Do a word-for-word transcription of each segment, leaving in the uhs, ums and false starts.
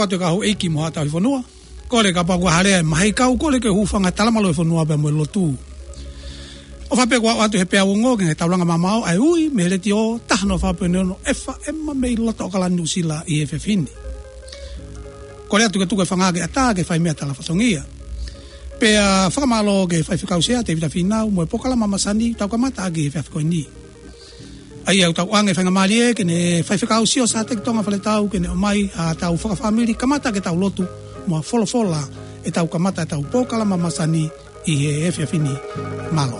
Te ka houʻeiki mo haʻa tauhi fonua. Kole kapau kuo hā leva e mahi kau, kole ke hūfanga he talamalu ʻo e fonua pea mo e lotu. ʻOfa pē kuo ʻoatu he peau ongo ki he taulanga mamaʻo ʻa e ui mei he letiō taha noa fā poini ono F M mei loto ʻAokalani Nuʻusila ʻi he efiafi ni. Kole atu ke tuku e fanga ke ʻatā ke fai meʻa tala fatongia. Pea fakamālō ki he faifekau Sea Tevita Fīnau mo e polokalama masani tau kamata ʻaki he efiafi ko eni. ʻA ia ʻoku tau ʻoange e faingamālie ke ne faifekau sio Sateki Tonga Faletau ke ne ʻomai haʻatau fakafāmili kamata ke tau lotu mo ha folofola ʻetau kamata ʻetau polokalama masani ʻi he efiafi ni. Mālō.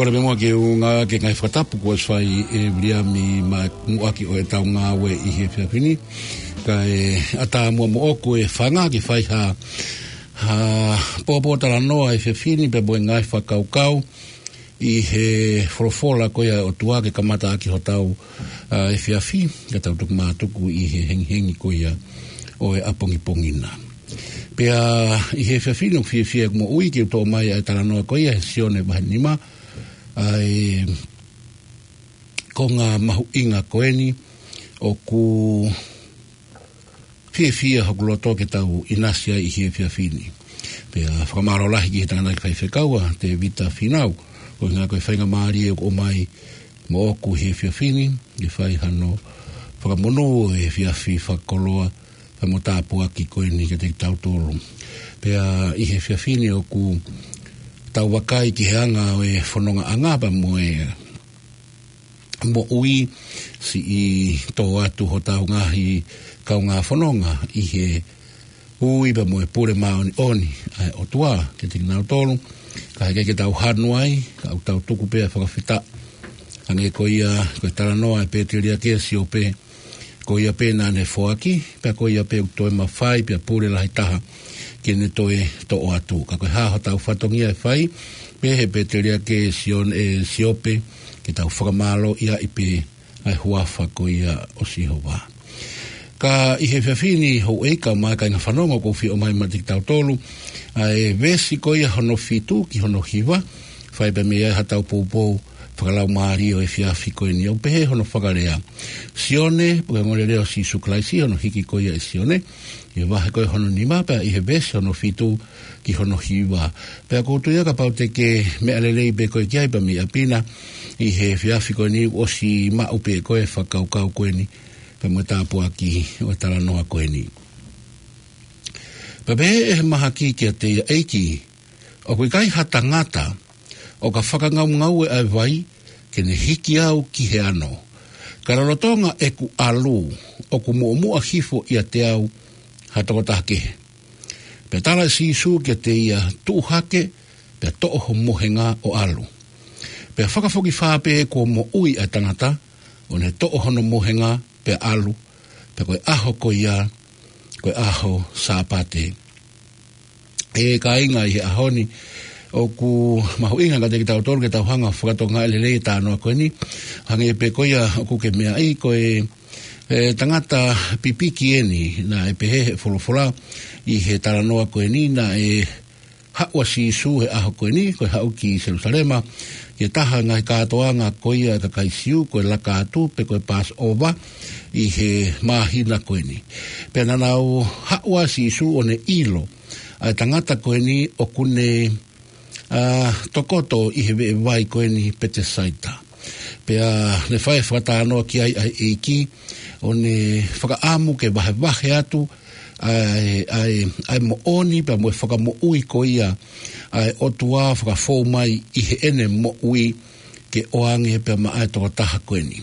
Kole pē muʻa ke u ngāueʻaki e ngaahi fakatapu kuo ʻosi fai ʻe Viliami maʻa e muʻaki ʻo ʻetau ngāue ʻi he efiafi ni. Kae ʻatā muʻa moʻoku e fanga ke fai ha, ha pōpōtalanoa he efiafi ni pea mo e ngaahi fakakaukau ʻi he folofola ko ia ʻa e ʻOtua ke kamata ʻaki hotau, ʻa, efiafi, ka tau tuku mātuku ʻi he hengihengi ko ia ʻo e ʻapongipongi na. Pea ʻi he efiafi ni ʻoku fiefia ʻeku moʻui ke u toʻo mai ʻa e talanoa ko ia he Sione vahe nima, ʻa e konga mahuʻinga ko eni ʻoku fiefia hoku loto ke tau ʻinasi ai ʻi he efiafi ni. Pea fakamālō lahi ki he tangataʻeiki faifekau ʻa Tevita Fīnau, ko e ngaahi ko e faingamālie ʻoku ʻomai moʻoku he efiafi ni, ke fai hano fakamonū ʻo e efiafi fakakoloa, pea mo tāpuaki ko eni kiate kitautolu. Pea ʻi he efiafi ni ʻoku tau vakai ki he anga ʻo e fonongaʻanga pea mo e moʻui, siʻi tō atu hotau ngaahi kaungā fononga ʻi he ui pea mo e pule māʻoniʻoni ʻa e ʻOtua kiate kinautolu. Ka heʻikai ke tau hanu ai, ka ʻoku tau tuku pē ʻa e fakafetaʻi. Hangē ko ia, ko e talanoa ʻa e pēteliake ʻa Siope, ko ia pē naʻa ne foaki, pea ko ia pē ʻoku toe mafai pea pule lahi taha ke ne toe toʻo atu. Ka ko e hā hotau fatongia ʻe fai, pehē ʻe he pēteliake ʻa Sione, ʻa Siope, ke tau fakamālōʻia ai pē ʻa e huafa ko ia ʻo Sihova. Ka ʻi he efiafi ni houʻeiki mo e kāinga fanongo ʻoku ou fie ʻomai maʻa kitautolu ʻa e veesi ko ia hono fitu ki hono hiva, fai pē mei ai haʻatau poupou fakalaumālie ʻo e efiafi ko eni, ʻoku pehē hono fakalea. Sione, pe ko e ongoongolelei ʻo Sīsū Kalaisi, hono hiki ko ia ʻe Sione, ʻi he vahe ko ia hono nima pea ʻi he veesi hono fitu ki hono hiva. Pea ʻoku ou tui ia kapau te ke meʻa lelei pē koe ki ai pea mei ʻapi na, ʻi he efiafi ko eni ʻosi maʻu pē ʻe koe e fakakaukau ko eni, pea mo e tāpuaki ʻo e talanoa ko eni. Pea pehē ʻe he mahaki kiate ia, ʻEiki, ʻoku ʻikai ha tangata ʻo ka fakangaungaue ʻa e vai ke ne hiki au ki he ano. Ka lolotonga ʻeku ʻalu, ʻoku muʻomuʻa hifo ʻiate au ha tokotaha kehe. Pea tala ʻe Sīsū kiate ia, Tuʻu hake, pea toʻo ho mohenga ʻo ʻalu. Pea fakafokifā pē kuo moʻui ʻa e tangata, ʻo ne toʻo hono mohenga, pea ʻalu, pea ko e ʻaho ko ia, ko e ʻaho Sāpate ʻE kāinga, ʻi he ʻaho ni, ʻoku mahuʻinga kiate kitautolu ke tau hanga ʻo fakatokangaʻi lelei e talanoa ko eni. Hangē pē ko ia ʻoku ke meaʻi, ko e, e tangata pipiki eni, naʻe pehē ʻe he folofola ʻi he talanoa ko eni, naʻe haʻu ʻa Sīsū he ʻaho ko eni, ko e haʻu ki Selūsalema, ki he taha e ngaahi kātoanga ko ia ʻa e kakai Siu, ko e Laka Atu, pe ko e Passover, ʻi he māhina ko eni. Pea naʻa nau haʻu ʻa Sīsū ʻo ne ʻilo ʻa e tangata ko eni ʻoku ne, ā, tokoto ʻi he veʻe vai ko eni Petesaita. Pea ne fai e fakatalanoa ki ai ʻa e ʻEiki, ʻo ne fakaʻamu ke vahevahe atu ʻa e, ʻa e, ʻa e moʻoni pea mo e fakamoʻui ko ia ʻa e ʻOtua fakafou mai ʻi heʻene moʻui ke ʻoange pea maʻa e tokotaha ko eni.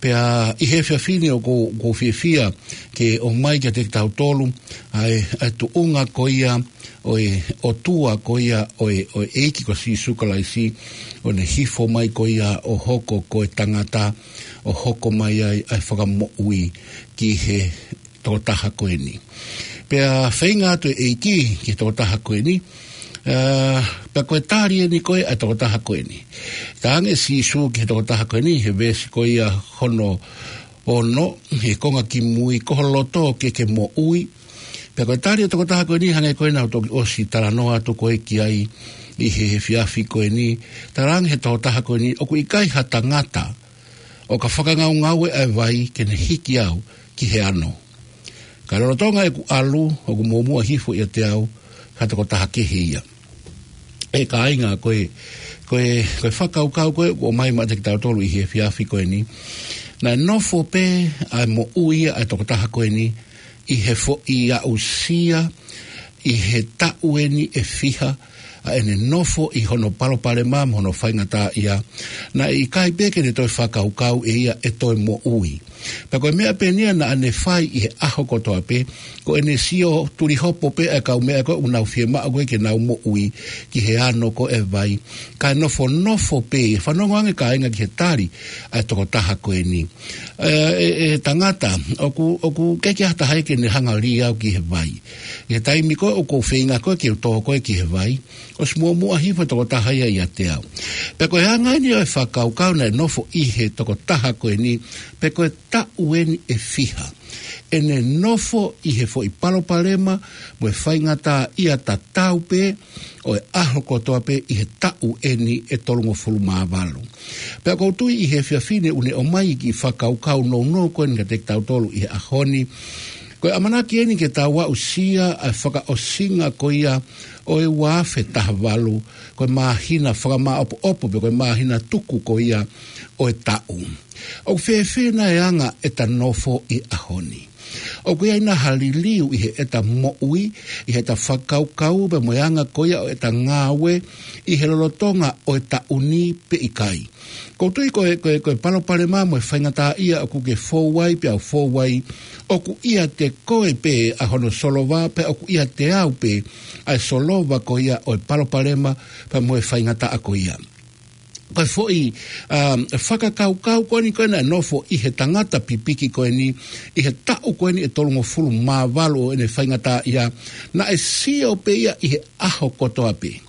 Pea ʻi he efiafi ni ʻoku ou, ʻoku ou fiefia ke ʻomai kiate kitautolu ʻa e, ʻa e tuʻunga ko ia ʻo e ʻOtua ko ia ʻo e, ʻo e ʻEiki ko Sīsū Kalaisi, ʻo ne hifo mai ko ia ʻo hoko ko e tangata, ʻo hoko mai ai ʻa e fakamoʻui ki he tokotaha ko eni. Pea feinga atu e ʻEiki ki he tokotaha ko eni, ā, pea ko e tali eni ko ē ʻa e tokotaha ko eni. Talaange ʻe Sīsū ki he tokotaha ko eni, he veesi ko ia hono ono, he konga kimui, ko ho loto ke ke moʻui. Pea ko e tali ʻa e tokotaha ko eni, hangē ko ē naʻa ku toki ʻosi talanoa atu ko ē ki ai ʻi he efiafi ko eni, talaange ʻe he tokotaha ko eni, ʻoku ʻikai ha tangata ʻo ka fakangaungaue ʻa e vai ke ne hiki au ki he ano. Ka lolotonga ʻeku ʻalu, ʻoku muʻomuʻa hifo ʻiate au ha tokotaha kehe ia. ʻE kāinga, ko e, ko e, ko e fakakaukau ko ē ʻoku ʻomai maʻa kitautolu ʻi he efiafi ko eni. Naʻe nofo pē ʻa e moʻui ʻa e tokotaha ko eni ʻi he foʻi aʻusia, ʻi he taʻu eni ʻe fiha ʻa ʻene nofo ʻi hono palopalema mo hono faingataʻaʻia, naʻe ʻikai pē ke ne toe fakakaukau ʻe ia ʻe toe moʻui. Pea ko e meʻa pē eni ia naʻa ne fai ʻi he ʻaho kotoa pē, ko ʻene sio tulihopo pē ʻa e kaumeʻa ko ē ʻoku nau fiemaʻu ko ē ke nau moʻui ki he ano ko ē ʻa e vai. Kae nofonofo pē, fanongo ange kāinga ki he tali ʻa e tokotaha ko eni. ʻE, ʻe, ʻe tangata, ʻoku, ʻoku ʻikai ke ʻi ai ha taha ia ke ne hanga ʻo lī au ki he vai. ʻI he taimi ko ē ʻoku ou feinga ko ē ke u tō ko ē ki he vai, ʻosi muʻomuʻa hifo e tokotaha ia ʻiate au. Pea ko e anga eni ʻo e fakakaukau naʻe nofo ʻi he tokotaha ko eni, pea ko e taʻu eni ʻe fiha ʻene nofo ʻi he foʻi palopalema mo e faingataʻaʻia tatau pē ʻo e ʻaho kotoa pē ʻi he taʻu eni ʻe tolungofulu mā valu. Pea ʻoku ou tui ʻi he efiafi ni ʻoku ne ʻomai e kiʻi fakakaukau nounou ko eni kiate kitautolu ʻi he ʻaho ni. Ko e ʻamanaki eni ke tau aʻusia ʻa e fakaʻosinga ko ia ʻo e ua afe taha valu, ko e māhina fakamāʻopoʻopo pe ko e māhina tuku ko ia ʻo e taʻu. ʻOku fēfē nai e anga ʻeta nofo ʻi he ʻaho ni? ʻOku ʻi ai nai ha liliu ʻi heʻeta moʻui, ʻi heʻeta fakakaukau pea mo e anga ko ia ʻo ʻeta ngāue ʻi he lolotonga ʻo e taʻu ni pe ʻikai? ʻOku ou tui ko e, ko e, ko e palopalema mo e faingataʻaʻia ʻoku ke fou ai pea u fou ai, ʻoku ʻiate koe pē ʻa hono solova, pea ʻoku ʻiate au pē ʻa e solova ko ia ʻo e palopalema pea mo e faingataʻa ko ia. Ko e foʻi, um, fakakaukau ko eni ko ē naʻe nofo ʻi he tangata pipiki ko eni, ʻi he taʻu ko eni ʻe tolungofulu mā valu ʻo ʻene faingataʻaʻia, naʻe sio pē ia ʻi he ʻaho kotoa pē.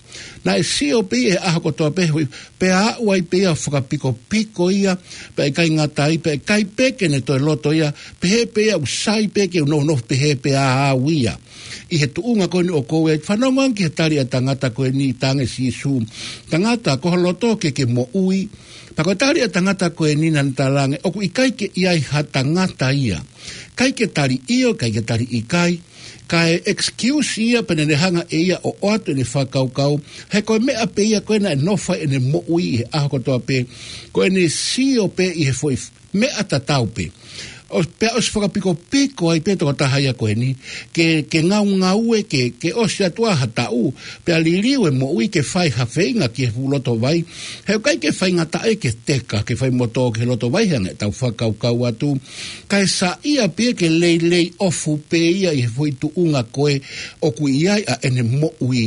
Naʻe sio pē ia ʻi he ʻaho kotoa pē, hui, pea aʻu ai pē ia ʻo fakapikopiko ia, pea ʻikai ngata ai, pea ʻikai pē ke ne toe loto ia, pehē pē ia ʻoku sai pē ke u nofo pehē pē au ia. ʻI he tuʻunga ko eni ʻoku ou ʻi ai, fanongo ange ki he tali ʻa e tangata ko eni, talaange ʻe Sīsū, tangata, ko ho loto ke ke moʻui. Pea ko e tali ʻa e tangata ko eni naʻa ne talaange, ʻoku ʻikai ke ʻi ai ha tangata ia. ʻIkai ke tali ʻio, ʻikai ke tali ʻikai. Kae excuse ia pea ne hanga ʻe ia ʻo ʻoatu ʻene fakakaukau, he ko e meʻa pē ia ko ē naʻe nofo ai ʻene moʻui ʻi he ʻaho kotoa pē, ko ʻene sio pē ʻi he foʻi meʻa tatau pē. ʻO, pea ʻosi fakapikopiko ai pē tokotaha ia ko eni, ke, ke ngaungaue, ke, ke ʻosi atu ʻa ha taʻu, pea liliu e moʻui ke fai ha feinga ki he fuʻu loto vai, he ʻoku ʻikai ke faingataʻa ke teka, ke fai motu ki he loto vai, he anga ʻetau fakakaukau atu, kae saiʻia pē ia ke leilei ʻofa pē ia ʻi he foʻi tuʻunga ko ē ʻoku ʻi ai ʻa ʻene moʻui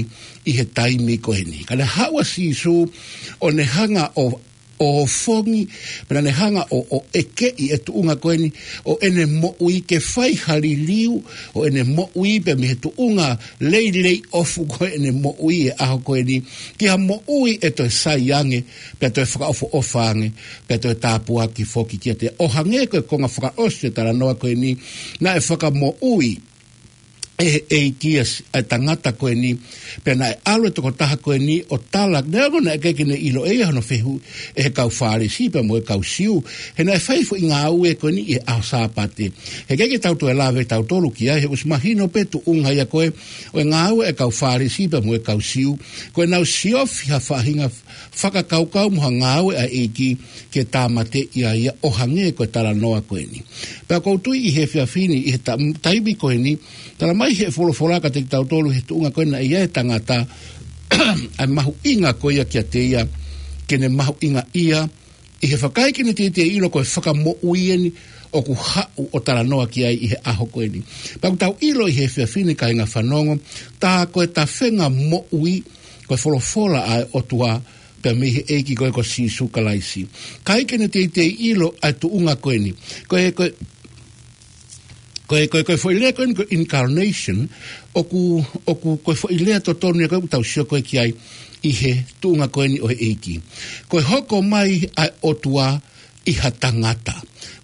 ʻi he taimi ko eni. Ka ne haʻu ʻa Sīsū ʻo ne hanga ʻo ʻo ofongi, pea naʻa ne hanga ʻo, ʻo ʻekeʻi e tuʻunga ko eni ʻo ʻene moʻui ke fai ha liliu ʻo ʻene moʻui pea mei he tuʻunga leileiʻofu ko ē ʻene moʻui he ʻaho ko eni, ki ha moʻui ʻe toe sai ange, pea toe fakaʻofoʻofa ange, pea toe tāpuaki foki kiate ia. ʻO hangē ko e konga fakaʻosi e talanoa ko eni, naʻe fakamoʻui ʻe he ʻEiki ʻa e tangata ko eni, pea naʻe ʻalu e tokotaha ko eni ʻo tala, neongo naʻe ʻikai ke ne ʻilo ʻe ia hono fehuʻi ʻe he kau Fālesi pea mo e kau Siu, he naʻe fai foʻi ngāue ko eni ʻi he ʻaho Sāpate. He ʻikai ke tau toe lave tautolu ki ai, he ʻosi mahino pē tuʻunga ia ko ē ʻo e ngāue ʻa e kau Fālesi pea mo e kau Siu, ko ʻenau siofi ha faʻahinga fakakaukau mo ha ngāue ʻa e ʻEiki ke tāmateʻi ai ia, ʻo hangē ko e talanoa ko eni. Pea ʻoku ou tui ʻi he efiafi ni, ʻi he ta-, taimi ko eni, tala mai he folofola kiate kitautolu he tuʻunga ko ē naʻe ʻi ai e tangata, ʻa e mahuʻinga ko ia kiate ia, ke ne mahuʻingaʻia, ʻi he fakaʻikai ke ne teitei ʻilo ko e fakamoʻui eni ʻoku haʻu ʻo talanoa ki ai ʻi he ʻaho ko eni. Pea ʻoku tau ʻilo ʻi he efiafi ni kāinga fanongo, tā ko e tafenga moʻui, ko e folofola ʻa e ʻOtua, pea mei he ʻEiki ko ē ko Sīsū Kalaisi. ʻIkai ke ne teitei ʻilo ʻa e tuʻunga ko eni. Ko e, ko e, ko e, ko e, ko e foʻi lea ko eni ko e incarnation, ʻoku, ʻoku, ko e foʻi lea totonu ia ko ē ʻoku tau sio ko ē ki ai ʻi he tuʻunga ko eni ʻo e ʻEiki. Ko e hoko mai ʻa e ʻOtua ʻi ha tangata.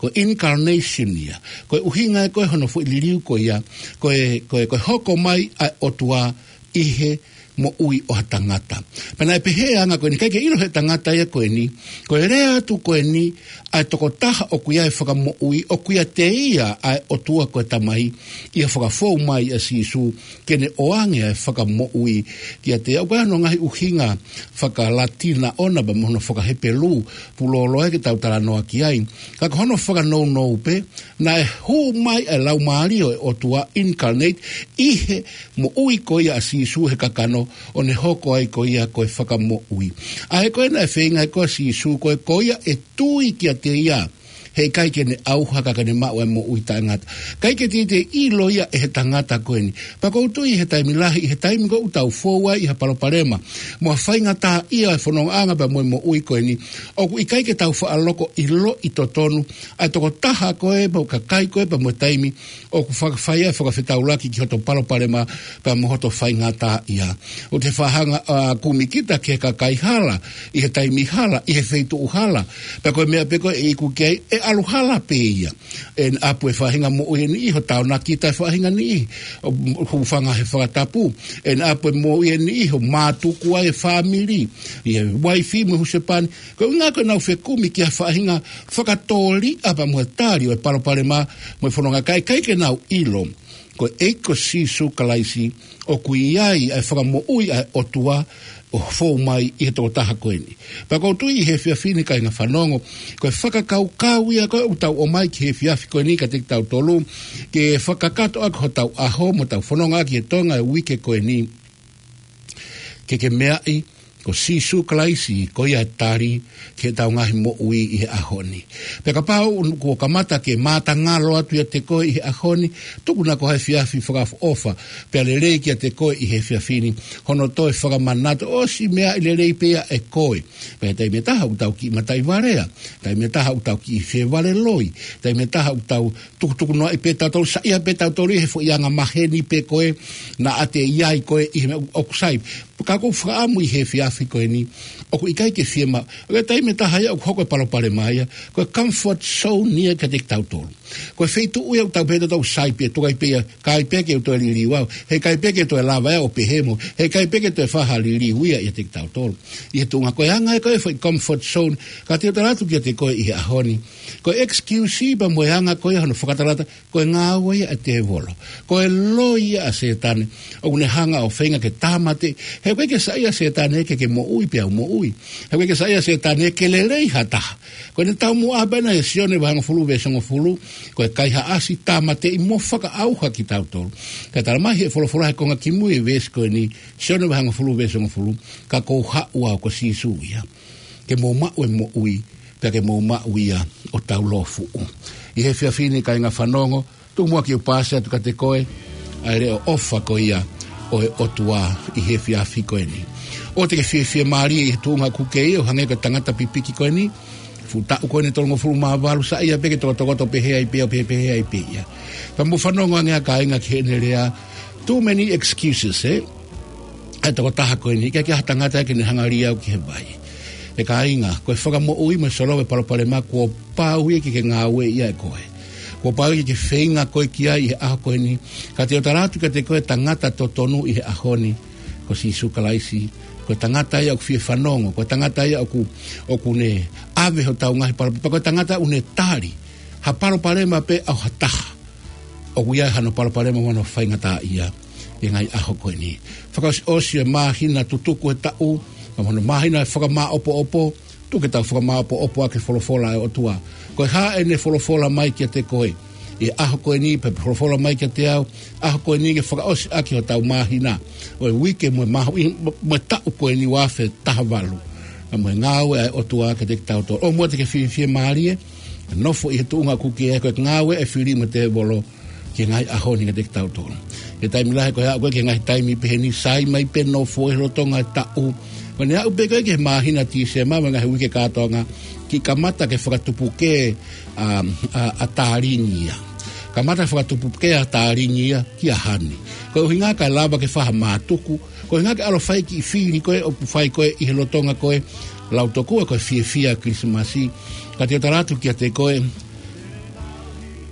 Ko e incarnation ia. Ko e ʻuhinga ia ko ē hono foʻi liliu ko ia. Ko e, ko e, ko e hoko mai ʻa e ʻOtua ʻi he moʻui ʻo ha tangata. Pea naʻe pehē anga ko eni, ʻikai ke ʻilo he tangata ia ko eni, ko e lea atu ko eni, ʻa e tokotaha ʻoku ʻi ai e fakamoʻui, ʻoku ʻiate ia ʻa e ʻOtua ko e Tamai, ʻi he fakafou mai ʻa Sīsū, ke ne ʻoange ʻa e fakamoʻui kiate ia. ʻOku ʻi ai hono ngaahi ʻuhinga fakalatina ʻona pea mo hono fakahepelū, pulolo ē ke tau talanoa ki ai. Ka ko hono fakanounou pē, naʻe hū mai ʻa e Laumālie ʻo e ʻOtua incarnate ʻi he moʻui ko ia ʻa Sīsū he kakano ʻo ne hoko ai ko ia ko e fakamoʻui. ʻA ē ko ē naʻe feinga ai ko ē ʻa Sīsū ko ē ko ia ʻe tui kiate ia, he ʻikai ke ne ʻauha ka ke ne maʻu ʻa e moʻui taʻengata. ʻIkai ke teitei ʻilo ia ʻe he tangata ko eni. Pea ʻoku ou tui he taimi lahi, he taimi ko ē ʻoku tau fou ai ʻi ha palopalema mo ha faingataʻaʻia ʻo e fonongaʻanga pea mo e moʻui ko eni, ʻoku ʻikai ke tau faʻa loko ʻiloʻi totonu ʻa e tokotaha ko ē, pea mo e kakai ko ē, pea mo e taimi ʻoku faka-, fai ai e fakafetaulaki ki hoto palopalema pea mo hoto faingataʻaʻia. ʻOku te faʻa hanga ʻo kumi kita ki he kakai hala, ʻi he taimi hala, ʻi he feituʻu hala. Pea ko e meʻa pē ko ē ʻe iku ki ai, ʻe ʻalu hala pē ia. ʻE ne ʻapu e faʻahinga moʻui ʻe niʻihi ʻo tānaki ʻa e faʻahinga niʻihi, ʻo hūfanga he fakatapu. ʻE ne ʻapu e moʻui ʻe niʻihi ʻo mātuku ai e fāmili, ʻi he uaifi mo e husepāniti. Ko e ʻuhinga ko ʻenau fekumi ki ha faʻahinga fakatōliʻa pea mo e tali ʻo e palopalema mo e fononga, ka ʻikai ke nau ʻilo ko e ʻEiki ko Sīsū Kalaisi ʻoku ʻi ai ʻa e fakamoʻui ʻa e ʻOtua ʻo fou mai ʻi he tokotaha ko eni. Pea ʻoku ou tui ʻi he efiafi ni kāinga fanongo, ko e fakakaukau ia ko ē ʻoku tau ʻomai ki he efiafi ko eni kiate kitautolu, ke fakakakato ʻaki hotau ʻaho mo ʻetau fononga ʻaki he Tonga ʻo e uike ko eni. Ke ke meaʻi, ko Sīsū Kalaisi, ko ia e tali ki heʻetau ngaahi moʻui ʻi he ʻaho ni. Pea kapau kuo kamata ke mātangalo atu ʻiate koe ʻi he ʻaho ni, tuku ʻa e efiafi fakaʻofoʻofa, pea lelei kiate koe ʻi he efiafi ni, hono toe fakamanatu ʻosi meʻa ʻi lelei pē ia ʻe koe. Pea taimi ʻe taha ʻoku tau kiʻi mataʻi valea, taimi ʻe taha ʻoku tau kiʻi fie vale loi, taimi ʻe taha ʻoku tau tukutuku noaʻi pē tautolu, saiʻia pē tautolu ʻi he foʻi anga maheni pē ko ē naʻa te ʻi ai ko ē ʻi he meʻa ʻoku sai. Ka ʻoku ou fakaʻamu ʻi he efiafi ko eni, ʻoku ʻikai ke fiemaʻu. ʻOku ʻi ai e taimi ʻe taha ia ʻoku hoko e palopalema ia ko e comfort zone ia kiate kitautolu. Ko e feituʻu ia ʻoku tau pehē tautolu sai pē, tuku ai pē ia, ʻikai pē ke u toe liliu au, he ʻikai pē ke toe lava ia ʻo pehē mo, he ʻikai pē ke toe fai ha liliu ia ʻiate kitautolu. ʻI he tuʻunga ko e anga ia ko ē foʻi comfort zone, ka te u tala atu kiate koe ʻi he ʻaho ni, ko e excuse pea mo e anga ko ē hono fakatalata, ko e ngāue ia ʻa e tēvolo. Ko e loi ia ʻa Sētane, ʻoku ne hanga ʻo feinga ke tāmateʻi. He ʻoku ʻikai ke saiʻia ʻa Sētane ke ke moʻui pea u moʻui. He ʻoku ʻikai ke saiʻia ʻa Sētane ke lelei ha taha. Ko ʻene taumuʻa pē ʻena ʻi Sione vahe hongofulu veesi hongofulu, ko e kaihaʻasi, tāmateʻi mo fakaʻauha kitautolu. Ka tala mai he folofola he konga kimui e veesi ko eni, Sione vahe hongofulu veesi hongofulu, ka ʻoku ou haʻu au, ko Sīsū ia, ke mou maʻu e moʻui, pea ke mou maʻu ia ʻo taulōfuʻu. ʻI he efiafi ni kāinga fanongo, tuku muʻa ke u paasi atu kiate koe ʻa e leʻo ʻofa ko ia ʻo e ʻOtua ʻi he efiafi ko eni. ʻOua te ke fiefia mālie ʻi he tuʻunga ʻoku ke ʻi ai, ʻo hangē ko e tangata pipiki ko eni. Fuʻu taʻu ko eni ʻe tolungofulu mā valu, saiʻia pē ke tokotokoto pehē ai pē ia, pehē, pehē ai pē ia. Ka mou fanongo ange ā kāinga ki heʻene lea, too many excuses, ē? ʻA e tokotaha ko eni, ʻikai ke ʻi ai ha tangata ia ke ne hanga ʻo lī au ki he vai. ʻE kāinga, ko e fakamoʻui mo e solova e palopalema, kuo pau ia ke ke ngāueʻi ʻe koe. Kuo pau ia ke ke feinga koe ki ai ʻi he ʻaho ko eni. Ka te u tala atu kiate koe, tangata totonu ʻi he ʻaho ni ko Sīsū Kalaisi. Ko e tangata ia ʻoku fie fanongo, ko e tangata ia ʻoku, ʻoku ne ʻave hotau ngaahi palopalema, ko e tangata ʻoku ne tali ha palopalema pē ʻa ha taha ʻoku ʻi ai hano palopalema mo hano faingataʻaʻia ʻi he ngaahi ʻaho ko eni. Fakaʻosiʻosi e māhina tutuku e taʻu, ka mo hono māhina e fakamāʻopoʻopo, tuku ke tau fakamāʻopoʻopo ʻaki e folofola ʻa e ʻOtua. Ko e hā ʻene folofola mai kiate koe ʻi he ʻaho ko eni, pe folofola mai kiate au, ʻaho ko eni ke fakaʻosi ʻaki hotau māhina ʻo e uike mo e māhina, mo e taʻu ko eni ua afe taha valu. Ka mo e ngāue ʻa e ʻOtua kiate kitautolu. ʻOua muʻa te ke fiefia mālie, nofo ʻi he tuʻunga ʻoku ke ʻi ai, ko e ngāue ʻa e fili mo e tēvolo ki he ngaahi ʻaho ni kiate kitautolu. He taimi lahi ko e aʻu ko ē ki he ngaahi taimi pehē ni, sai mai pē nofo ʻi he lolotonga e taʻu. Ko ʻene aʻu pē ko ē ki he māhina Tīsema mo e ngaahi uike kātoanga, kiʻi kamata ke fakatupu ke, ʻa, ʻa, ʻa Tālingi ia. Kamata fakatupu ke ʻa Tālingi ia kia Hani. Ko e ʻuhinga kae lava ke fai ha mātuku, ko e ʻuhinga ke ʻalu ʻo fai kiʻi fili ko ē ʻoku fai ko ē ʻi he lolotonga ko ē, lau tokua ko e fiefia Kilisimasi. Ka te u tala atu kiate koe,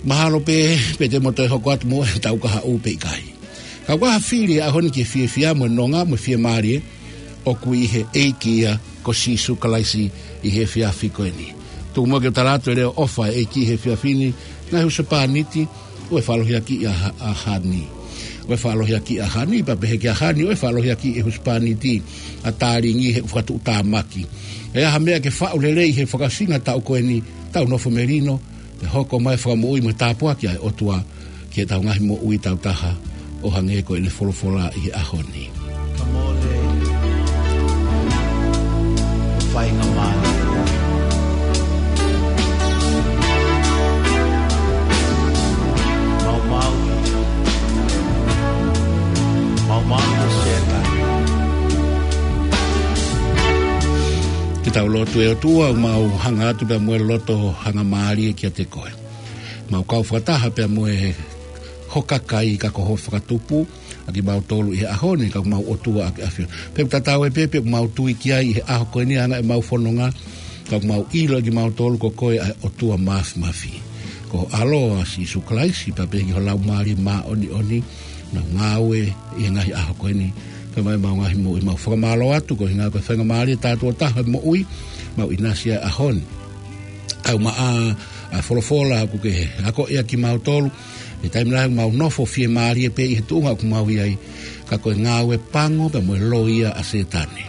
mahalo pē, pe te mo toe hoko atu mo e tau kahaʻu pe ʻikai. Ka ʻoku ʻi ai ha fili he ʻaho ni ki he fiefia mo e nonga mo e fiemālie ʻoku ʻi he ʻEiki ia ko Sīsū Kalaisi ʻi he efiafi ko eni. Tuku muʻa ke u tala atu e leʻo ʻofa ʻa e ʻEiki he efiafi ni, ngaahi husepāniti, ʻoua ʻe faʻa ʻalu ʻo hiakiʻi ʻa Ha-, ʻa Hani. ʻOua ʻe faʻa ʻalu ʻo hiakiʻi ʻa Hani, pea pehē kia Hani, ʻoua ʻe faʻa ʻalu ʻo hiakiʻi e husepāniti ʻa Tālingi he ʻoku fakatuʻutāmaki. ʻE ʻi ai ha meʻa ke faʻu lelei he fakaʻosinga taʻu ko eni, tau nofo melino, pea hoko mai e fakamoʻui mo e tāpuaki ʻa e ʻOtua ki heʻetau ngaahi moʻui tautaha ʻo hangē ko ʻene folofola ʻi he ʻaho ni. Ka mole, ʻo faingamālie. Maumau, maumau ʻo Sētane. Ke tau lotu. ʻE ʻOtua, ʻoku mau hanga atu pea mo e loto hangamālie kiate koe. Mau kau fakataha pea mo e houʻeiki kakai ka ko hoʻo fakatupu ʻa kimautolu ʻi he ʻaho ni, ka ko homau ʻOtua ʻa e ʻAfiona. Pea ʻoku tatau ai pē pe ʻoku mau tui ki ai ʻi he ʻaho ko eni ʻa e anga ʻemau fononga, ka ʻoku mau ʻilo ʻe kimautolu ko koe ʻa e ʻOtua Māfimafi. Ko ho ʻAlo ʻa Sīsū Kalaisi, pea pehē ki ho Laumālie Māʻoniʻoni, ʻoku nau ngāue ʻi he ngaahi ʻaho ko eni, pea mo ʻemau ngaahi moʻui. Mau fakamālō atu, ko e ʻuhinga ko e faingamālie tātuʻo taha ʻo e moʻui, mau ʻinasi ai he ʻaho ni. ʻOku maʻa ʻa e folofola ʻoku ke akoʻi ʻa kimautolu. He taimi lahi ʻoku mau nofo fiemālie pē ʻi he tuʻunga ʻoku mau ʻi ai, ka ko e ngāue pango pea mo e loi ia ʻa Sētane.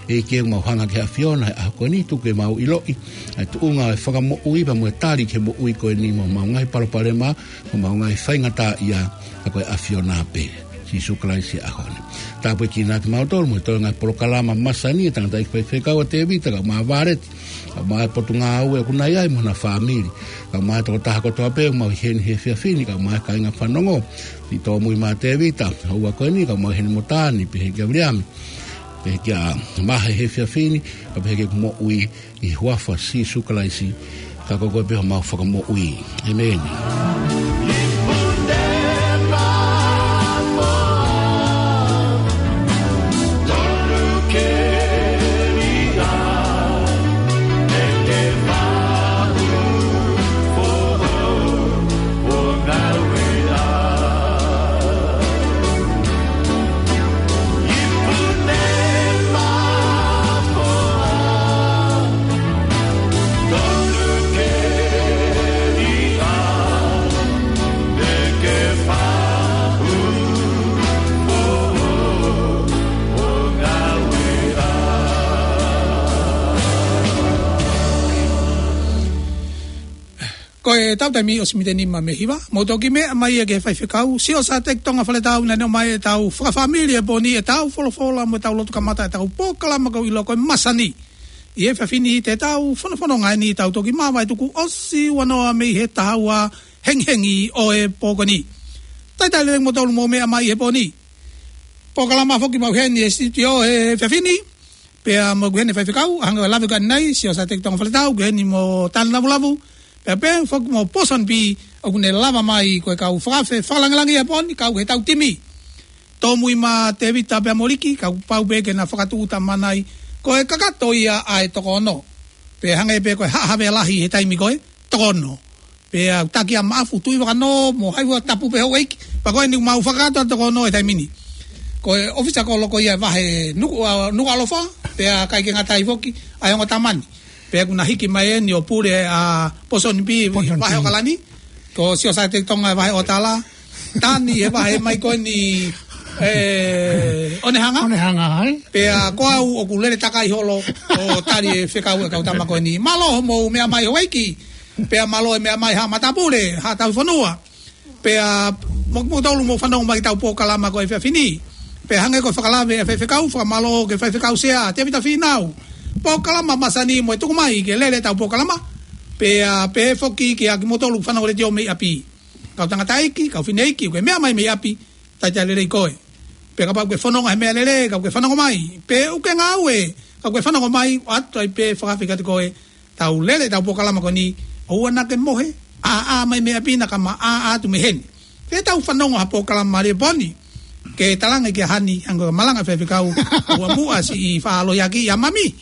ʻEiki, ʻoku mau hanga ki he ʻAfiona he ʻaho ko eni, tuku ke mau ʻiloʻi ʻa e tuʻunga ʻo e fakamoʻui pea mo e tali ki he moʻui ko eni mo homau ngaahi palopalema, mo homau ngaahi faingataʻaʻia, ka ko e ʻAfiona pē. Sīsū Kalaisi he ʻaho ni. Tāpuekina kimautolu mo e toenga e polokalama masani, e tangataʻeiki faifekau ʻa Tēvita, kae ʻumaʻā Vāleti, kae ʻumaʻā e Potungāue ʻoku nau ʻi ai mo hona fāmili, kae ʻumaʻā e tokotaha kotoa pē ʻoku mau ʻi heni he efiafi ni, kae ʻumaʻā e kāinga fanongo, siʻi tōmui mā Tēvita, ʻa e ʻaho ko eni, kae ʻumaʻā ʻi heni mo Tani, pehē kia Viliami, pehē kia Mahe he efiafi ni, kae pehē ki heʻeku moʻui, ʻi he huafa ʻo Sīsū Kalaisi, ka ko koe pē homau fakamoʻui. ʻĒmeni. Ko e tau taimi ʻosi miniti ʻe nima mei he hiva, mou toki meʻa mai ia ki he faifekau, Siosaia Tonga Faletau, naʻa ne ʻomai ʻetau fakafāmili he pō ni, ʻetau folofola mo ʻetau lotu kamata ʻetau polokalama ʻoku ʻiloa ko e masani. ʻI he efiafi ni te tau fakafononga eni, tau toki māvae tuku ʻosi ua noa mei he taha ua hengihengi ʻo e pō ko eni. Talitali lelei kimoutolu mou meʻa mai he pō ni. polokalama foki maʻu heni he sitio he efiafi ni. Pea mo ʻeku heni faifekau, hangē ko e lave ko eni, Siosiate Tonga Faletau, ʻoku heni mo Tani Lavulavu. Pea pehē foki mo Pōsoni Pī, ʻoku ne lava mai ko e kau fakaafe fakalangilangi ʻi he pō ni, kau he ʻetau timi. Tōmui mā Tēvita pea mo Liki, kapau pē ke na fakatūʻuta mai, ko e kakato ia ʻa e toko ono. Pea hangē pē ko e haʻa Havea Lahi he taimi ko ē, toko ono. Pea ʻoku taki ʻa Maʻafu, Tuʻivakanō, mo hai ua, tapu pē houʻeiki. Pea ko eni mau fakakakato ʻa e toko ono he taimi ni. Ko e ʻōfisa kolo ko ia ʻa e vahe Nuku, ʻa, Nukuʻalofa, pea ʻikai ke ngata ai foki ʻa e ongo tama ni. Pea ʻoku na hiki mai eni ʻo pule ʻa Pōsoni Pī, Pōsoni Pī, vahe ʻAokalani. Ko Siosiate Tonga he vahe ʻOtala. Tani he vahe mai ko eni, ē, Onehanga. Onehanga, ē? Pea ko au ʻoku lele takai holo ʻo tali e fekau ʻa e kau tama ko eni. Mālō hoʻomou meʻa mai houʻeiki. Pea mālō e meʻa mai Haʻa Matāpule, Haʻa Tauhi Fonua. Pea mo, mo tolu mou fanongo mai ki heʻetau polokalama ko e efiafi ni. Pea hangē ko e fakalave ʻa e faifekau, fakamālō ki he faifekau sea, Tēvita Fīnau. Polokalama masani mo e tuku mai ke lele ʻetau polokalama. Pea pehē foki kiate kimoutolu fanongo letiō mei ʻapi. Kau tangataʻeiki, kau fineʻeiki, ʻoku ke meʻa mai mei ʻapi, talitali lelei koe. Pea kapau ʻoku ke fononga he meʻalele, kapau ʻoku ke fanongo mai. Pea ʻoku ke ngāue, kapau ʻoku ke fanongo mai, ʻoatu ai pē fakaafe kiate koe, tau lele ʻetau polokalama ko eni, ʻoua naʻa ke mohe, ʻā, ʻā mai mei ʻapi naʻa ka ma ʻā, ʻā atu mei heni. Pea tau fanongo ha polokalama mālie he pō ni, ke talaange kia Hani, hangē ko e malanga faifekau, ʻoua muʻa siʻi faʻa lohiakiʻi ʻa Mami.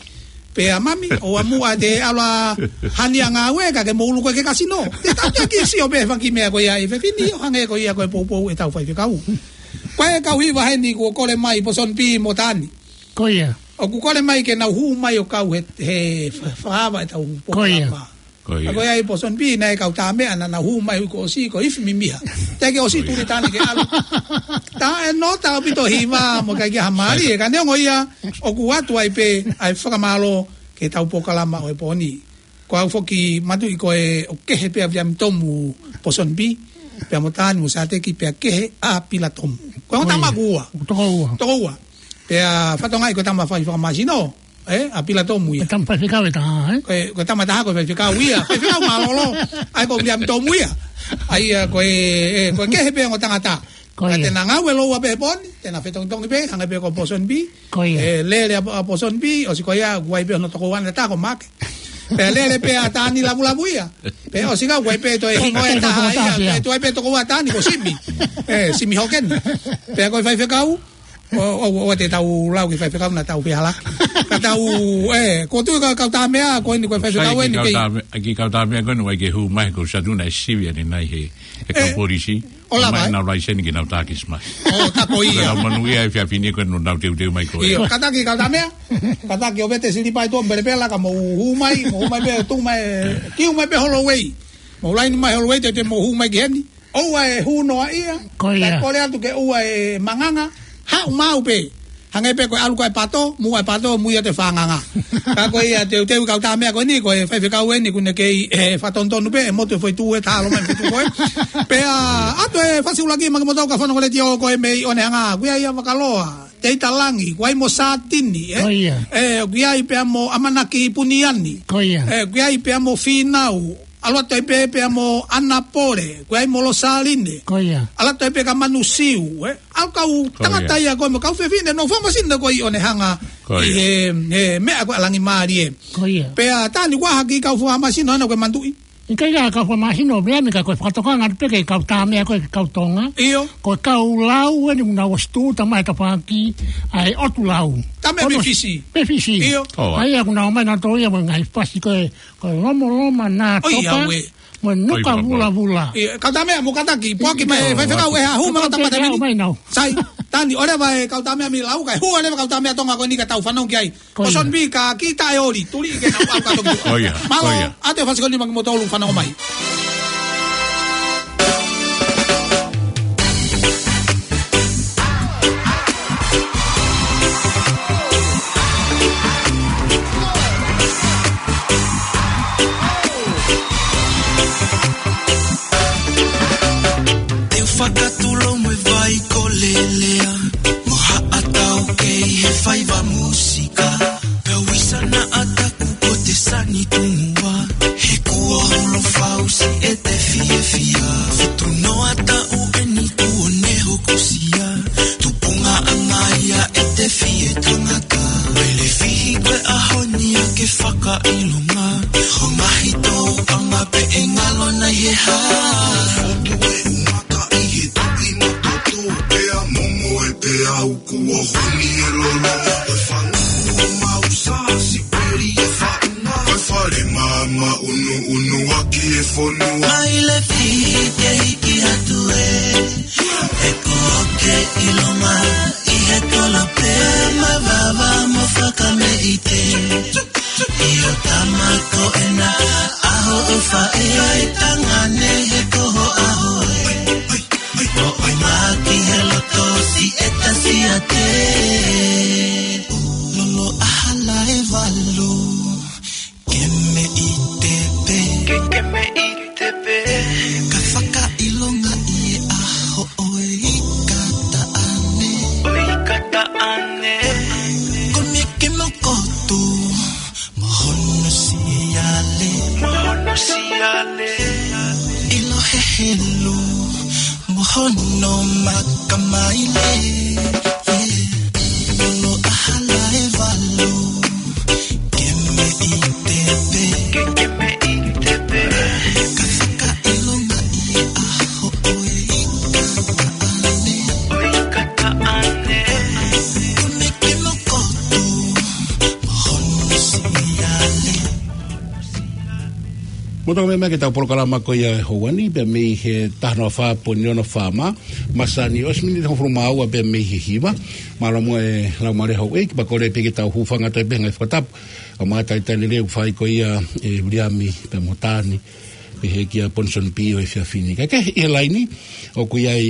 Pea Mami, ʻoua muʻa te ʻalu ʻa Hani ʻo ngāue, ka ke mou ʻulu koe ki he kasino. Te tau te ki sio pē he fanga kiʻi meʻa ko ia ʻi he efiafi ni, ʻo hangē ko ia ko e poupou ʻetau faifekau. Ko e kau hiva heni kuo kole mai, Pōsoni Pī mo Tani. Ko ia. ʻOku kole mai ke nau hū mai ʻo kau he, he fa-, fakaava ʻetau polokalama. Ko ia. Ko ia. Ka ko ia ʻi Pōsoni Pī naʻe kau tā meʻa naʻa nau hū mai ʻi he kuo ʻosi ko e ifi mimiha. Teʻeki ʻosi tuli Tani ke ʻalu. Taʻe nofo ʻaupito hiva mo ʻikai ke ʻi ai ha mālie. Ka neongo ia ʻoku ʻoatu ai pē ʻa e fakamālō ki heʻetau polokalama ʻo e pō ni. Ko au foki matuʻi ko e ʻoku kehe pē ʻa Viliami Tomu, Pōsoni Pī, pea mo Tani mo Sateki pea kehe ʻa Pila Tomu. Ko e ongo tama ʻoku ua. Toko ua. Toko ua. Pea fatongia ko e tama fai fakamāsino, ē, ʻa Pila Tomu ia. Ko e tama faifekau ʻe taha, ē? Ko e, ko e tama ʻe taha ko e faifekau ia. Faifekau mālōlō, ʻa ia ko Viliami Tomu ia. ʻA ia ko e, ē, ko e kehe pē ongo tangata. Ko ia. Ka te na ngāue loua pē he pō ni, te na fetongitongi pē, hangē pē ko Pōsoni Pī. Ko ia. Ē, lele ʻa, ʻa Pōsoni Pī, ʻosi ko ia, kuo ʻi ai pē hono tokoua ʻe taha ko Maʻake. Pea lele pē ʻa Tani Lavulavu ia. Pea ʻosi ko ia kuo ʻi ai pē toe hingoa ʻe taha ia. Pea toe ʻi ai pē tokoua ʻa Tani ko Simi. Ē, Simi Hokeni. Pea ko e faifekau, ʻo, ʻo, ʻo, te tau lau ki he faifekau naʻa tau fehālaaki. Ka tau, ē, ko e tuʻu ka, kau tā meʻa, ko eni ko e faifekau eni kei. Sai ki kau tā meʻa, ki kau tā meʻa ko eni, ʻoku ʻikai ke hū mai, ko Satuna e sivi ʻanenai he, he kau polisi. ʻO lava, ē? Nau laiseni ke nau takisi mai. ʻO, tā ko ia. Ka nau manuʻia he efiafi ni ko eni nau teuteu mai ko ē. ʻIo, kātaki kau tā meʻa. Kātaki ʻo vete silipa ʻi tuʻa mo pelepela ka mou hū mai, mou hū mai pē, tuʻu mai, kiu mai pē Holloway. Mou laini mai Holloway, te, te mou hū mai ki heni. ʻOua ʻe hū noa ia. Ko ia. Kae kole atu ke ʻoua ʻe manganga. Haʻu maʻu pē. Hangē pē ko e ʻalu ko ē pato, muʻa e pato, muʻa ia te fanganga. Ka ko ia teuteu kau tā meʻa ko eni, ko e faifekau eni, ʻoku ne kei, ē, fakatonutonu pē, ʻe motu e foʻi tuʻu ʻe taha ʻalu mai foʻi tuʻu ko ē. Pea, ʻoatu e fasiulaki maʻa kimoutolu kau fanongo letiō ko ē mei ʻOnehanga, ʻoku ʻi ai ʻa Vakaloa, Teita Langi, ʻoku ʻi ai mo Satini, ē? Ko ia. Ē, ʻoku ʻi ai pea mo ʻAmanaki Puniani. Ko ia. Ē, ʻoku ʻi ai pea mo Fīnau, ʻalu atu ai pē pea mo ʻAnapole, ʻoku ʻi ai mo Losaline. Ko ia. ʻAlu atu ai pē kia Manusiu, ē? ʻA e kau tangata ia ko ē mo e kau fefine, nofo fakamāsino ko ē ʻi ʻOnehanga. Ko ia. ʻI he, he meʻa ko e ʻalangi mālie. Ko ia. Pea Tani, ʻoku ʻi ai ha kiʻi kau fakamāsino ʻana ʻoku ke manatuʻi? ʻIkai ke kau fakamāsino, meʻa meʻa ka ko e fakatokanga atu pē ki he kau tā meʻa ko ē ki he kau Tonga. ʻIo. Ko e kau lau eni ʻoku nau ʻosi tuʻuta mai he tafaʻaki, ʻa e ʻotu lau. Tā meʻa mei Fisi. Mei Fisi. ʻIo. ʻA ia ʻoku nau ō mai nautolu ia mo e ngaahi fasi ko e, ko e Lomoloma Nā Topa. ʻOi, ʻauē. Mo e Nuka Vulavula. ʻIo, kau tā meʻa mou kātaki, poaki mai, faifekau ʻe hū mai kau tā meʻa mei. Sai, Tani, ʻoleva e kau tā meʻa mei lau, kae hū ʻoleva kau tā meʻa Tonga ko eni ka tau fanongo ki ai. Ko ia. Pōsoni Pī, ka kiʻi taʻeoli, tuli ke nau ʻalu kātoa ki tuʻa. Ko ia, ko ia. Mālō, ʻoatu e fasi ko eni maʻa kimoutolu fanongo mai. Te u fakatulou mo e vai ko Lelea, mo haʻatau kei he faiva mūsika. Pea u ʻisa naʻa taku ko te sani tungua. He kuo hulu fausi ʻete fiefia. Fitu noa taʻu eni kuo ne hokosia. Tupunga ʻa e ngaahi Ke fakaʻilonga, ʻo mahito ʻa ma pe e ngalo na ʻi he hā. Fotu e umaka ʻi he tuʻi matoto, pea momo e pea uku o honi e lolo. E fanga mau sa si peri e faʻunga. E fale mama unu unu aki e fonua. Ai le fi ke hiki atu e. E ko ke ʻilonga ʻi he kolo pea mavava mo fakameʻite. ʻIo tama ko ena ʻaho ʻofa e ai tangane he ko ho ʻaho e. Mo ʻomaki he loto si e tasi a te. Lolo ʻahala e valu. Ke me ʻite pe. Ke, ke me ʻite pe. Ka fakaʻilonga ʻi he ʻaho ʻo e ika taʻane. ʻO e ika taʻane. Ko me ke mokotu. Mo hono siale. Mo hono siale. ʻIlo he helu. Mo hono makamaile. Lolo ʻahala e valu. Ke me ʻite pe. Ke, ke me ʻite pe. Ka fakaʻilonga ʻi he ʻaho ʻo e ika taʻane. ʻO e ika taʻane. Ko me ke mokotu. Mo hono siale. Mo tau meʻa mai ki heʻetau polokalama ko ia e houa ni, pea mei he taha noa fā poini ono FM, masani ʻosi miniti hongofulu mā ua pea mei he hiva. Mālō muʻa e Laumālie Houʻeiki, pea kole pē ke tau hūfanga atu pē he ngaahi fakatapu. ʻA ma talitali lelei ʻoku fai ko ia e Viliami pea mo Tani, pehē kia Ponsonby ʻo e efiafi ni. Kae kehe ʻi he laini, ʻoku ʻi ai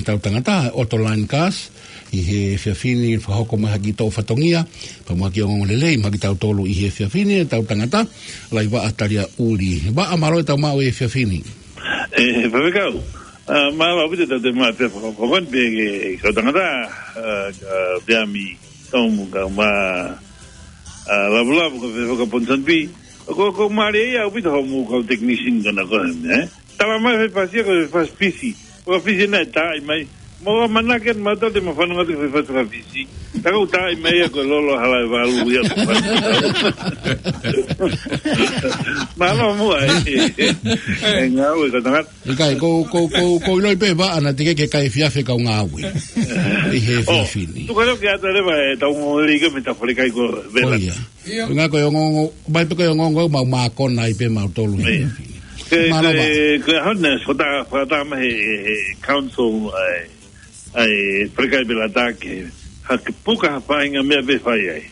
ʻetau tangata, Otto Laine Cars, ʻi he efiafi ni fakahoko mai ha kiʻi toʻo fatongia, pea mo ha kiʻi ongoongo lelei maʻa kitautolu ʻi he efiafi ni, ʻetau tangata, Laivaʻa Taliaʻuli. Vaʻa, mālō e tau maʻu e efiafi ni. ʻE, Faifekau. ʻA, mālō ʻaupito e tau toe maʻu e efiafi ni pea ke, ke kau tangata, ʻa, ka Viliami Tomu ka ma, ʻa, Lavulavu ka Fefeka Ponsonby. Ko, ko mālie ia ʻaupito hoʻomou kau technician ko ena ko ē, ē? Tala mai fai fasi ia ko e fasi Fisi. Ko e Fisi naʻe taaʻi mai. Mo ʻamanaki atu mautolu te ma fanongo atu ki he fasi Fisi. Ka ko e taaʻi mai ia ko e lolo ʻahala e valu ia ko e fasi. Mālō muʻa e. E ngāue ko e tangata. ʻIkai, ko, ko, ko, ko ʻiloʻi pē Vaʻa naʻe teʻeki ke kai efiafi e kau ngāue. ʻI he efiafi ni. Tuka leo ke ata leva e tau ngoli ke me ta fale kai ko vela. ʻIo. Ko e ngaahi ko e ongoongo, mai pē ko e ongoongo, mau mākona ai pē mautolu. Ke, mālō ke, Vaʻa. Ke hona, so ta, fakatā mai he, he, he council, ʻa e, ʻa e, fale kai vela ta ke, ha ke puka ha faʻahinga meʻa pē fai ai.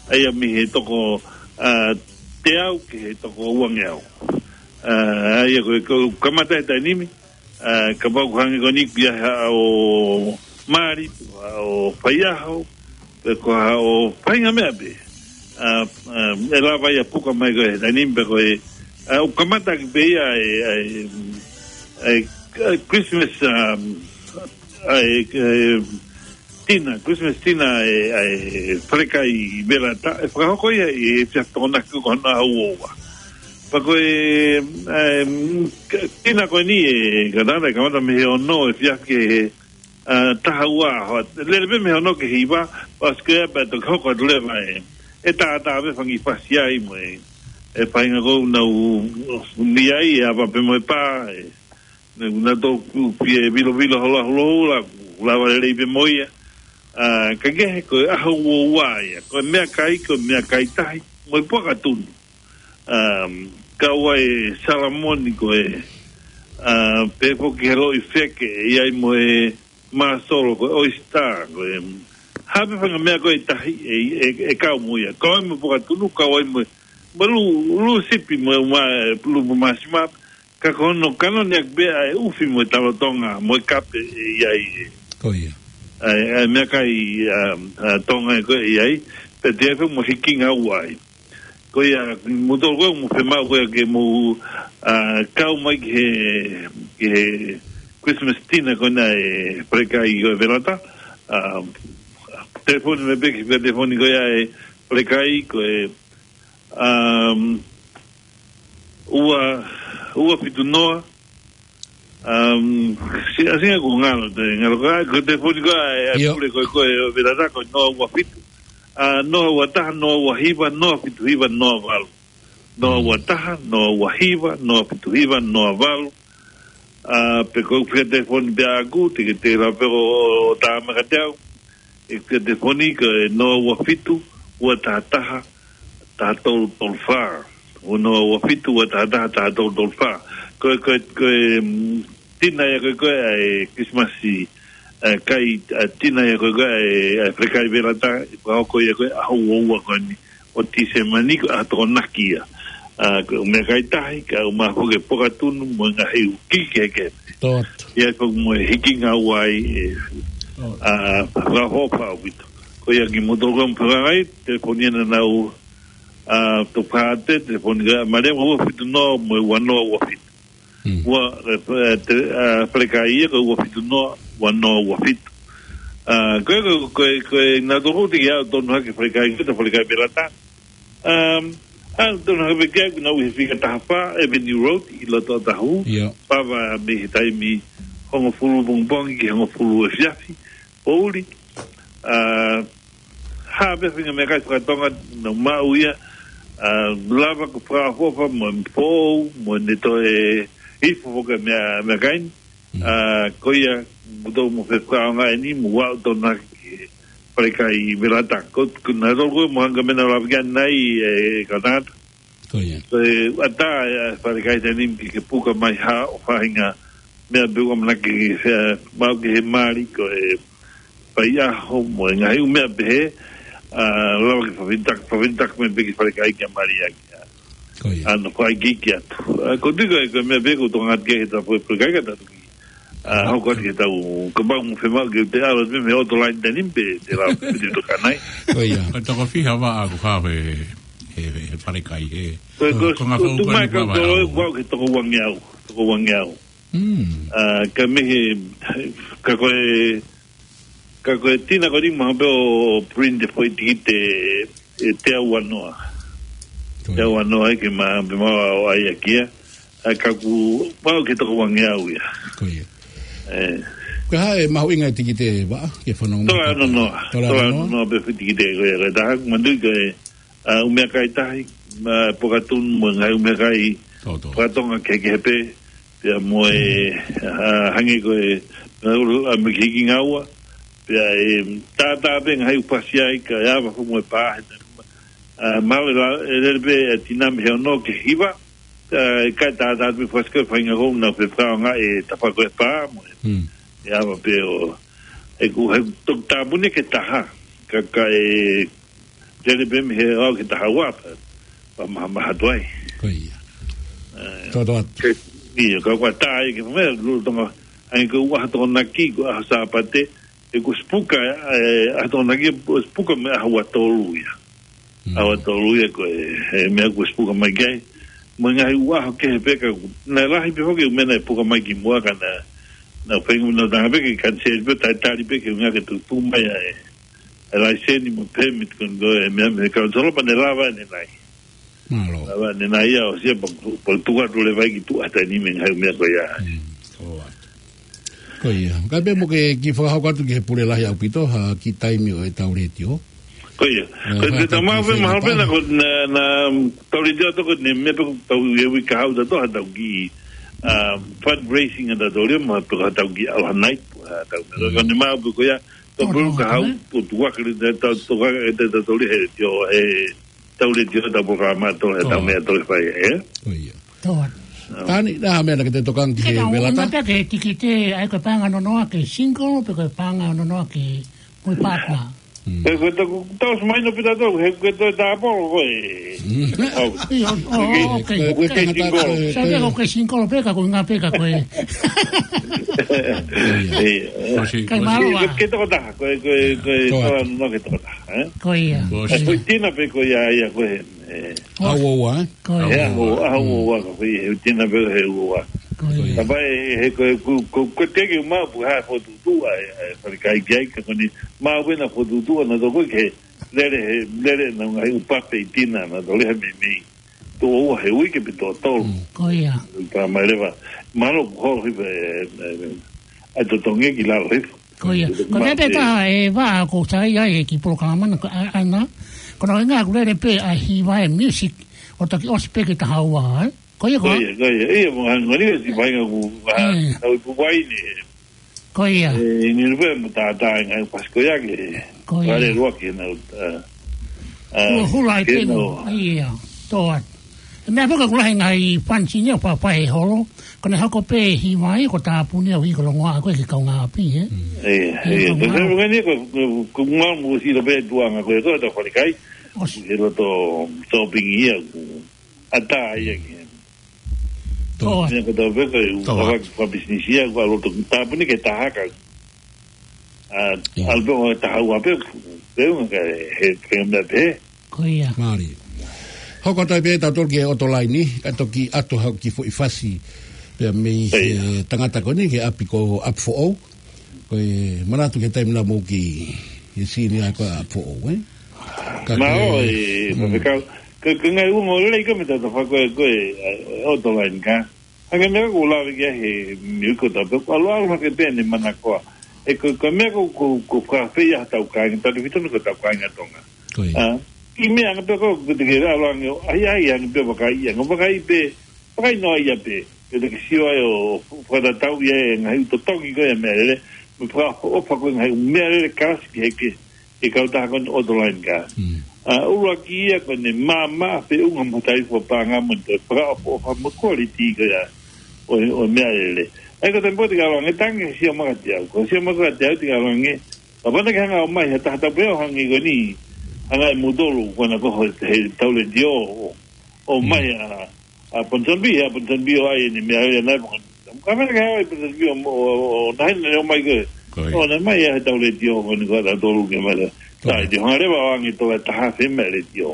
ʻA ia mei he toko, ʻa, teau ki he toko uangeau. ʻA, ʻa ia ko e, ko e kamata he taimi ni, ʻa, kapau ʻoku hangē ko eni ʻoku ʻi ai haʻo mali, haʻo faiʻaho, pe ko haʻo faʻahinga meʻa pē. ʻA, ʻa, ʻe lava ia puka mai ko e taimi ni pe ko e, ʻa, ʻoku kamata ki pē ia e, ʻa e, ʻa e, ʻa e Christmas, um, ʻa e, ʻa e, dinner, Christmas dinner ʻa e, ʻa e fale kai vela ta, ʻe fakahoko ia ʻi he efiafi Tokonaki ko hono ʻaho ua ua. Pea ko e, ʻa e, dinner ko eni ʻe, ka tala, kamata mei he ono efiafi ki he, ʻa, taha ua hoʻatā. Lele pē mei he ono ki he hiva, ʻosi ko ia pea toki hoko atu leva e, ʻe tātā pē fanga kiʻi fasi ai mo e, e faʻahinga ko ē ʻoku nau ʻi ai, ʻe ava pē mo e pā, ʻe, ne, na tō ku pie vilovilo hola hola hola, lava lelei pē mo ia. ʻA, ka kehe ko e ʻaho ua ua ia, ko e meʻakai, ko e meʻakai tahi, mo e puaka tunu. Um, kau ai e salamoni ko e, ʻa, pehē foki he loʻi feke, ʻi ai mo e māsolo ko e oisitā, ko e, ha pē fanga meʻa ko e tahi, ʻe, ʻe, ʻe kau mo ia. Kau ai mo e puaka tunu, kau ai mo e, mo e lū, lū sipi mo e uma, lū mo māsima, ka ko hono kanone ʻaki pē ʻa e ʻufi mo e talo Tonga, mo e kape ʻe ʻi ai ē. Ko ia. ʻA e, ʻa e meʻakai, ʻa, ʻa Tonga ē ko ē ʻi ai, pea toe fai mo e hikinga ua ai. Ko ia, mou tolu ko ē, mou fiemaʻu ko ia ke mou, ʻa, kau mai ki he, ki he Christmas dinner ko ena ʻa e fale kai ko e vela ta, ʻa, telefoni mai pē ki he telefoni ko ia ʻa e fale kai ko e, um, ua, ua fitu noa, um, si, ʻa, singa ko ngalo te, ngalo ka, ko e telefoni ko ē ʻa e, ʻio, pule ko ē, ko e vela ta ko e noa ua fitu. ʻa, noa ua taha, noa ua hiva, noa fitu hiva, noa valu. Noa ua taha, noa ua hiva, noa fitu hiva, noa valu. ʻA, pe ko e fika telefoni pē ʻaʻaku, te ke te la pe ko ʻo tā mai kiate au. ʻE fika telefoni ko e noa ua fitu, ua taha taha, taha tolu tolu fā. ʻO noa ua fitu, ua taha taha, taha tolu tolu fā. Ko e, ko e, ko e, mm, tina ia ko e, ko e, ʻa e Christmas, ʻa e kai, ʻa e tina ia ko e, ko e, ʻa e, ʻa e falekai velata, ʻe fakahoko ia ko e ʻaho ua ua ko eni ʻo Tīsema ni ko e ʻaho Tokonaki ia. ʻA, ko e meʻakai tahi, kae ʻumaʻā foki e pokatunu mo e ngaahi ʻū kiki kehekehe. Tō atu. ʻI ai foki mo e hiki ngāue ai, ʻe, ʻa, fakaʻofoʻofa ʻaupito. Ko ia kimoutolu ʻoku mou fehangahangai, telefoni ʻanenai, ʻa, Tokāteline, telefoni kia Maria, ua fitu noa mo e ua noa ua fitu. Ua, ʻe, ʻe, te, ʻa, falekai ia ko e ua fitu noa, ua noa ua fitu. ʻA, ko e, ko e, ko e, ko e, naʻa tau tiki ʻalu tonu hake falekai, ko e falekai velata. Um, ʻalu tonu hake falekai, ko ʻenau ʻi he fika taha fā, Avenue Road, ʻi loto Otahu. Pava mei he taimi hongofulu pongipongi ki he hongofulu efiafi, poʻuli. ʻA, ha pē faʻahinga meʻakai fakatonga naʻa mau maʻu ia, ʻa, lava ke fakaʻofoʻofa mo e foʻou, mo ne toe hifo foki e meʻa, meʻakai ni. ʻA, ko ia, mou tau mou fefakaʻaongaʻi eni, mou aʻu tonu hake ki he falekai velata. Ko, ko naʻa tau ko e mo hanga mena lava ki ai ʻanenai, ʻe, ka nata. Ko ia. Ko e ʻatā e falekai taimi ni ke, ke puka mai ha ʻū faʻahinga meʻa pē ʻoku ʻamanaki ke, ʻe, maʻu ki he mali ko e faiʻaho mo e ngaahi ʻū meʻa pehē, ʻa, lava ke fafitaki, fafitaki mai pē ki falekai kia Maria kia. Ko ia. ʻA, naʻa fai kiki atu. ʻA, ko tiko e, ko e meʻa pē ʻoku tokanga ki he tapu e falekai ka tatu ki. ʻA, hoko atu ke tau, kapau ʻoku mou fiemaʻu ke te ʻalu mei, mei ʻoto laini taimi ni pē, te la piti tokanai. Ko ia. Ko e toko fiha vaʻa ʻoku haʻu he, he, he falekai, he. Ko, ko, ko ngā ko, fou tu mai ka ko, ko, ko, ko ke toko uangeau, toko uangeau. ʻA, ka mei he, ka ko e, ka ko e tina ko eni mahalo pē ʻoku print e foʻi tikite ʻe teau ua noa. Ko ia. Teau ua noa ai ke ma, pe ma o ai a kia. ʻA, ka ʻoku, ma o ke toko uangeau ia. Ko ia. ʻE. Ko e hā e mahuʻinga e tikite vaʻa, ke fanongo mai. Tola ano noa. Tola ano noa. Tola ano noa pē foʻi tikite ko ia, ko e taha, manui ko e, ʻa, ʻū meʻakai tahi, ʻa, pokatunu mo e ngaahi ʻū meʻakai fakatonga kehekehe pē, pea mo e, ʻa, hangē ko e, ʻa, ʻa, mei he hiki ngāue, pea ʻe tātā pē ngaahi ʻū fasi ai, kae ava foki mo e pā, he, ʻa, mahalo ʻe la, ʻe lele pē, ʻa, tina mei he ono ki he hiva, ʻa, ʻe ʻikai tātā pē fasi ko e faʻahinga ko ē naʻa fefakaʻaongaʻi e tafa ko e pā, mo e, ʻe ava pē ʻo, ʻe ku, he toki tāpuni ke taha, ka, ka ʻe, lele pē mei he ʻaho ki he taha ua pē, pea mahamaha atu ai. Ko ia. ʻE, Tō atu. Ke, ia, ka ʻoku ʻatā ia ke fai meʻa, lolotonga, hangē ko e ʻaho Tokonaki, ko e ʻaho Sāpate, ʻe ko e sipuka, ʻe, ʻaho Tokonaki, ko e sipuka mei he ʻaho ua tolu ia. ʻAho ua tolu ia ko e, he meʻa ko e sipuka mai ki ai. Mo e ngaahi ʻū ʻaho kehe pē ka, naʻe lahi pē foki ʻū meʻa naʻe puka mai kimuʻa ka naʻa, naʻa feinga naʻa tanga pē ke kaniseli pē, talitali pē ke ngā ke tutu mai ai. ʻE laiseni mo permit ko eni ko e meʻa mei he kaniseli pea ne lava ʻanenai. Mālō. Lava ʻanenai ia ʻo sia pa, pa tuʻa tu le vai ki tuʻa taimi ni mei he ngaahi meʻa ko ia. Mm, ko ia. Ko ia. Ka pea mo ke kiʻi fakahoko atu ki he pule lahi ʻaupito, ha kiʻi taimi ʻo e tau letiō. Ko ia. ʻE, ko e fai te atu tamau ki pē, he mahalo pē pale. Naʻa ko, naʻa, naʻa tau letiō atu ko e meʻa pē ʻoku tau ʻi he uike kahaʻu tautolu ha tau kiʻi, ʻa, fundraising ʻa tautolu ia, mahalo pē ha tau kiʻi ʻaloha night, ha tau meʻa. Mm. Ko eni mahalo pē ko ia, Tau pulu ka hau, tu, tu waka le, tau, tu waka e te tau toli he, tio, he, tau le tio, tau polokalama tau, he tau meʻa tau fai, ē? Ko ia. Tō atu. Tani, naʻa meʻa naʻa ke te tokanga ki he velata. Ke tau, ʻuhinga pē ke tikite, ʻai ko e paʻanga ʻo nonoa ke single, pe ko e paʻanga ʻo nonoa ke mo e partner. Mm. He ko e tau, tau semaino pita tau, he ko e tau tāpolo, ko e. Mm. Au. ʻIo, ʻo, ʻo, ok. Ko e, ko e, ko e, ko e, ko e single pē ka ko e ʻuhinga pē ka ko e. ʻIo. Kai mālō. Ke, ke tokotaha, ko e, ko e, ko e, tō atu. Tau nonoa ke tokotaha, ē? Ko ia. Ko e foʻi tina pē ko ia, ia ko e, ē. ʻAho ua ua, ē? Ko ia. ʻAho ua ua, ʻaho ua ua, ko e foʻi, he tina pē he ua ua. Ko ia. Ka pai, he ko e, ko, ko, ko e teke mau pu ha fotu tu ai, ai, falekai ki ai, ka ko eni, mau pē naʻa fotu tu, naʻa toko ke, lele he, lele naʻa ngaahi ʻū pape ʻi tina, naʻa tau lele he meimei. Tō ua he uike pe tō tolu. Mm. Ko ia. Ka mai leva. Mālō ko holo hifo, ē, ē, ē, ʻai totongi ki lalo hifo. Ko ia. Ko e meʻa pē taha ʻe vaha ʻoku ou saiʻia ai ki he polokalama na, ko e ʻa, ʻa na. Ko hono ʻuhinga ʻoku lele pē ʻa e hiva ʻa e music, ʻo toki ʻosi pē ki he taha ua, ē? Ko ia, ko Ko ā? ia, ko ia. Ia, mo hanga ni si painga ku, ah, Mm. tau i pupuai ni. Ko ia. Eh, ni rupe mo ta ta nga pas ko ia ke. Ko ia. Vale lua ke na, ah, ah, Ua hula ai ke pē na. mo. Ia. Toa. E meʻa pē ka kula he ngaahi fansi ni ʻo fafai he holo. Ko ʻene hoko pē hiva ia ko e tāpuni ʻo ʻikai ko e longoaʻa ko ē ki he kaungāʻapi, ē? Mm. Ia, Ia, ia. Ko kaungāʻapi. Te mea ni ko, ko, ko ngā mo si lo pē tuanga ko e ko ta falikai. ʻOsi. Ke lo to shopping ia ku. Ata ia ki. Toa. Meʻa ko ta pē ko u Toa. Kava ki fa business ia ku a lo to tāpuni ke taha ka. Ah, Ia. Albe o taha ua pē, pē unga ka he, he meʻa pē. Ko ia. Mālie. Hoko atu ai pē tautolu ki he ʻoto laini, ka toki ʻoatu haʻo kiʻi foʻi fasi pea mei he Ia. tangata ko eni ki he ʻapi ko ʻApifoʻou. Ko e manatu ki he taimi naʻa mou ki he sini ai ko ʻApifoʻou, ē? Ka Mā ke ʻo e, Mm. faifekau, ke, ke ngai ungo lelei ka me tata fako e ko e, eh, ʻoto laini ka. Hake meʻa ko lave ki ai he miu ko ta pē, alo alo hake pē ne manakoa. E ko, ko meʻa ko, ko, ko ka fei a tau kāinga, tau fitonu ko tau kāinga Tonga. Ko ia. Ah, i meʻa anga pē ko, ko te ke alo ange, ai, ai, ange pē vakai, ange vakai pē, vakai noa ia pē. Ke te ke sio ai ʻo fakatatau ia e ngaahi totongi ko ia meʻalele, mo fakaʻofoʻofa ko e ngaahi meʻalele kalasi ki he ke, ke kautaha ko eni ʻoto laini ka. Mm. Ah, ʻuluaki ia ko ʻene māmā feʻunga mo e taimi fakapaʻanga mo e toe fakaʻofoʻofa mo e quality ko ia ʻo, ʻo meʻalele. ʻA ia ko e taimi pē te ke ʻalu ange tangi sio maka te au. Ko sio maka te au te ke ʻalu ange. Ka pana ke hanga ʻo mai, he taha tapu ʻo hangē ko eni. Hanga ʻe mutolu, ko ena ko he, he tau letiō ʻo, ʻo Mm. mai a, a Ponsonby, a Ponsonby ʻo ʻai ʻene meʻalele nai mo. Ka mena ke hawa ʻi Ponsonby ʻo, ʻo, ʻo, ʻo, nahi na leo mai ke. Ko ia. ʻO, na mai a he tau letiō ko eni ko ena tolu ke mai. Ko ia. Sai, te hanga leva ʻo ange tola taha afe meʻa letiō.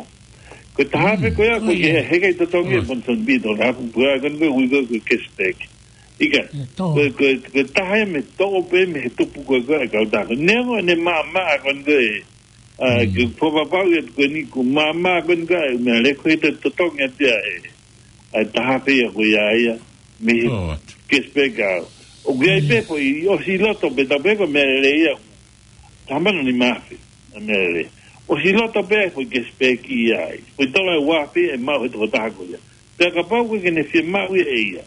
Ko e taha afe Mm. ko ia, ko Ko ia. ke he kai totongi Ko ia. Ponsonby to na pu pua ko eni ko ui ko, ko cashback. ʻIkai. E, tō. Ko, ko, ko e taha ia mei he toʻo pē mei he tupu ko, ko e kautaha. Neongo ʻene māmā ko eni ko e, ah, Mm. ke fopapau ia ko eni ko māmā ko eni ko e meʻalele ko e te totongi atu ia e. ʻA e taha afe ia ko ia ia mei he Tō atu. cashback a. ʻOku ʻi ai Mm. pē foʻi ʻosi loto pē tau pē ko e meʻalele ia. Taha mano nima afe, a meʻalele. ʻOsi loto pē foʻi cashback ia ai. Foʻi tola ua afe e maʻu he tokotaha ko ia. Pea kapau ko e ke ne fiemaʻu ia ʻe ia.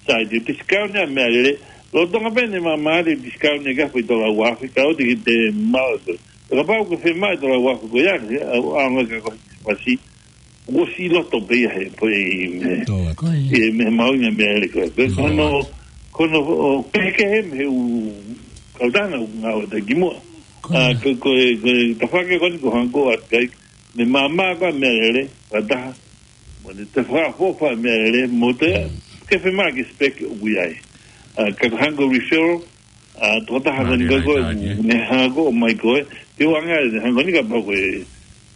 Sai te discount ia meʻalele. Lolotonga pē ʻene māmā te discount ia ka foʻi tola ua afe ka ʻoua te ke te maʻu ko. Pea kapau ko e fiemaʻu tola ua afe ko ia, a, a, a, ka ko fasi. ʻOsi loto pē ia he, ko e, me, Tō atu. Ko ia. e, me maʻu ia meʻalele ko. Ko Tō hono, atu. ko hono, ʻo, kehekehe mei he ʻū kautaha ʻoku ngāueʻaki muʻa. Ko Ah, ia. ko, ko e, ko e, tafaʻaki ko eni ko hangē ko ʻApikai, ne māmā ko e meʻalele, ka taha. Mo ne te fakaʻofoʻofa meʻalele, mo te, Mm. ke fiemaʻu cashback ʻoku ʻi ai. Ah, ka hangē ko e referral, ah, tokotaha ko eni Mālie ko e, lahi taha, ē? ne hanga ko ē ʻo mai ko ē, te u anga ne hanga ko eni kapau ko e,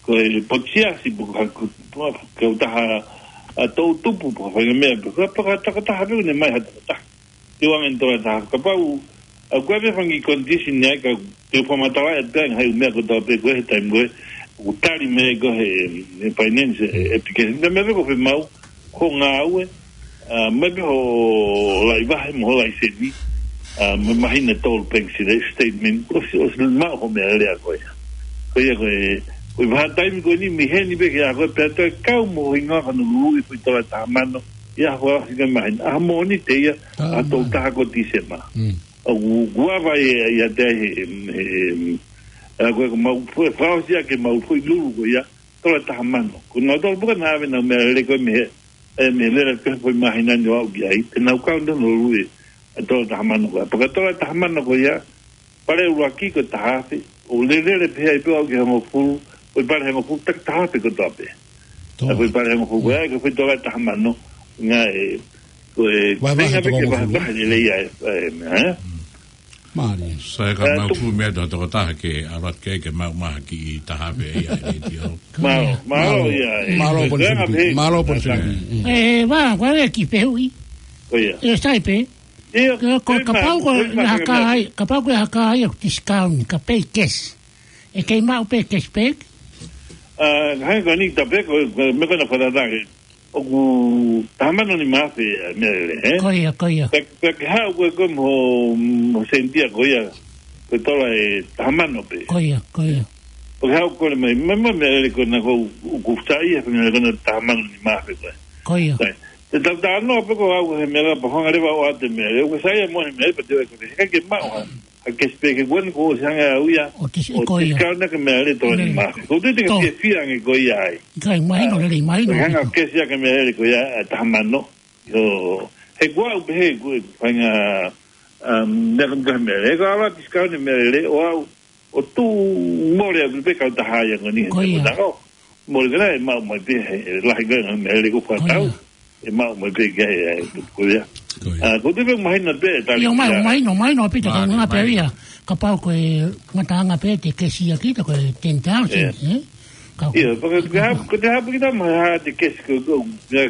ko e potu siasi, pe ko ha, ko, ko e kautaha, ah, toʻutupu, pe ko ha faʻahinga meʻa, pe ko ha, pe ko ha tokotaha pē, ne mai ha tokotaha. Te u anga ne tola taha kapau, ah, ko e meʻa fanga condition ni ai ka, te u fakamatala atu pē ngaahi meʻa kotoa pē ko e he taimi ko ē, ʻoku tali mai ko ē he, he finance, e, application. Ka meʻa pē ko e fiemaʻu, ko e ngāue, ah, mai pē hoʻo laivahe mo hoʻo laiseni, ah, mo e māhina ʻe tolu bank sila statement, ʻosi, ʻosi maʻu hoʻo meʻalele ko ia. Ko ia ko e, ko e vahaʻa taimi ko eni mei heni pē ki he ʻaho ko ē pea toe kau mo e hingoa ko hono luluʻi foʻi tola taha mano, ia hoʻo ʻosi ko e māhina. ʻAho moʻoni te ia, Taha ʻa e tolu mano. taha ko Tīsema. Mm. ʻOku, ʻoku ava e, ia te he, he, he, ʻa ko e ko mau, foʻi, fakaʻosi ʻaki ʻemau foʻi lulu ko ia, tola taha mano. Ko nautolu pē ka naʻa ʻave ʻenau meʻalele ko ē mei he, e, mei he lele ko ē foʻi māhina ni ʻo aʻu ki ai, te nau kau ʻenau lulu ʻi he tola taha mano ko ia. Pea ko e tola taha mano ko ia, pale ʻuluaki ko e taha afe, ʻo lele pē ai pē ʻo aʻu ki he hongofulu, foʻi pale hongofulu, taki taha afe kotoa pē. Tō. ʻA foʻi pale hongofulu, ko ia, ko e foʻi tola taha mano, ngā e, ko e, Vahevahe feinga pē ke toko vahe, hongofulu. vahe lelei ai, e, e, ē? Mālie. Sai ka Eh, mau tu- tu mea tō tokotaha ke ʻalu atu ke, ke maʻu mai ha kiʻi taha afe ia, e tio. Mālō, mālō, Mālō. ia, e, Mālō, ko e Ponsonby. anga pē. Mālō, Ponsonby. Mm. E, vā, ko e kiʻi fehuʻi. Ko ia. E, sai pē. Ia, Ko, ko, ko e kapau mā-, ko ko e e mā-, haka ai, kapau ko e haka ai ʻo discount, ka pay cash. ʻE kei maʻu pē cashback? Ah, hai ko eni ta pē ko, ko, meʻa ko ena fakatatau ange. ʻOku taha mano nima afe, e, meʻalele, ē? Ko ia, ko ia. Pea, pea ke haʻu ko ē ko e mo, mo sentia ko ia. ko e tola ʻe taha mano pē. Ko ia, ko ia. ʻOku haʻu kole mai, mai, mai, meʻalele ko ena ʻoku, ʻoku sai ia, meʻalele ko ena taha mano nima afe ko ē. Ko ia. Sai. Te tau talanoa pē ko au he meʻalele pea hanga leva ʻo ʻoatu e meʻalele. ʻOku sai ia mo e meʻalele pea te u ʻai ko e, he ʻikai ke maʻu ha, ha kesi pē ke kuan ko ʻosi hanga au ia. ʻO kesi, ʻo ko ia. Kesi kau na ke meʻalele tola nima afe. Ko u tui te ke fiefia ange ko ia ai. ʻIkai, mahino lelei, mahino. Ko e hanga ʻo kesi ia ke meʻalele ko ia, ʻa e taha mano. ʻIo, he kuo u pehē, kuo u feinga, um, meʻa ko ena meʻalele. He ko e ala discount e meʻalele, ʻo au, ʻo tuʻu mole ʻaku pē kautaha ia ko eni. Ko ia. Ko ena ʻoku mole ko ena ʻe maʻu mai pē he, he lahi ko ena meʻalele ʻoku fakatau. Ko ia. ʻE maʻu mai pē ki ai, ʻe, ko ia. Ko ia. Ah, ko u tui pē mahino pē, tali ʻIo, mai, kia. Mahino, mahino pē te Mahino, kaungā pē mahino. Ia. Kapau ko e ngataʻanga pē te kesi ia kita ko e ten thousand, Ia. ʻE? Ka ʻIo, pea ko e, ko e hā, ko e hā pē kita ma ha te kesi ko, ko, ko,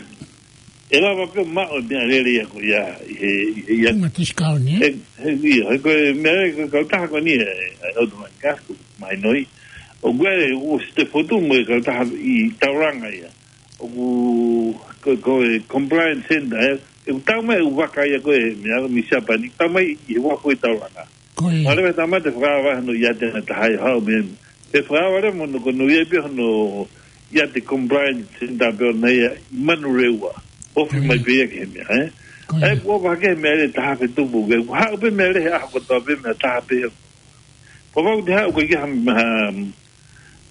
ʻe lava pē maʻu e meʻalele ia ko ia, ʻi he, ʻi he ia. Ko e discount, ʻe? He, he, ʻio, he ko e meʻalele ko e kautaha ko eni ʻe, ʻe, ʻe Autoline Gas ko, mahino ia. ʻOku ʻi ai, ʻosi te fotu mo e kautaha ʻi Tauranga ia. ʻOku, ko, ko e compliance center, ʻe, ʻe tau mai ʻo vaka ia ko e, meʻa, mei Siapani, tau mai ʻi he uafu ʻi Tauranga. Ko ia. Mālō e tama te fakaava hono iate na taha ʻe haʻu mei. Te fakaava leva mo hono ko hono ia pē hono iate compliance center pē ʻoʻona ia ʻi Manurewa. Ofi Ko ia. Mai pē ia ki he meʻa, ē? Ko ia. ʻE, kuo vake meʻalele taha afe tupu, ke haʻu pē meʻalele he ʻaho kotoa pē meʻa taha pē. Pea ʻoku te haʻu ko e ki ha, ha,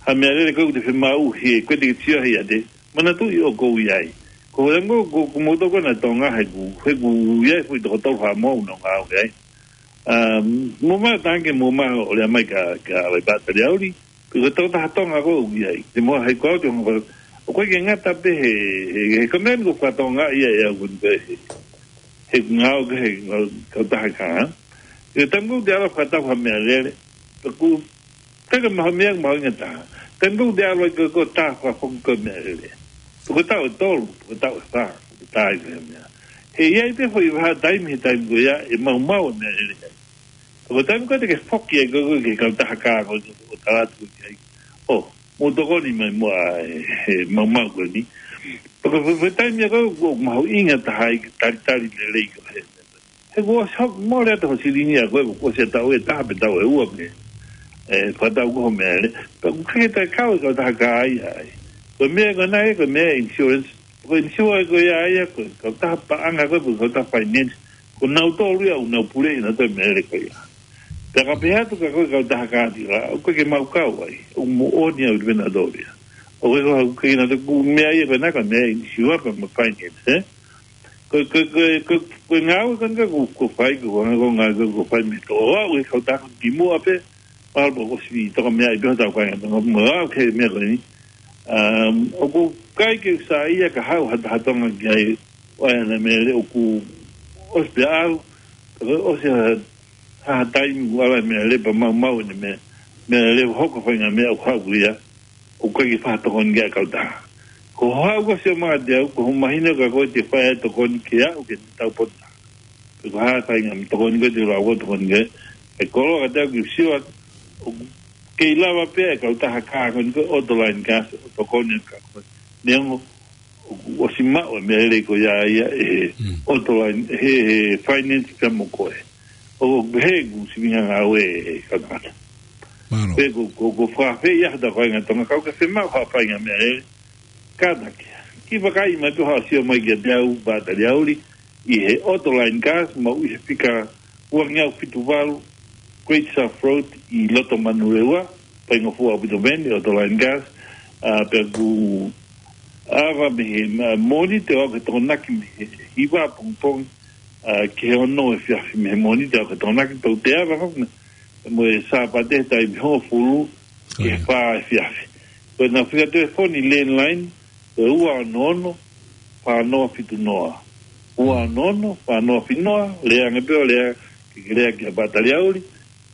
ha meʻalele ko ē ʻoku te fiemaʻu he ko e te ke sio he iate. Manatuʻi ʻoku ou ʻi ai. Ko e anga ko, ko moutolu ko ena Tonga he ʻoku, he ʻoku ʻi ai foʻi toko tolu Haʻamoa ʻoku nau ngāue ai. Um, mo ma tange mo ma ʻo lea mai kia, kia Aleipata Leauli. Ko e tokotaha Tonga ko ē ʻoku ʻi ai. Te mo hai ko au te onga, ʻoku ʻikai ke ngata pē he, he, he kameni ko fakatonga ia ʻe au ko eni pē he, he ngāue ko ē he ngāue kautaha kā. ʻI he taimi ko ē te ala fakatau ha meʻalele. Pea ʻoku Teka maha meʻa, maha inga taha. Taimi ko ē te ʻalu ai ko e, ko e taha fakafoki ko e meʻalele. Ko e taʻu ʻe tolu, ko e taʻu ʻe fā, ko e taʻu ʻe meʻa. He ʻi ai pē foʻi vahaʻa taimi, he taimi ko ia, ʻe maumau e meʻalele ai. Ko e taimi ko ē te ke foki ai ko e, ko e kautaha kā ko e, ko e tala atu ki ai. ʻO, mou tokoni mai muʻa e, he maumau ko eni. Pea ko e, ko e taimi ia ko e, ko e mahuʻinga taha ai, talitali lelei ko e. He kuo ʻosi hoko mole atu ho silingi ʻa koe, kuo ʻosi e taʻu ʻe taha pe taʻu ʻe ua pē. ʻE, fakatau ko ho meʻalele. Pea ʻoku ʻikai ke toe kau e kautaha kā ia ai. Ko e meʻa ko ena ē, ko e meʻa insurance. Ko e insurance ko ia ia, ko e kautaha paʻanga ko ē, ko e kautaha finance. Ko nautolu ia, ʻoku nau puleʻi ʻenautolu e meʻalele ko ia. Pea ka pehē atu kia koe kautaha kā tila, ʻoku ʻikai ke mau kau ai. ʻOku moʻoni au pē nautolu ia. ʻOku ʻikai ko ha, ʻoku ʻikai ke nautolu, ko e meʻa ia ko ena ko e meʻa insurance pea mo e finance, ē? Ko, ko, ko, ko, ko e ngāue ko eni ko, ko fai, ko, ko, ko ngāue ko, ko fai mei he toʻa ʻo e kautaha ko eni muʻa pē, mahalo pē ʻosi toka meʻa ʻi pē hotau kāinga Tonga, mo au ki he meʻa ko eni. Um, ʻoku ʻikai ke u saiʻia ka haʻu ha taha Tonga ki ai, ʻo ʻai hana meʻalele ʻoku ʻosi pē ʻalu, ka ʻosi ha, ha taimi kuo ʻalu e meʻalele pea maumau ʻene meʻa, meʻalele hoko faʻahinga meʻa ʻoku haʻu ia. ʻOku ʻikai ke fakatokoni ki ai e kautaha. Ko hoʻo haʻu ko ē ʻo sio mai kiate au, ko hoʻo mahino kia koe te u fai e tokoni ke aʻu ki he tau potu taha. Pe ko e hā e faʻahinga tokoni ko ē te u lava ʻo tokoni ki ai. ʻE koloa kiate au ke u sio atu, ʻoku kei lava pē e kautaha kā ko eni ko e Autoline Gas ʻo tokoni kia koe. Neongo ʻoku ʻosi maʻu e meʻalele ko ia ia ʻe he Mm. Autoline, he, he finance pea mo koe. ʻOku pehē ʻeku sivinga ngāue ʻe kautaha. Mālō. Pea ko, ko, ko fakaafeʻi ia hotau kāinga Tonga kau ke fiemaʻu ha faʻahinga meʻalele. Kātaki. Kiʻi vakai mai pē haʻo sio mai kiate au, Pata Leauli, ʻi he Autoline Gas, mau ʻi he fika uangeau fitu valu, Great South Road, ʻi loto Manurewa, faingofua ʻaupito mei heni, Autoline Gas, ā, pea ʻoku ava mei he, ā, Mōnite ʻo aʻu ki he Tokonaki mei he hiva pongipongi, ā, ki he ono efiafi mei he Mōnite ʻo aʻu ki he Tokonaki, pea ʻoku te ava foki mo e Sāpate he taimi hongofulu ki he Ko ia. fā efiafi. Ko ʻenau fika telefoni landline, ko e ua ono ono, fā noa fitu noa. Ua ono ono, fā noa fitu noa, lea ange pē ʻo lea, ke ke lea kia Pata Leauli,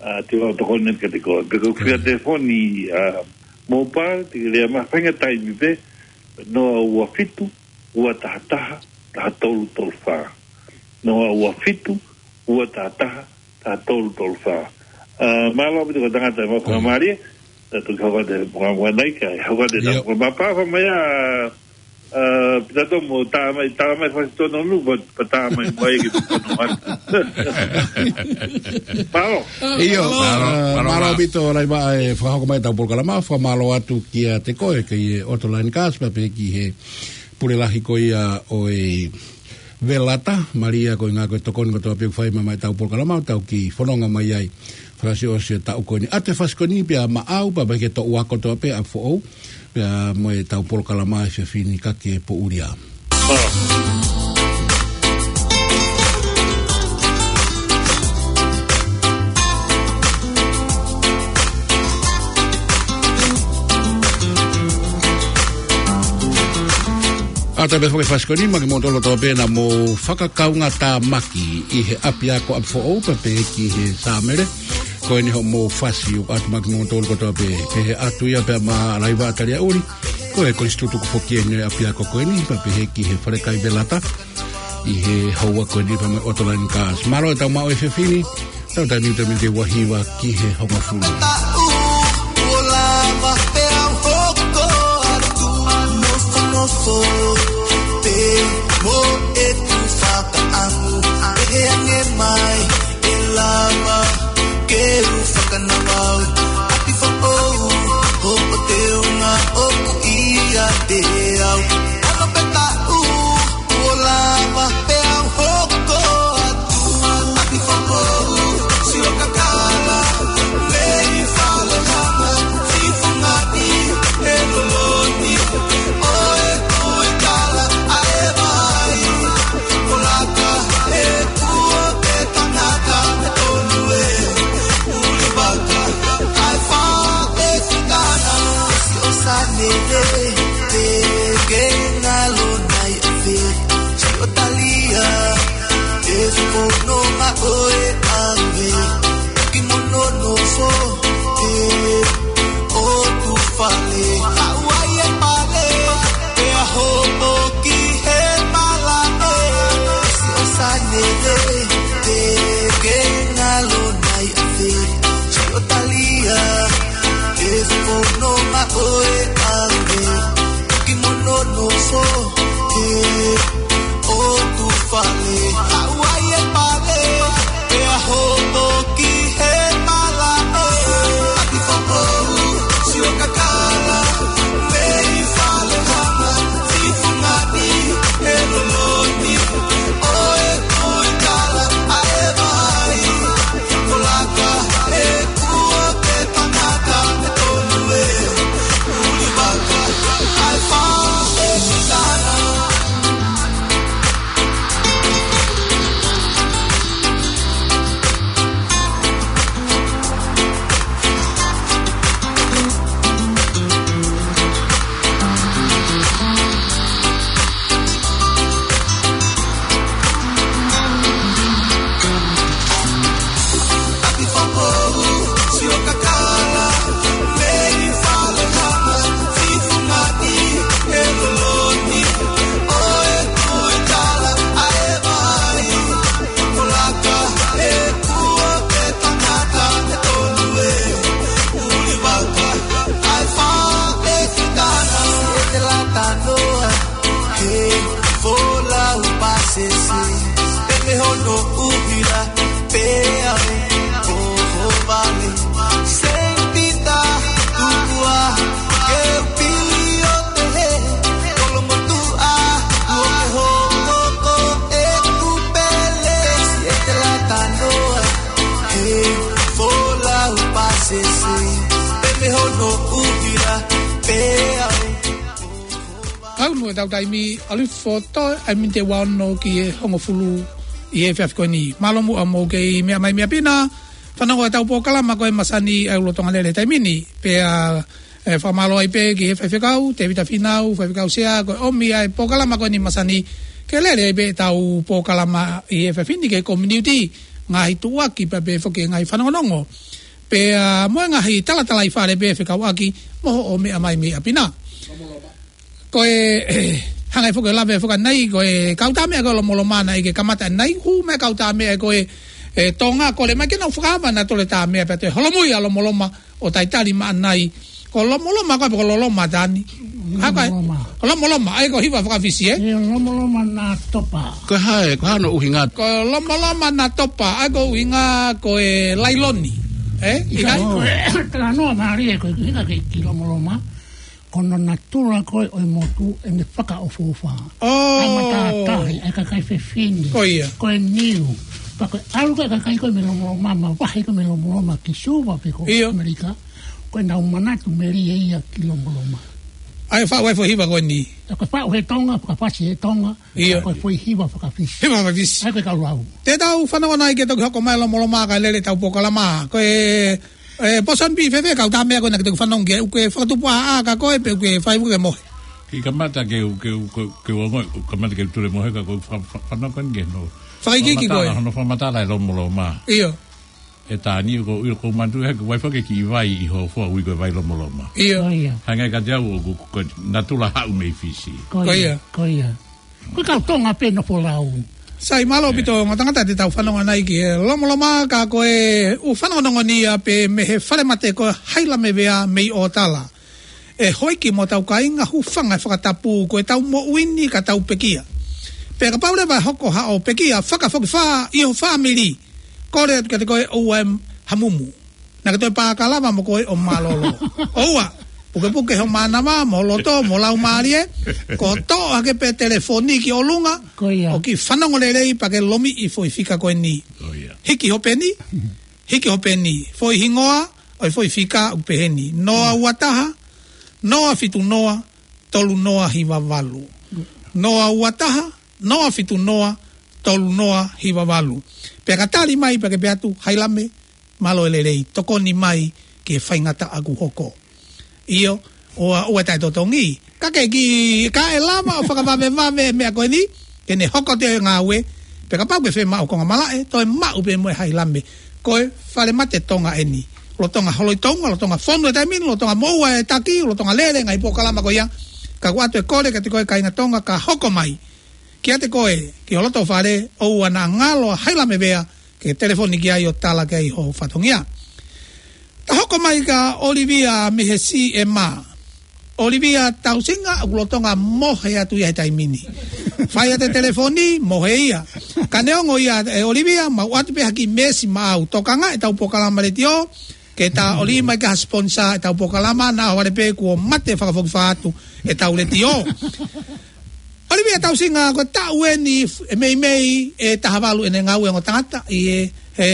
ā, te u tokoni kiate koe. Pe ko e fika Ko ia. telefoni, ā, mobile, te ke lea mai faʻahinga taimi pē, noa ua fitu, ua taha taha, taha tolu tolu fā. Noa ua fitu, ua taha taha, taha tolu tolu fā. Ā, mālō ʻaupito ko e tangata ʻe mau Ko ia. fakamālie, ʻa e toki hoko atu e pongipongi ni kae hoko atu e ʻIo. tau. Ko e mapapa mai ā, Pita tomo, tā mai, tā mai fasi tono nu, pa, pa tā mai mai ki tono atu. Mālō. ʻIo, mālō, mālō, mālō, mālō mālō. Pito Laiva e fakahoko mai ʻetau polokalama, fakamālō atu kiate koe, ki he Autoline Cars, pea pehē ki he pule lahi ko ia ʻo e Velata, mālie ko e ngaahi tokoni kotoa pē ʻoku fai mai ʻetau polokalama, tau kiʻi fononga mai ai. Fakaʻosiʻosi e taʻu ko eni. ʻAtu e fasi ko eni pea maʻau, pea pehē ki he toʻu ako kotoa pē ʻa Foʻou. Pea mo ʻetau polokalama he efiafi ni ka ke poʻuli ā. ʻAtu pē foki e fasi ko eni, maʻa kimoutolu kotoa pē naʻa mou fakakaungātāmaki ʻi he ʻapiako ʻa Foʻou, pea pehē ki he sāmele. Ko eni hoʻomou fasi ʻoku ʻatu maʻa kimoutolu kotoa pē, pehē atu ia pea maʻa Laiva Taliaʻuli. Ko e kolisi tutuku foki eni ʻapiako ko eni, pea pehē ki he falekai Velata. ʻI he houa ko eni pea mo e Autoline Cars. Mālō ʻetau maʻu e efiafi ni, tau taimi te mite ua hiva ki he hongofulu. Ua lava pea u hoko atu, nofonofo, pea mo ʻeku fakaʻamu, ʻe ange mai, ʻe lava ke u fakanavau, ʻapi Foʻou, hoʻo teunga ʻoku ʻiate au. Ano pē taʻu, ua lava pea u hoko atu, ʻapi Foʻou, sio kakala, mei fale hanga, sifungaʻi, ʻe loloni, ʻo e, ʻo e kala, ʻa e vai, ʻo laka, ʻe kua, ʻe tangata, ʻe tonu, ʻe uli vaka, ʻa e fale fitana, ʻe siʻo sane, ʻe te ke ngalo nai ʻave, siʻo talia, ʻe fononga ʻo e ʻave, ki mono nofo, ʻe ʻotu fale, haʻu ai e pale, pea hopo ki he malaʻe, siʻo sane, ʻe te ke ngalo nai ʻave, siʻo talia, ʻe fononga ʻo e ʻave, ki mono nofo, ʻe ʻotu fale, haʻu ai e pale, pea hopo ki he malaʻe, ʻapi Foʻou, sio kakala, mei fale hanga, sifungaʻi, ʻe loloni, ʻo e, ʻo e kala, ʻa e vai, ʻo laka, ʻe kua, ʻe tangata, ʻe tonu, ʻe uli vaka, ʻa e fale fitana. He folau pasese, pea mo hono ʻuhila, pea u ʻohovale. Saint Peter, tuku ā ke u pili ʻo tehe, kolomotuʻa, kuo ke hoko ko ʻeku pele, siete latanoa. He folau pasese, pea mo hono ʻuhila, pea u Kau nui ʻetau taimi, ʻalu hifo ʻa e miniti ʻe ua ono ki he hongofulu ʻi he efiafi ko eni. Mālō muʻa hoʻomou kei meʻa mai mei ʻapi na, fanongo ʻetau polokalama ko e Masani ʻa e ʻUluaki Tonga Lele he taimi ni. Pea, ʻe, fakamālō ai pē ki he faifekau, Tēvita Fīnau, faifekau sea, ko e ʻomi ʻa e polokalama ko eni Masani, ke lele ai pē ʻetau polokalama ʻi he efiafi ni ki he community, ngaahi tuʻuaki pea pehē foki ngaahi fanongonongo. Pea, ʻa, mo e ngaahi talatalaifale pē fekauʻaki, mo hoʻo meʻa mai mei ʻapi na. Ko e, ʻe, hangē foki ʻo lave foki ʻanenai, ko e kau tā meʻa ko e Lomoloma naʻe ʻikai ke kamata ʻanenai, hū mai e kau tā meʻa ko e, ʻe, Tonga, kole mai ke nau fakaava ʻenau tole tā meʻa pea toe holomui ʻa Lomoloma ʻo talitali mai ʻanenai. Ko Lomoloma ko e, pe ko Loloma Tani. Haka, Lomoloma. Lomoloma, ʻa ia ko e hiva faka-Fisi, ē? ʻIo, Lomoloma na topa. Ko e hā, ko e hā hono ʻuhinga? Ko Lomoloma na topa, ʻa ia ko e ʻuhinga ko e lailoni, ē? ʻIkai? ʻIkai? Ko e talanoa mālie ko e ʻuhinga ki, ki Lomoloma, ko hono natula ko ē ʻo e motu ʻene fakaʻofoʻofa. ʻOi. ʻA e matātahi, ʻa e kakai fefine. Ko ia. Ko e niu. Pea ko e ʻalu ko ē ʻa e kakai ko ē mei Lomoloma, mavahe ko ē mei Lomoloma ki Suva pe ko ʻIo. ʻAmelika, ko ʻenau manatu melie ia ki Lomoloma. ʻA ia faʻu e foʻi hiva ko eni. Ko e faʻu he Tonga, fakafasi he Tonga. ʻIo. Ko e foʻi hiva faka-Fisi. Hiva faka-Fisi. ʻA ia ko e kau lau. Te tau fanongo nai ke toki hoko mai Lomoloma kae lele ʻetau polokalama. Ko e, ē, Pōsoni Pī, fēfē kau tā meʻa ko ena ke toki fanongo ki ai, ʻoku ke fakatupu ʻāʻā ka ko e, pe ʻoku ke fai ʻoku ke mohe? Kiʻi kamata ke u, ke u, ke u, ke u ongoʻi, kamata ke u tulemohe ka ko e fa-, fa-, fanongo ko eni ke no. Fakaikiiki ko ē. Fakamatala, hono fakamatala e Lomoloma. ʻIo. ʻE Tani, ko ʻilo ko matu he ko e vai faka-Fisi ki he vai ʻi hoʻo foʻi ui ko e vai Lomoloma. ʻIo. ʻO ia. Hangē kiate au ʻoku, ko e natula haʻu mei Fisi. Ko ia. Ko ia. Ko e kau Tonga pē nofo lau. Sai, mālō ʻaupito ongo tangata te tau fanongo nai ki he Lomoloma ka ko e ʻū fanongonongo ni ia pē mei he falemate ko Hailamevea mei ʻOtala. ʻE houʻeiki mo hotau kāinga, hūfanga he fakatapu, ko ʻetau moʻui ni ka tau pekia. Pea kapau leva ʻe hoko haʻo pekia fakafokifā ʻi ho fāmili, kole atu kiate koe ʻoua ʻe hamumu. Naʻa ke toe pākalava mo koe ʻo mālōlō. ʻOua, pukepuke ho mānava, mo ho loto, mo ho laumālie, ko e toʻo hake pē telefoni ki ʻolunga, Ko ia. ʻo kiʻi fanongo lelei pea ke lomiʻi e foʻi fika ko eni. Ko ia. Hiki ho peni, hiki ho peni, foʻi hingoa ʻo e foʻi fika ʻoku pehē ni: noa ua taha, noa fitu noa, tolu noa hiva valu. Noa ua taha, noa fitu noa, tolu noa hiva valu. Pea ka tali mai pea ke pehē atu, Hailame, mālō e lelei, tokoni mai ki he faingataʻa ʻoku hoko. ʻIo, ʻoua, ʻoua ʻe taʻetotongi. Ka ke kiʻi, ka ʻe lava ʻo fakavavevave e meʻa ko eni, ke ne hoko atu e ngāue, pea kapau ʻoku ke fiemaʻu konga malaʻe, toe maʻu pē mo e Hailame. Ko e falemate Tonga eni. Lolotonga holo ʻi Tonga, lolotonga fonu he taimi ni, lolotonga moʻua e taki, lolotonga lele e ngaahi polokalama ko ia. Ka ʻoku ʻoatu e kole kiate koe kāinga Tonga, ka hoko mai kiate koe, ki ho loto fale, ʻoua naʻa ngalo ʻa Hailamevea ke telefoni ki ai ʻo tala ki ai ho fatongia. Ta hoko mai kia ʻOlivia mei he C M A. ʻOlivia Tausinga, ʻoku lolotonga mohe atu ia he taimi ni. Fai atu e telefoni, mohe ia. Ka neongo ia ʻe ʻOlivia, mau ʻoatu pē ha kiʻi meesi maʻau. Tokanga ʻetau polokalama letiō, ke ta ʻoli mai ki ha sponsor ʻetau polokalama, naʻa ʻohovale pē kuo mate fakafokifā atu ʻetau letiō. ʻOlivia Tausinga, ko e taʻu eni f-, ʻe meimei ʻe taha valu ʻene ngāue ongo tangata ʻi he, he,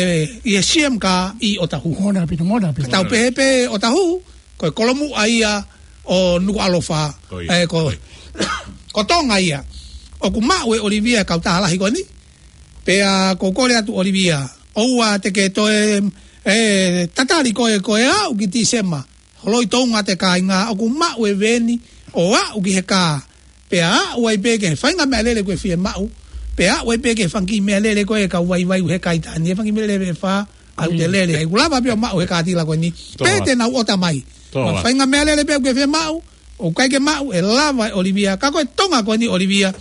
ʻi he C M K ʻi ʻOtahuhu. Mālō ʻaupito, mālō ʻaupito. Ka tau pehē pē ʻOtahuhu, ko e kolomuʻa ia ʻo Nukuʻalofa. Ko ia. ʻE, ko, ko Tonga ia. ʻOku maʻu ʻe ʻOlivia e kautaha lahi ko eni. Pea ʻoku ou kole atu ʻOlivia, ʻoua te ke toe, ʻe, tatali koe, ko e aʻu ki Tīsema. Holoi Tonga te kāinga, ʻoku maʻu e veeni ʻo aʻu ki he kā. Pea aʻu ai pē ki he faʻahinga meʻalele ʻoku ke fiemaʻu. Pea aʻu ai pē ki he fanga kiʻi meʻalele ko ē kau vaivai he kaitani. E fanga kiʻi meʻalele ʻe fā, ʻoku te lele ai. ʻOku lava pē ʻo maʻu he kātila ko eni. Pea te nau ʻota mai. Ko e faʻahinga meʻalele pē ʻoku ke fiemaʻu, ʻoku ʻikai ke maʻu, ʻe lava ʻe ʻOlivia. Ka ko e Tonga ko eni ʻOlivia.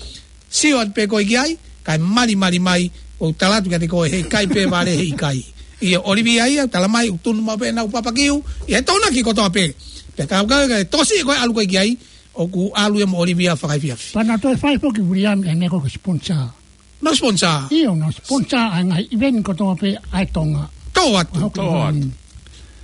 Sio atu pē koe ki ai, kae malimali mai, ʻoku tala atu kiate koe, heʻikai pē vale, heʻikai. ʻIo, ʻOlivia ia, tala mai, ʻoku tunu maʻu pē ʻenau papakiu, ʻi he Tonga ki kotoa pē. Pea ka, ka, ka, tokosiʻi koe ʻalu koe ki ai, ʻoku ʻalu ia mo ʻOlivia fakaefiafi. Pea naʻa toe fai foki Viliami e meʻa ko e sponsor. Naʻa sponsor? ʻIo, naʻa sponsor ʻa e ngaahi event kotoa pē ʻa e Tonga. Tō atu. Tō atu.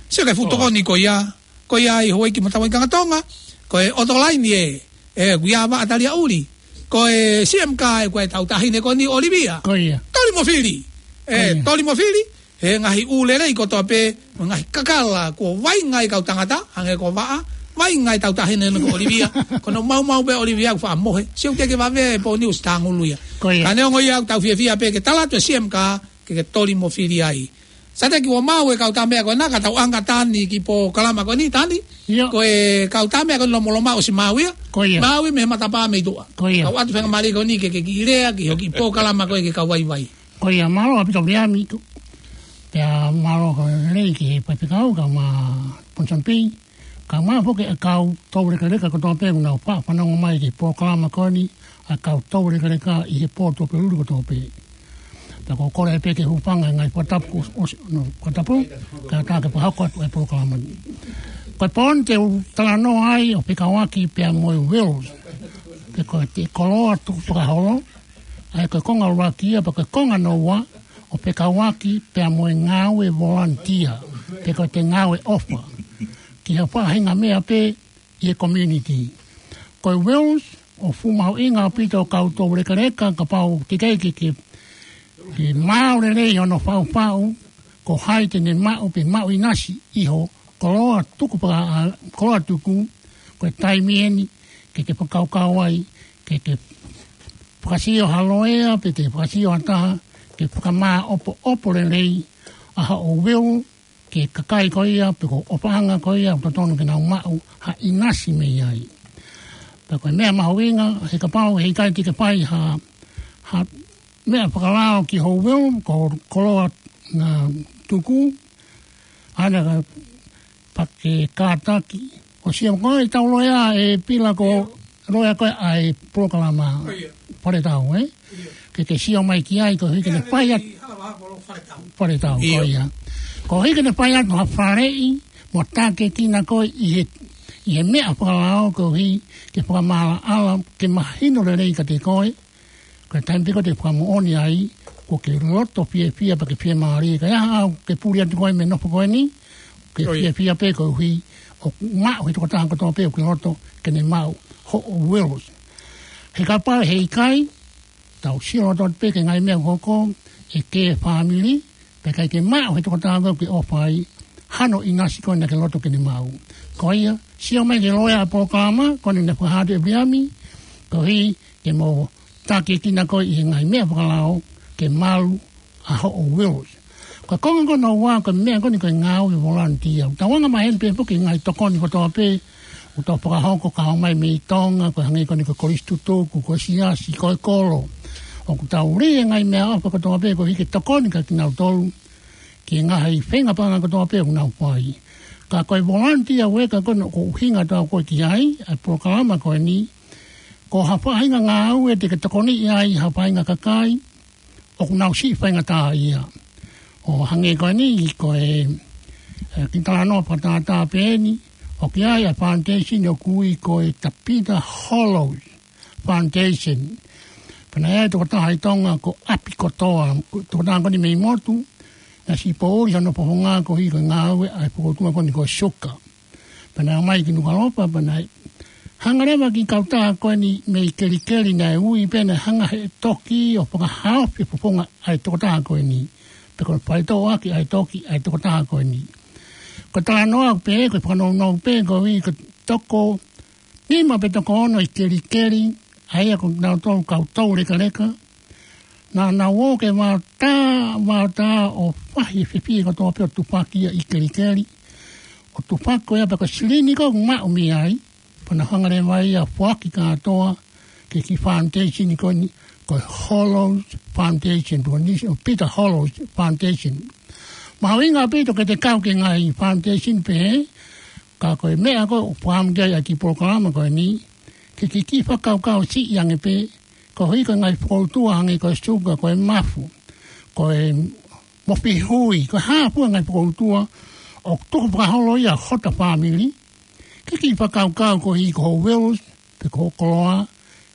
Sio ki he fuʻu tokoni ko ia, ko ia ʻi houʻeiki mo hotau kāinga Tonga, ko e Otolaini ē, ē, ʻoku ʻi ai ʻa Vaʻa Taliaʻuli. Ko e C M K ē, ko e tauhi taʻahine ko eni ʻOlivia. Ko ia. Toli mo fili. Ē, ko ia. Toli mo fili, he ngaahi ʻū lelei kotoa pē, mo e ngaahi kakala, kuo vainga ai e kau tangata, hangē ko Vaʻa, vainga ai e tauhi taʻahine ko ʻOlivia, ko hono maumau pē ʻOlivia ʻoku faʻa mohe, sio ki he vave e pō ni ʻosi tāngulu ia. Ko ia. Ka neongo ia ʻoku tau fiefia pē ke tala atu e C M K, ke ke toli mo fili ai. Sai, te ke ʻoua maʻu e kau tā meʻa ko ena, ka tau ʻanga Tani ki he polokalama ko eni, Tani. ʻIo. Ko e kau tā meʻa ko eni Lomoloma ʻosi maʻu ia. Ko ia. Maʻu ia mei he matapā mei tuʻa. Ko ia. Kau atu faingamālie ko eni ke, ke kiʻi lea, ki hoʻo kiʻi polokalama ko ē ki he kau vaivai. Ko ia, mālō ʻaupito Viliami. Pea mālō ko e lelei ki he faifekau, kae ʻumaʻā Ponsonby. Kae ʻumaʻā foki e kau toulekeleka kotoa pē, ʻoku nau fa-, fanongo mai ki he polokalama ko eni, ʻa e kau toulekeleka ʻi he pō Tuʻapulelulu kotoa pē. Pea ʻoku ou kole pē ke hūfanga he ngaahi fakatapu, ʻosi, no, fakatapu, kae ʻatā ke fakahoko atu e polokalama ni. Ko e poini te u talanoa ai ʻo fekauʻaki pea mo e Wills. Pe ko e koloa tukufakaholo, ʻa ia ko e konga ʻuluaki ia, pe ko e konga hono ua, ʻo fekauʻaki pea mo e ngāue volunteer, pe ko e ngāue ʻofa. Ki ha faʻahinga meʻa pē ʻi he community. Ko e Wills, ʻoku fuʻu mahuʻinga ʻaupito ʻa e kau toulekeleka, kapau ʻoku teʻeki ke, ke, ke maau lelei hono faʻufaʻu, ko hai te ne maʻu pe maʻu ʻinasi ʻi ho koloa tuku pea, ʻa, koloa tuku, ko e taimi eni, ke ke fakakaukau ai, ke ke fakasio ha loea, pe ke fakasio ha taha, ke fakamāʻopoʻopo lelei, ʻa hoʻo Wills, ki he kakai ko ia, pe ko e ʻofaʻanga ko ia, ʻoku totonu ke nau maʻu ha ʻinasi mei ai. Pea ko e meʻa mahuʻinga, he kapau he ʻikai te ke fai ha, ha meʻa fakalao ki ho Wills, ko e koloa, ʻa, tuku, ʻa ia ka pake kātaki. ʻO sio ko e tau loea ē Pila, ko e loea ko ē ʻa e polokalama. ʻIo. Fale tau, ē? ʻIo. Ke ke sio mai ki ai koeʻuhi ke ne fai atu. Fale tau, ʻio, ko ia. Koeʻuhi ke ne fai atu ha faleʻi, mo tākiekina koe ʻi he, ʻi he meʻa fakalao koeʻuhi ke fakamaʻalaʻala, ke mahino lelei kiate koe, ko e taimi pē ko ē te ke fakamoʻoni ai, ʻoku ke loto fiefia pea ke fiemālie. Ka ʻi ai haʻo, ke puli atu koe mei he nofo ko eni, ke, ʻio, fiefia pē koeʻuhi ʻoku maʻu ʻe he tokotaha kotoa pē ʻoku ke loto ke ne maʻu hoʻo Wills. He kapau he ʻikai, tau sio loto atu pē ki he ngaahi meʻa ʻoku hoko, ʻe kē fāmili, pea ʻikai ke maʻu ʻe he tokotaha ko ē ʻoku ke ʻofa ai hano ʻinasi ko ē naʻa ke loto ke ne maʻu. Ko ia, sio mai ki he loea ʻa e polokalama, ko eni naʻe fakahā atu ʻe Viliami, koeʻuhi ke mo tākiekina koe ʻi he ngaahi meʻa fakalao, ke malu ʻa hoʻo Wills. Ko e konga ko hono ua, ko e meʻa ko eni ko e ngāue volunteer. Tau anga maheni pē foki e ngaahi tokoni kotoa pē ʻoku tau fakahoko, ka ʻomai mei Tonga, ko e hangē ko eni ko e kolisi tutuku, ko e siasi, ko e kolo. ʻOku tau lī e ngaahi meʻaʻofa kotoa pē koeʻuhi ke tokoni kia kinautolu, ki he ngaahi feinga paʻanga kotoa pē ʻoku nau fai. Ka ko e volunteer worker ko eni ʻoku ʻuhinga atu ko ē ki ai ʻa e polokalama ko eni, ko ha faʻahinga ngāue te ke tokoniʻi ai ha faʻahinga kakai ʻoku nau siʻi faingataʻaʻia. ʻO hangē ko eni, ko e, ē, kiʻi talanoa fakatātā pē eni, ʻoku ʻi ai ʻa e foundation ʻoku ui ko e Tavita Hollows Foundation. Pea naʻe ʻi ai e tokotaha ʻi Tonga ko ʻApi Kotoa, tokotaha ko eni mei motu, naʻe siʻi poʻuli hono fofonga koeʻuhi ko e ngāue ʻa e fokoutua ko eni ko e suka. Pea naʻe ʻomai ki Nukuʻalofa, pea naʻe hanga leva ki he kautaha ko eni mei Kelikeli naʻe ui pē naʻe hanga ʻe he toki ʻo fakahaofi e fofonga ʻa e tokotaha ko eni. Pe ko e faitoʻo ʻaki ʻa e toki ʻa e tokotaha ko eni. Ko e talanoa pē, ko e fakanounou pē, koeʻuhi ko e toko nima pe toko ono ʻi Kelikeli, ʻa ia ko kinautolu kau toulekeleka, naʻa nau ō ke vaotā, vaotā ʻo fahi e fefie kotoa pē ʻo tufaki ia ʻi Kelikeli. ʻO tufaki ko ia pea ko e silini ko ē ʻoku maʻu mei ai, pea nau hanga leva ia ʻo foaki kātoa ki he kiʻi foundation ko eni, ko e Hollows Foundation, pe ko e Tavita Hollows Foundation. Mahuʻinga ʻaupito ke te kau ki he ngaahi foundation pehē, ka ko e meʻa ko ē ʻoku fakaʻamu ki ai ʻa e kiʻi polokalama ko eni, ke ke kiʻi fakakaukau siʻi ange pē, koeʻuhi ko e ngaahi fokoutua hangē ko e suka, ko e mafu, ko e mofihui, ko e hā fua e ngaahi fokoutua ʻoku tuku fakaholo ia ʻe hota fāmili, ke kiʻi fakakaukau koeʻuhi ko ho Wills, pe ko ho koloa,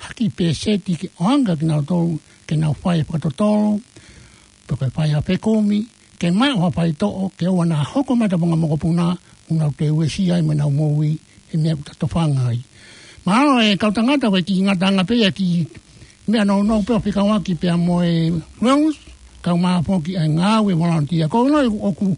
ha kiʻi pēseti ke ʻoange kia kinautolu, ke nau fai e fakatotolo, pe ko e fai ha fekumi, ke maʻu ha faitoʻo, ke ʻoua naʻa hoko mai ha tavanga mokopuna, ʻoku nau toe uesia ai mo ʻenau moʻui, he meʻa ʻoku ta tofanga ai. Mahalo ʻe kau tangata ko e kiʻi ngataʻanga pē ia ki he meʻa nounou pē ʻoku fekauʻaki pea mo e Wills, kae ʻumaʻā foki ʻa e ngāue volunteer. Ko hono ʻoku,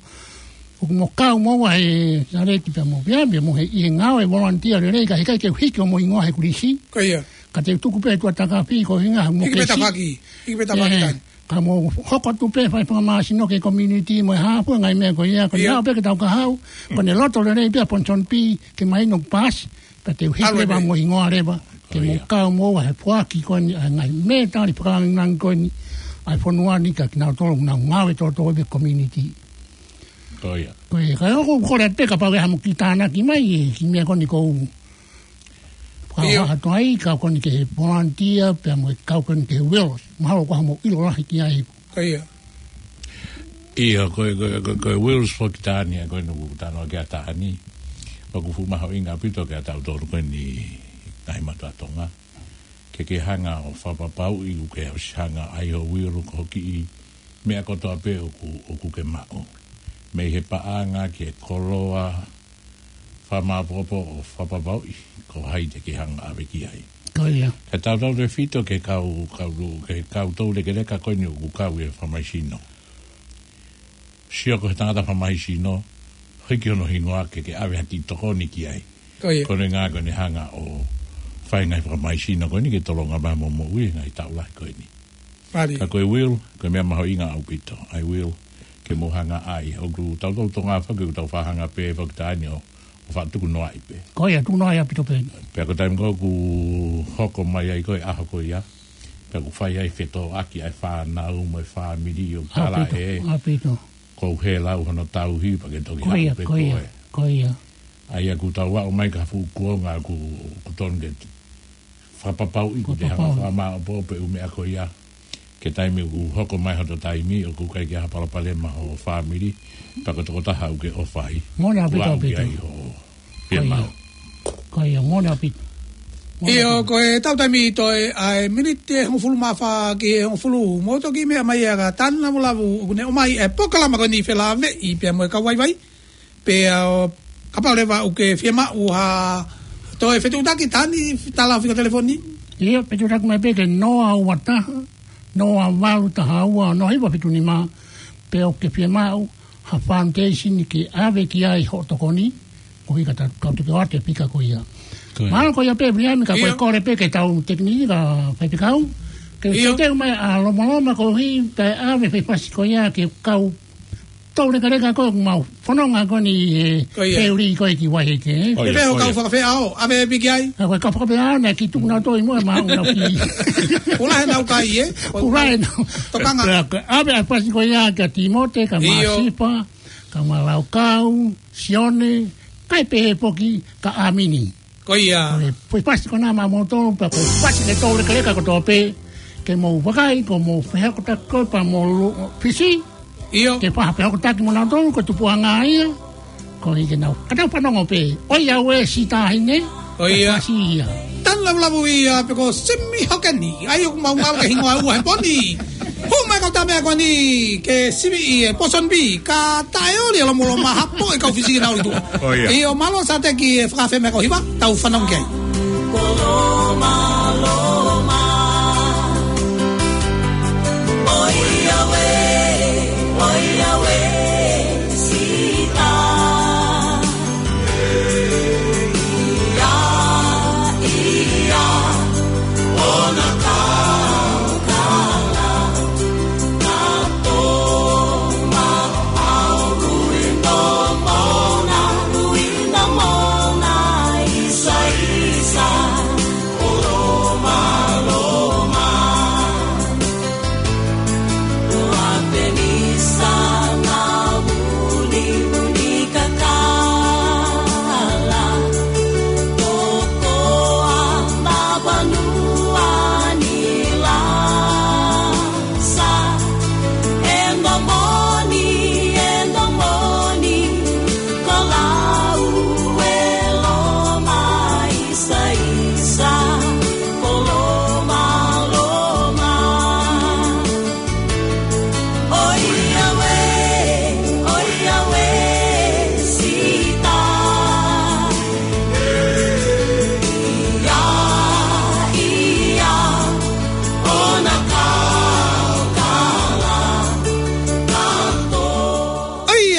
ʻoku mo kau mo ua he Saleti pea mo Viliami mo e ʻi he ngāue volunteer lelei, ka heʻikai ke u hiki hoʻomo hingoa he kulisi. Ko ia. Ka te u tuku pē ʻi tuʻa takafi ko e hingoa mo ke si. Hiki pē tafaʻaki. Hiki pē tafaʻaki. Ē, taha. Ka mo hoko atu pē fai fakamāsino ki he community mo e hā fua e ngaahi meʻa ko ia, ko ʻene, ʻio, haʻu pē ke tau ka haʻu, ko ʻene loto lelei pē ʻa Ponsonby, ke mahino paasi, pea te u hiki leva mo e hingoa leva, ke mo kau mo ua he foaki ko eni ʻa e ngaahi mētali fakalangilangi ko eni ʻa e fonua ni kia kinautolu ʻoku nau ngāue toto ʻi he community. Ko ia. Ko e, ka ʻoku ou kole atu pē kapau ʻe ʻi ai haʻamo kiʻi tānaki mai, ʻe, kiʻi meʻa ko eni ʻoku ou fakahā atu ai, ka ko eni ki he volunteer, pea mo e kau ko eni ki he Wills. Mahalo ko haʻamo ʻilo lahi ki ai. Ko ia. ʻIo, ko e, ko e, ko e, ko e Wills foki Tania, ko eni ʻoku ou talanoa ki ai Tania. Pea ʻoku fuʻu mahuʻinga ʻaupito kiate kitautolu ko eni ngaahi mātuʻa Tonga, ke ke hanga ʻo fakapapauʻi ʻoku ke ʻosi hanga ʻai ho will ko hoʻo kiʻi meʻa kotoa pē ʻoku, ʻoku ke maʻu. Mei he paʻanga ki he koloa, fakamāʻopoʻopo ʻo fakapapauʻi ko hai te ke hanga ʻave ki ai. Ko ia. Ka tautautefito ki he kau, kau, ki he kau toulekeleka ko eni ʻoku kau ʻi he fakamahisino. Sio ko e tangata fakamahisino, hiki hono hingoa ke ke ʻave ha kiʻi tokoni ki ai. Ko ia. Ko hono ʻuhinga ko ʻene hanga ʻo fai ngaahi fakamahisino ko eni ke tolonga mai mo moʻui he ngaahi taʻu lahi ko eni. Mālie. Ka ko e will, ko e meʻa mahuʻinga ʻaupito. ʻA e will, ke mou hanga ʻai. ʻOku tautolu Tonga foki, ʻoku tau faʻa hanga pē foki taimi ʻo, ʻo faʻa tukunoaʻi pē. Ko ia, tukunoaʻi ʻaupito pē. Pea ko e taimi ko ē ʻoku hoko mai ai ko e ʻaho ko ia, pea ʻoku fai ai fetōʻaki ʻa e fānau mo e fāmili ʻo tala ʻaupito, ē, ʻaupito. Ko e hā lau hono tauhi, pea ke toki haʻu pē ko koe. Ko ia, ko ia. ʻA ia ʻoku tau aʻu mai ki ha fuʻu kuonga ʻoku, ʻoku tonu ke fakapapauʻi ʻoku te hanga fakapapauʻi. Fakamāʻopoʻopo e ʻū meʻa ko ia. Ki he taimi ʻoku hoko mai hoto taimi, ʻoku ʻikai ke ʻi ai ha palopalema ho fāmili, pea ko e tokotaha ʻoku ke ʻofa ai. Moʻoni ʻaupito, ʻoku aʻu ki ai hoʻo fiemaʻu. Ko ia. Ko ia, moʻoni ʻaupito. Moʻoni ʻaupito. ʻIo, ko e tau taimi toe ʻa e miniti ʻe hongofulu mā fā ki he hongofulu. Mou toki meʻa mai ʻa Tani Lavulavu, ʻoku ne ʻomai e polokalama ko eni Felāveʻi pea mo e Kau Vaivai. Pea ʻo kapau leva ʻoku ke fiemaʻu ha toe fetuʻutaki, Tani, tala fika telefoni. ʻIo, fetuʻutaki mai pē ki he noa ua taha, noa valu taha ua, noa hiva fitu nima, pe ʻoku ke fiemaʻu ha foundation ke ʻave ki ai hoʻo tokoni, koeʻuhi ka ta-, kau teke ʻoatu e fika ko ia. Ko ia. Mālō ko ia pē, Viliami, ka ko e ʻIo. Kole pē ki he tau tekiniki ka faifekau. Ke ʻIo. Ke teu mai ʻa Lomaloma koeʻuhi, kae ʻave e fefasi ko ia ki he kau toulekeleka ko ē ʻoku mau fononga ko eni he Ko ia. Feuli ko ē ki Vaiheike, ē? Ko ia, Pepeo ko kau ia. Fakafeʻao, ʻave pē ki ai. Ka ko e kau fakafeʻao naʻe kiʻi tuku nautolu ʻi muʻa ʻemau nau kiʻi. Pula he nau kai, ē? Pula he nau. Tokanga. Pea ko e ʻave ʻa e fasi ko ia kia Timote, ka ʻIo. Masifa, ka Malaukau, Sione, kae pehē foki kia ʻAmini. Ko ia. Ko e, ko e fasi ko ena maʻamoutolu, pea ko e fasi ki he toulekeleka kotoa pē, ke mou vakai, ko hoʻomou fehokotaki ko ē pea mo Lu-, Fisi. ʻIo. Ke fai ha fehokotaki mo nautolu, ko e tupuʻanga ia. Koeʻuhi ke nau, ka tau fanongo pē. ʻOiauē siʻi taʻahine. Ko ia. Fasi ia. Tani Lavulavu ia pe ko Simi Hokeni. ʻA ia ʻoku mau ngalo ki he hingoa ʻe ua he pō ni. Hū mai kau tama ko eni ke siviʻi e Pōsoni Bee, ka taʻeoli ʻa Lomaloma, hapo e kau Fisi ke nau ʻi tuʻa. Ko ia. ʻIo, mālō Sateki e fakafeʻao mo e kau hiva, tau fanongo ki ai.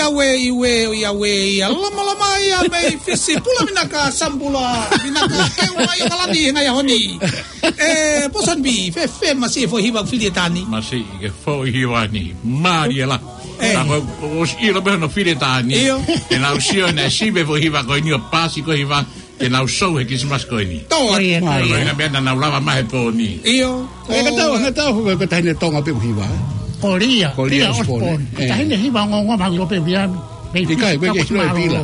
ʻOiauē, ʻiauē, ʻoiauē, ia Lomaloma ia mei Fisi, pula vinaka, Sambula vinaka, ke ua ia kalani he ngaahi ʻaho ni. ʻE, Pōsoni Bee, fēfē masiʻi e foʻi hiva fili ʻe Tani? Masiʻi e foʻi hiva ni, mālie lahi. ʻE. Ka ko, ko, ʻosi ʻilo pē hono fili ʻe Tani. ʻIo. Te nau sio naʻe sivi e foʻi hiva ko eni ʻo paasi ko e hiva te nau sou he Kilisimasi ko eni. Tō. Ko ia, ko ia. Ko e ʻuhinga meʻa naʻa nau lava mai he pō ni. ʻIo. ʻE, ka tau, ka tau, ko e taʻahine Tonga pē ʻoku hiva, ē? Ko Lia. Ko Lia, Lia Osborne. Osborne. ʻE. Taʻahine hiva ongoongo maʻu ʻilo pē Viliami. ʻIkai, ko e kei sino e pila.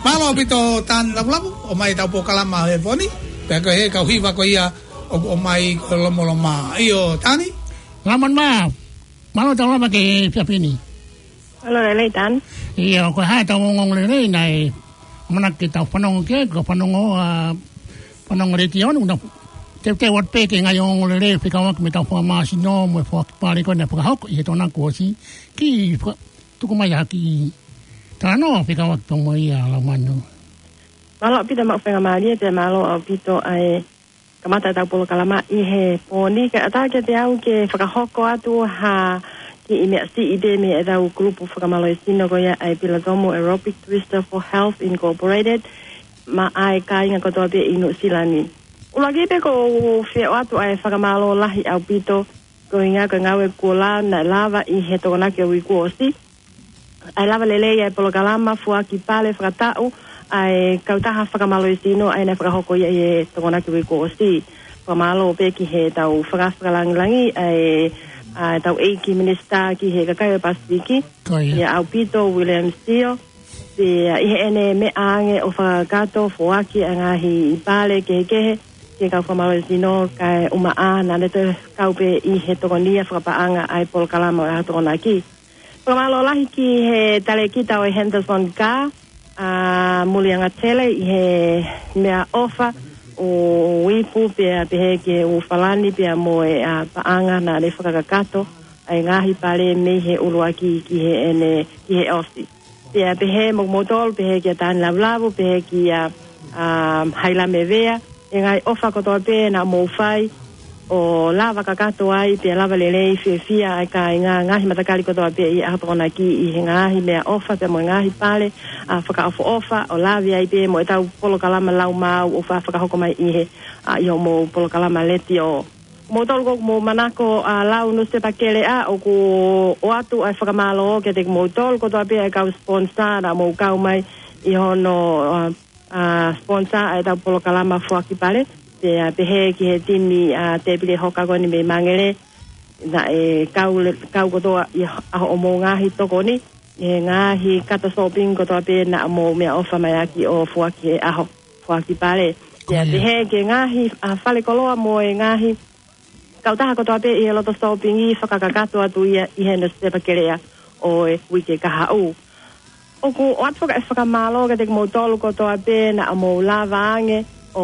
Mālō ʻaupito Tani Lavulavu, ʻomai ʻetau polokalama he pō ni, pea ko e kau hiva ko ia ʻoku ʻomai ko Lomaloma. ʻIo, Tani? Mālō, mālō, mālō tau lava ki he efiafi ni. Mālō e lelei, Tan. ʻIo, ko e hā ʻetau ongoongolelei naʻe ʻamanaki ke tau fanongo ki ai, ko e fanongo, ʻa, fanongo letiō ni, ʻoku nau teuteu atu pē ki he ngaahi ongoongolelei fekauʻaki mo ʻetau fakamāsino mo e foaki pale ko ē naʻe fakahoko ʻi he Tokonaki kuo ʻosi, ke faka-, tuku mai ha kiʻi talanoa fekauʻaki pea mo ia, Laumanu. Mālō ʻaupito e maʻu faingamālie, pea mālō ʻaupito ʻa e kamata ʻetau polokalama ʻi he pō ni. Kae ʻatā kiate au ke fakahoko atu ha kiʻi meʻa siʻi pē mei heʻetau kulupu fakamālohisino ko ia ʻa e Pilatomu Aerobic Twister for Health Incorporated, maʻa e kāinga kotoa pē ʻi Nuʻusila ni. ʻUluaki pē ʻoku ou fie ʻoatu ʻa e fakamālō lahi ʻaupito, ko e ʻuhinga ko e ngāue kuo lava, naʻe lava ʻi he Tokonaki ʻo e uike kuo ʻosi, ʻa e lava lelei ʻa e polokalama foaki pale fakataʻu ʻa e kautaha fakamālohisino ʻa ia naʻe fakahoko ia ʻi he Tokonaki ʻo e uike kuo ʻosi. Fakamālō pē ki heʻetau faka-, fakalāngilangi ʻa e, ʻa ʻetau ʻEiki Minisitā ki he Kakai ʻo e Pasifiki, Ko ia. ʻia ʻAupito William Sio, pea ʻi heʻene meʻa ange ʻo fakakakato foaki ʻa e ngaahi pale kehekehe ki he kau fakamālohisino, kae ʻumaʻā naʻa ne toe kau pē ʻi he tokonia fakapaʻanga ʻa e polokalama ʻo e ʻaho Tokonaki. Fakamālō lahi ki he talēkita ʻo e Henderson Car, ʻa Mulianga Tele, ʻi he meʻaʻofa ʻo e ipu pea pehē ki he ʻū falani pea mo e, ʻa, paʻanga naʻa ne fakakakato ʻa e ngaahi pale mei he ʻuluaki ki heʻene, ki he ʻosi. Pea pehē mo kimoutolu, pehē kia Tani Lavulavu, pehē kia, ʻa, Hailame Vea, e ngaahi ʻofa kotoa pē naʻa mou fai ʻo lava kakato ai, pea lava lelei fiefia ai kāinga, ngaahi matakali kotoa pē ʻi he ʻaho Tokonaki ʻi he ngaahi meʻaʻofa pea mo e ngaahi pale, ʻa, fakaʻofoʻofa, ʻo lave ai pē mo ʻetau polokalama lau maau ʻoku fa-, fakahoko mai ʻi he, ʻa, ʻi hoʻomou polokalama letiō. Moutolu ʻoku mou manako ʻa lau nusipepa keleʻa, ʻoku ʻoatu ʻa e fakamālō kiate kimoutolu kotoa pē ʻa e kau sponsor naʻa mou kau mai ʻi hono, ʻa, ʻa, sponsor ʻa ʻetau polokalama foaki pale. Pea pehē ki he timi, ʻa, tēpile hoka ko eni mei Mangele, naʻe kau le-, kau kotoa ʻi ha-, ʻa hoʻomou ngaahi tokoni, ʻi he ngaahi kato shopping kotoa pē naʻa mou meʻaʻofa mai ʻaki ʻo foaki he ʻaho foaki pale. Ko ia. Pea pehē ki he ngaahi, ʻa, falekoloa mo e ngaahi kautaha kotoa pē ʻi he loto shopping ʻi fakakakato atu ia ʻi he nusipepa keleʻa ʻo e uike kahaʻu. ʻOku ʻoatu foki e fakamālō kiate kimoutolu kotoa pē naʻa mou lava ange ʻo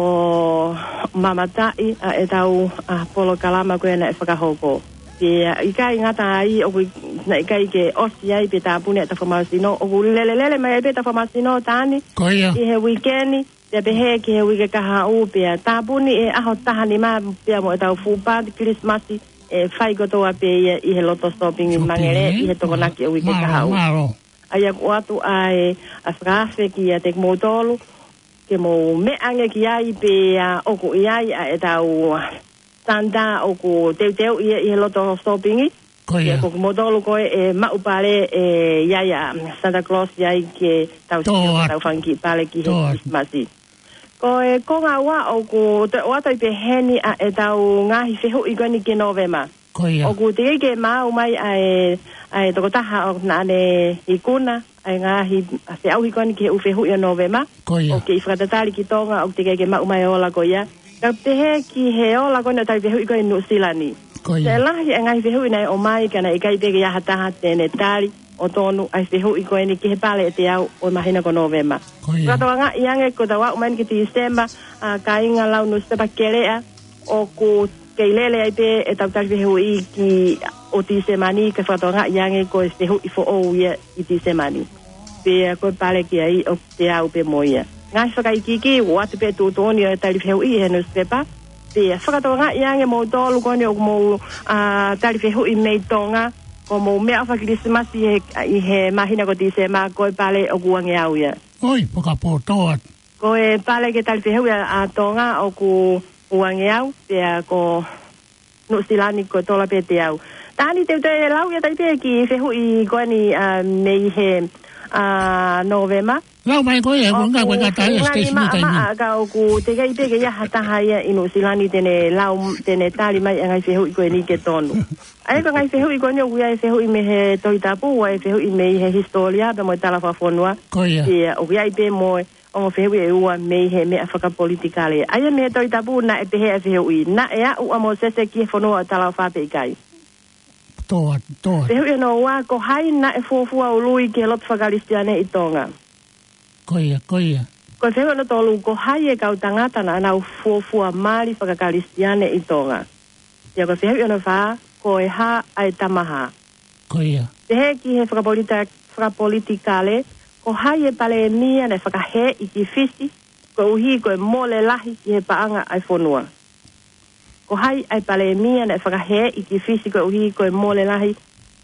mamataʻi ʻa ʻetau, ʻa, polokalama ko ia naʻe fakahoko. Pea ʻikai ngata ai, ʻoku i-, naʻe ʻikai ke ʻosi ai pē tāpuni ʻetau fakamālohisino, ʻoku lelelele mai ai pē ʻetau fakamālohisino, Tani, Ko ia. ʻi he uike ni, pea pehē ki he uike kahaʻu, pea tāpuni ʻi he ʻaho taha nima pea mo ʻetau fuʻu pāti Kilisimasi ʻe fai kotoa pē ia ʻi he loto shopping ʻi Shopping, Mangele, ē? ʻi he Tokonaki ʻo e uike Mālō, kahaʻu. mālō. ʻA ia ʻoku ʻoatu ʻa e, ʻa e fakaafe kiate kimoutolu, ke mou meʻa ange ki ai pea ʻoku ʻi ai ʻa ʻetau, ʻa, Santa ʻoku teuteu ia ʻi he loto shopping. Ko ia. Pea ko kimoutolu ko ē ʻe maʻu pale ʻe ʻi ai ʻa Santa Claus ʻi ai ke tau Tō sio atu. tau fanga kiʻi pale ki he Tō atu. Kilisimasi. Ko e konga ua ʻoku toe ʻoatu ai pē heni ʻa ʻetau ngaahi fehuʻi ko eni ki Nōvema. Ko ia. ʻOku teʻeki ke maau mai ʻa e, ʻa e tokotaha ʻoku naʻa ne ikuna ʻa e ngaahi feʻauhi ko eni ki he ʻū fehuʻi ʻo Nōvema. Ko ia. ʻOku kei fakatatali ki Tonga, ʻoku teʻeki ke maʻu mai e ola ko ia. Ka pehē ki he ola ko eni ʻo e tali fehuʻi ko ē ʻi Nuʻusila ni. Ko ia. Naʻe lahi e ngaahi fehuʻi naʻe ʻomai ka naʻe ʻikai pē ke ʻi ai ha taha te ne tali ʻo tonu ʻa e fehuʻi ko eni ki he pale ʻe teau ʻo e māhina ko Nōvema. Ko ia. Fakatokangaʻi ange ko ʻetau aʻu mai eni ki Tīsema, ʻa, kāinga lau nusipepa keleʻa, ʻoku kei lele ai pē ʻetau tali fehuʻi ki ʻo Tīsema ni, kae fakatokangaʻi ange ko e fehuʻi foʻou ia ʻi Tīsema ni. Pea ko e pale ki ai ʻoku teau pē mo ia. Ngaahi fakaikiiki, ʻoatu pē tuʻutuʻuni ʻo e tali fehuʻi he nusipepa. Pea fakatokangaʻi ange moutolu ko eni ʻoku mou, ʻa, tali fehuʻi mei Tonga, ʻoku mou meʻaʻofa Kilisimasi he, ʻi he māhina ko Tīsema, ko e pale ʻoku uangeau ia. ʻOi, fakapoto atu. Ko e pale ke tali fehuʻi ʻa, ʻa Tonga ʻoku uangeau, pea ko Nuʻusila ni ko e tola pē teau. Tani, te u toe lau ia atu pē kiʻi fehuʻi ko eni, ʻa, mei he, ʻa, Nōvema. Lau mai ko ē, ʻoku ngā ko e ngata ia, ʻoku ngata Stacy, maʻa, maʻa, ka ʻoku teʻeki pē ke ʻi ai ha taha ia ʻi Nuʻusila ni te ne lau, te ne tali mai e ngaahi fehuʻi ko eni ke tonu. ʻA ia ko e ngaahi fehuʻi ko eni ʻoku ʻi ai e fehuʻi mei he Tohi Tapu, ʻa e fehuʻi mei he hisitōlia, pea mo e tala fakafonua. Ko ia. Pea ʻoku ʻi ai pē mo e ongo fehuʻi ʻe ua mei he meʻa fakapolitikale. ʻA ia mei he Tohi Tapu naʻe pehē ʻa e fehuʻi, naʻe aʻu ʻa Mōsese ki he fonua ʻo e talaʻofa pe ʻikai? Tō atu, tō atu. Fehuʻi hono ua, ko hai naʻe fuofua ului ki he lotu fakakalisitiane ʻi Tonga? Ko ia, ko ia. Ko e fehuʻi hono tolu, ko hai e kau tangata naʻa nau fuofua mali fakakalisitiane ʻi Tonga? Pea ko e fehuʻi hono fā, ko e hā ʻa e tama hā? Ko ia. Pehē ki he fakapolita-, fakapolitikale, ko hai e palēmia naʻe fakahēʻi ki Fisi, koeʻuhi ko e mole lahi ki he paʻanga ʻa e fonua? Ko hai ʻa e palēmia naʻe fakahēʻi ki Fisi koeʻuhi ko e mole lahi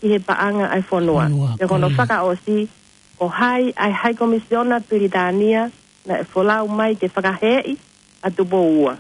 ki he paʻanga ʻa e fonua? Fonua, pea ko hono ko ia. Fakaʻosi, ko hai ʻa e High Commissioner Pilitānia naʻe folau mai ke fakahēʻi ʻa Tupou Ua?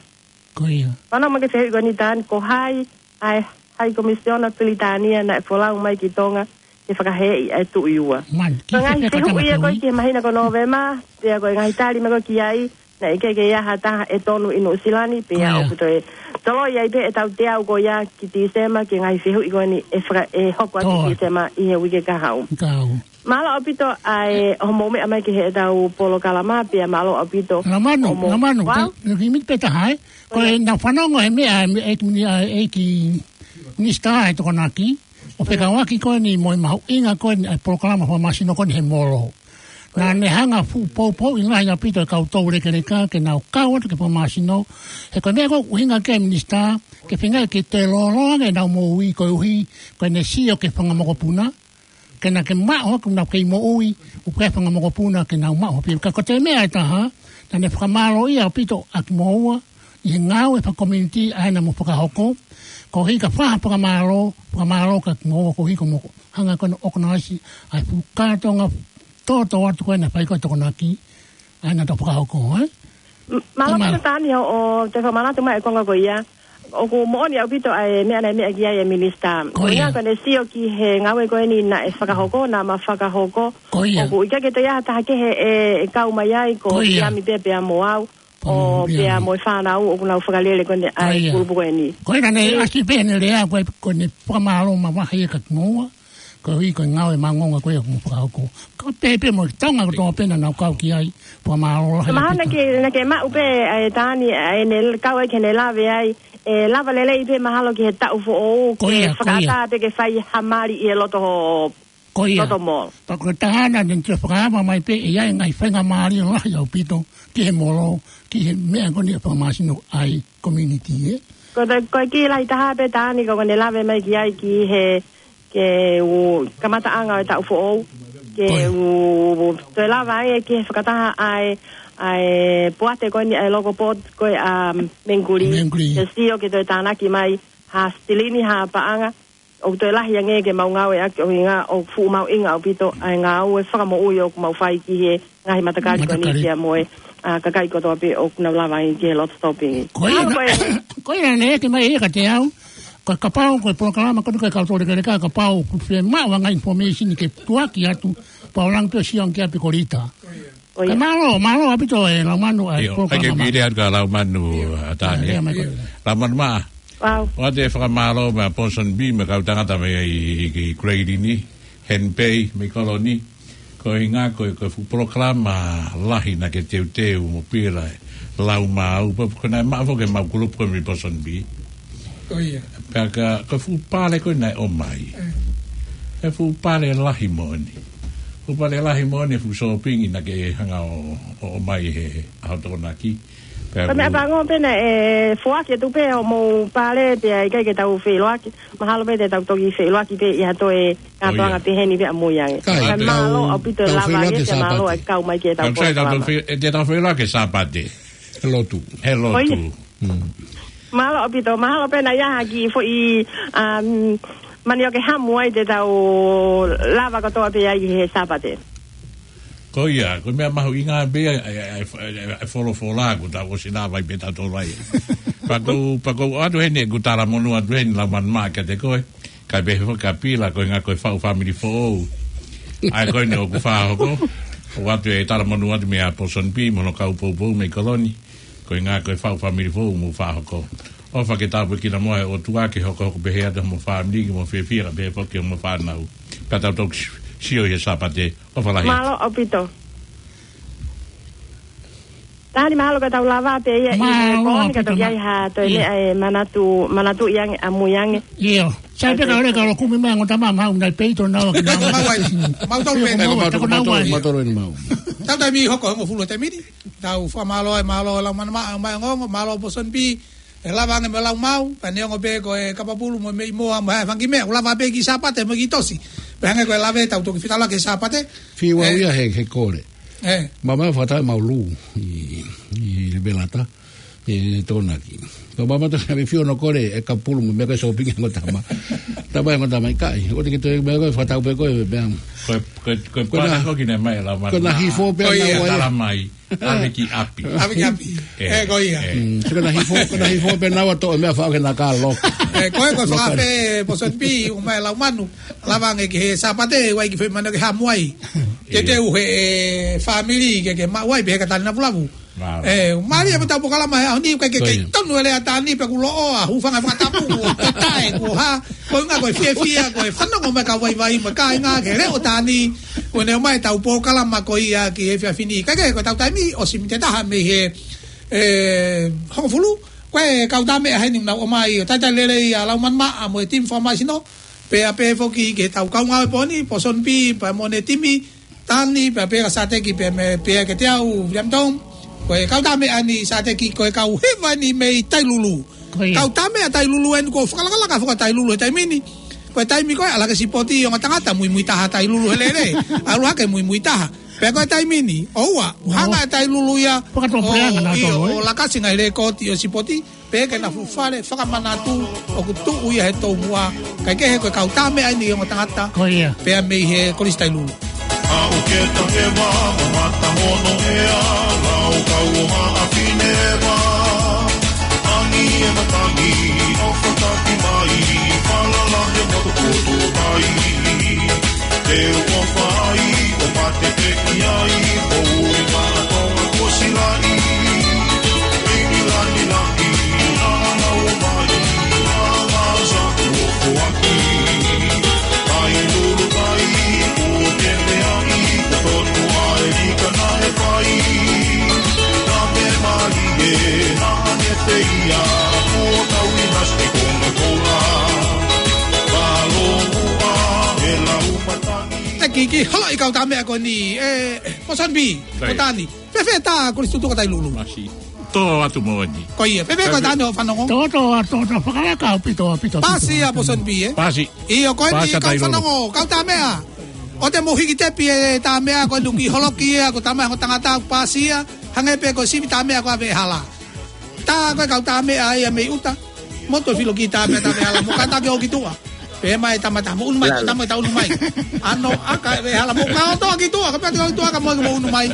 Ko ia. Fanongo mai ki he fehuʻi ko eni, Tani, ko hai ʻa e High Commissioner Pilitānia naʻe folau mai ki Tonga ke fakahēʻi ʻa e Tuʻi Ua? Man, ki Ko e ngaahi fefeka fehuʻi ia ko ē ki he māhina ko Nōvema, pea ko e ngaahi tali mai ko ē ki ai, naʻe ʻikai ke ʻi ai ha taha ʻe tonu ʻi Nuʻusila ni, pea Ko ia. ʻoku toe toloi ai pē ʻetau teau ko ia ki Tīsema ki he ngaahi fehuʻi ko eni ʻe faka-, ʻe hoko atu Toa. Tīsema ʻi he uike kahaʻu. Kahaʻu. Mālō ʻaupito ʻa e hoʻomou meʻa mai ki heʻetau polokalama, pea mālō ʻaupito Lamanu, hoʻomou Lamanu, Wow. tau, ki miti pē taha, ē? Ko Ko ia. e nau fanongo he meʻa, ʻa e meʻa, ʻEiki Mini-, ʻa e ʻEiki Minisitā ʻa e Tokonaki, ʻo fekauʻaki ko eni mo e mahuʻinga ko eni ʻa e polokalama fakamāsino ko eni he molo. Naʻa ne hanga fuʻu poupouʻi lahi ʻaupito e kau toulekeleka ke nau kau atu ki he fakamāsino. He ko e meʻa ko ē ʻuhinga ki ai Minisitā, ke feinga ke toe lōloa ange ʻenau moʻui koeʻuhi ko ʻene sio ki he fanga mokopuna. Ke na ke maʻu ʻoku nau kei moʻui, ʻoku ʻi ai e fanga mokopuna ke nau maʻu pē. Ka ko e toe meʻa ʻe taha, naʻa ne fakamālōʻia ʻaupito ʻa kimoua, ʻi he ngāue fakakomiunitī ʻa ē naʻa mou fakahoko, koeʻuhi ka fai ha fakamālō, fakamālō kia kimoua koeʻuhi ko hoʻomou hanga ko ē ʻo ʻokonaisi ʻa e fuʻu kātoanga tōtō atu ko ē naʻe fai ko ē ʻe he Tokonaki, ʻa ē naʻa tau fakahoko, ē? M-, mālō Mālō. ʻaupito Tani hoʻo toe fakamanatu mai e konga ko ia. ʻOku moʻoni ʻaupito ʻa e meʻa naʻe meʻa ki ai e Minisitā. Ko Ko ia. ia ko ʻene sio ki he ngāue ko eni naʻe fakahoko, naʻa ma fakahoko. Ko ia. ʻOku ʻikai ke toe ʻi ai ha taha kehe ʻe, ʻe kau mai ai, ko Ko ia. Iami pē pea mo au. Pea mo ʻO pea Iami. mo e fānau ʻoku nau fakalele ko eni ʻa Ko e ia. kulupu ko eni. Ko ia naʻa ne Ē. ʻasi pē ʻene lea ko ē, ko ʻene fakamālō mavahe ia kia kimoua. Koeʻuhi ko e ngāue māʻongoʻonga ko ia ʻoku mou fakahoko. Ka pehē pē mo e Tonga kotoa pē naʻa nau kau ki ai, fakamālō lahi Mahalo ʻaupito. naʻa ke, naʻa ke maʻu pē, ʻa e Tani, ʻa ʻene kau ai ke ne lave ai, ʻe lava lelei pē mahalo ki he taʻu foʻou, Ko ke ia, ko ia. fakaʻatā pē ke fai ha mali ʻi he loto ho-, Ko ia. loto molo. Pea ko e taha naʻa ne toe fakaava mai pē, ʻe ʻi ai e ngaahi faingamālie lahi ʻaupito, ki he molo, ki he meʻa ko eni ʻa e fakamāsino ʻa e community, ē? Ko te, ko e kiʻi lahi taha pē Tani ko ʻene lave mai ki ai ki he, ke u kamataʻanga ʻo e taʻu foʻou, ke Ko ia. u toe lava ai ki he fakataha ʻa e, ʻa e poate ko eni ʻa e local board ko ē ʻa Mengkuli. Mengkuli. Ke sio ke toe tānaki mai ha silini ha paʻanga, ʻoku toe lahi ange ke mau ngāueʻaki ʻuhinga ʻoku fuʻu mahuʻinga ʻaupito ʻa e ngāue fakamoʻui ʻoku mau fai ki he ngaahi matakali ko eni Matakali. pea mo e, ʻa, kakai kotoa pē ʻoku nau lava ai ki he loto topingi. Ko ia Mālō na, ko e ko ia naʻe ʻeke mai ia kiate au, ko e kapau, ko e polokalama, ko e ko e kau toulekeleka, kapau ʻoku fiemaʻu ha ngaahi information ke tuʻuaki atu, pea u langa pē ʻo sio ange ki ai pē ko Lita. Ko ia. Ka mālō, mālō ʻaupito ʻe Laumanu ʻa e ʻIo, polokalama. ʻai ke pili atu kia Laumanu, ʻa Tani. ʻIo, mai ko ia. Laumanu mā. Wow. ʻOatu e fakamālō mei Ponsonby mo e kau tangata mei, ʻi, ʻi Grayling ni, Ha'apai, mei Koloni. Ko e ʻuhinga ko e, ko e fuʻu polokalama lahi naʻa ke teuteu mo Pila ʻe Laumanu, pea ko ʻene maʻu foki ʻe he mau kulupu ko ē mei Ponsonby. Ko ia. Pea ka, ko e fuʻu pale ko ē naʻe ʻomai. Mm. E fuʻu pale lahi moʻoni. Fuʻu pale lahi moʻoni, fuʻu sōpingi naʻa ke hanga ʻo, ʻo ʻomai he ʻaho Tokonaki. Pea Ko e meʻa ku- pango pē naʻe foaki atu pē hoʻomou pale pea ʻikai ke tau feʻiloaki. Mahalo pē te tau toki feʻiloaki pē ʻi ha toe Ko ia. kātoanga pehē ni pē ʻamui ange. Kai, Ka tau, mālō ʻaupito tau lava feʻiloaki ange, he mālō Sāpate. ʻa e kau mai ke tau Tau sai, tau, tau polokalama. fe-, te tau feʻiloaki Sāpate. He lotu. He lotu. Ko ia. Mm. Mālō ʻaupito, mahalo pē naʻe ʻi ai ha kiʻi foʻi, um, manioke hamu ai te tau lava kotoa pē ai he Sāpate. Ko ia, ko e meʻa mahuʻinga pē ʻa e, ʻa e, ʻa e, ʻa e, ʻa e folofola kuo tau ʻosi lava ai pē tautolu ai. Pea ʻoku, pea ʻoku ou ʻoatu heni ʻeku talamonū atu heni Laumanu mā kiate koe. Kae pehē foki kia Pila, ko e ʻuhinga ko e faʻu fāmili foʻou. ʻA ē ko eni ʻoku fakahoko. ʻOatu e talamonū atu mei Ponsonby mo hono kau poupou mei Koloni. Ko e ʻuhinga ko e faʻu fāmili foʻou ʻoku mou fakahoko. ʻOfa ke tāpuekina mo e ʻOtua ke hokohoko pehē atu hoʻomou fāmili, ke mou fiefia kae pehē foki hoʻomou fānau. Pea tau toki sio ʻi he Sāpate. ʻOfa lahi. Mālō ʻaupito. Tali mahalo ka tau lava pē ia ʻi he Mālō, pō ni ka toki ʻaupito ai ha toe ʻIo. meʻa ʻe manatu, manatuʻi ange, ʻamui ange. ʻIo. Sai pē ka ʻOleka ʻo kumi mai ongo tama mahau nai peito nau ki nau. Mau ai. Mau tau pē. Mau ai. Mau tau, Tau nau mau ai. Mau tau eni mau. Tau taimi hoko hongofulu taimi ni. Tau fakamālō ai, mālō Laumanu Maʻa, mai ongo, mālō Pōsoni Pī. ʻE lava ange mo Laumau, pea neongo pē ko e kapapulu mo e meʻi moa mo e fanga kiʻi meʻa, ʻoku lava pē ki Sāpate mo ki Tosi. Pea hangē ko e lave tau toki fitala ki Sāpate. Fiu au Eh. ia he, he kole. Eh. Mama fata mau lu ʻi, ʻi Velata. ʻE Tonaki. Ko mama to kami fiu no kole, e kapulu mo meʻa ko e sōpingi ongo tama. Tama ongo tama ʻikai. ʻOua te ke toe meʻa ko e fata pe ko e meʻa. Ko e, ko e, ko e Ko na, pāna ko kine mai la ko na mata. hifo pē Ko ia. naua ia. Tala mai. ʻAve ki ʻapi. ʻAve ki ʻapi. ʻE, ʻE, ko ia. ʻE. Mm, so ko na hifo, ko na hifo pē naua toʻo e meʻa faʻo ke na ka loka. ʻE, ko e, ko e Loka. fakafe Pōsoni Pī, ʻomai Laumanu. Lava ange ki he Sāpate, ʻoua ʻe ki fai mano ke hamu ai. Te Ia. te uhe e fāmili ke, ke maʻu ai, pehē ka tali na pulavu. Mālō. ʻE, mālie mo tau polokalama he ʻaho ni, ʻoku ʻikai ke, Ko kei ia. tonu e lea Tani pea kuo loʻo, ʻa, hūfanga fakatāpū, kuo tatae, kuo hā, ko e ʻuhinga, ko e fiefia, ko e fanongo mai kau vaivai, mo e kāinga, ke leʻo Tani, ko ʻene ʻomai tau polokalama ko ia ki he efiafi ni. Kae kehe ko e tau taimi, ʻosi miniti ʻe taha mei he, ʻe, hongofulu, ko e kau tā meʻa heni ʻoku nau ʻomai, ʻo talitali lelei ʻa Laumanu Maʻa mo e timi fakamāsino, pea pehē foki ki he tau kaungā ʻo e pō ni, Pōsoni Pī, pea mo ʻene timi, Tani, pea pehē kia Sāteki, pea mei, pea kiate au, William Tom, ko e kau tā meʻa ni Sāteki, ko e kau hiva ni mei Tailulu. Ko ia. Kau tā meʻa Tailulu eni kuo fakalakalaka foki ʻa Tailulu he taimi ni. Ko e taimi ko ē, ʻalu hake sipoti ongo tangata, muimui taha Tailulu he lele. ʻAlu hake muimui taha. Pea ko e taimi ni, ʻoua, ʻOua. hanga ʻe Tailulu ia, Fakatō ʻo, pea na ʻio, tolo, ʻo eh. laka ʻa e ngaahi lēkooti ʻo e sipoti, pea ke na fuʻu fale fakamanatu ʻoku tuʻu ia he toumuʻa, kae kehe ko e kau tā meʻa eni ongo tangata, Ko ia. pea mei he Kolisi Tailulu. ʻAu ke take vā, mamata hono ea, lau kau o haʻa fine vā. Angi e matangi, ʻofa taki mai, falala he motu kutu mai. Te u ʻofa ai, ʻo mate pē ki ai, ʻo ui mana tonga kuo silaʻi. Pingi lani laki, ʻa ʻana o mai, ʻa ʻana sa kuo foaki. Tailulu tai, kuo ke meaʻi, kuo tonu ai, ka naʻe fai. Ka me mali e, naʻa ne feia, kuo tau ʻi nasi konga kola. Palo ua, e lau matangi. ʻE ki, ki holo ʻi kau tā meʻa ko eni, ʻe, Pōsoni Pī, Right. ko Tani. Fēfē tā Kolisi Tutuka Tailulu. Masi. Tō atu mo eni. Ko ia, fēfē ko Fēfē. Tani ʻo fanongo. Tō, tō, tō, tō, fakalaka ʻaupito, ʻaupito, ʻaupito. Pasi ia Pōsoni Pī, ē? Pasi. ʻIo, ko eni Pasi kau Tailulu. fanongo, kau tā meʻa. ʻOua te mou hiki tepi e tā meʻa ko eni ki holoki ia, ko tama ongo tangata pasi ia, hangē pē ko e sivi tā meʻa ko ʻAvehala. Tā ko e kau tā meʻa ia mei ʻuta. Moto filo ki tā meʻa tā meʻa la mo kata ke ō ki tuʻa. Pea mai tama tā mo unu mai, Lalo. tama tā unu mai. ʻAno ʻaka ʻAvehala mo ka ō toa ki tuʻa, ka pea te ō ki tuʻa ka mo mo unu mai.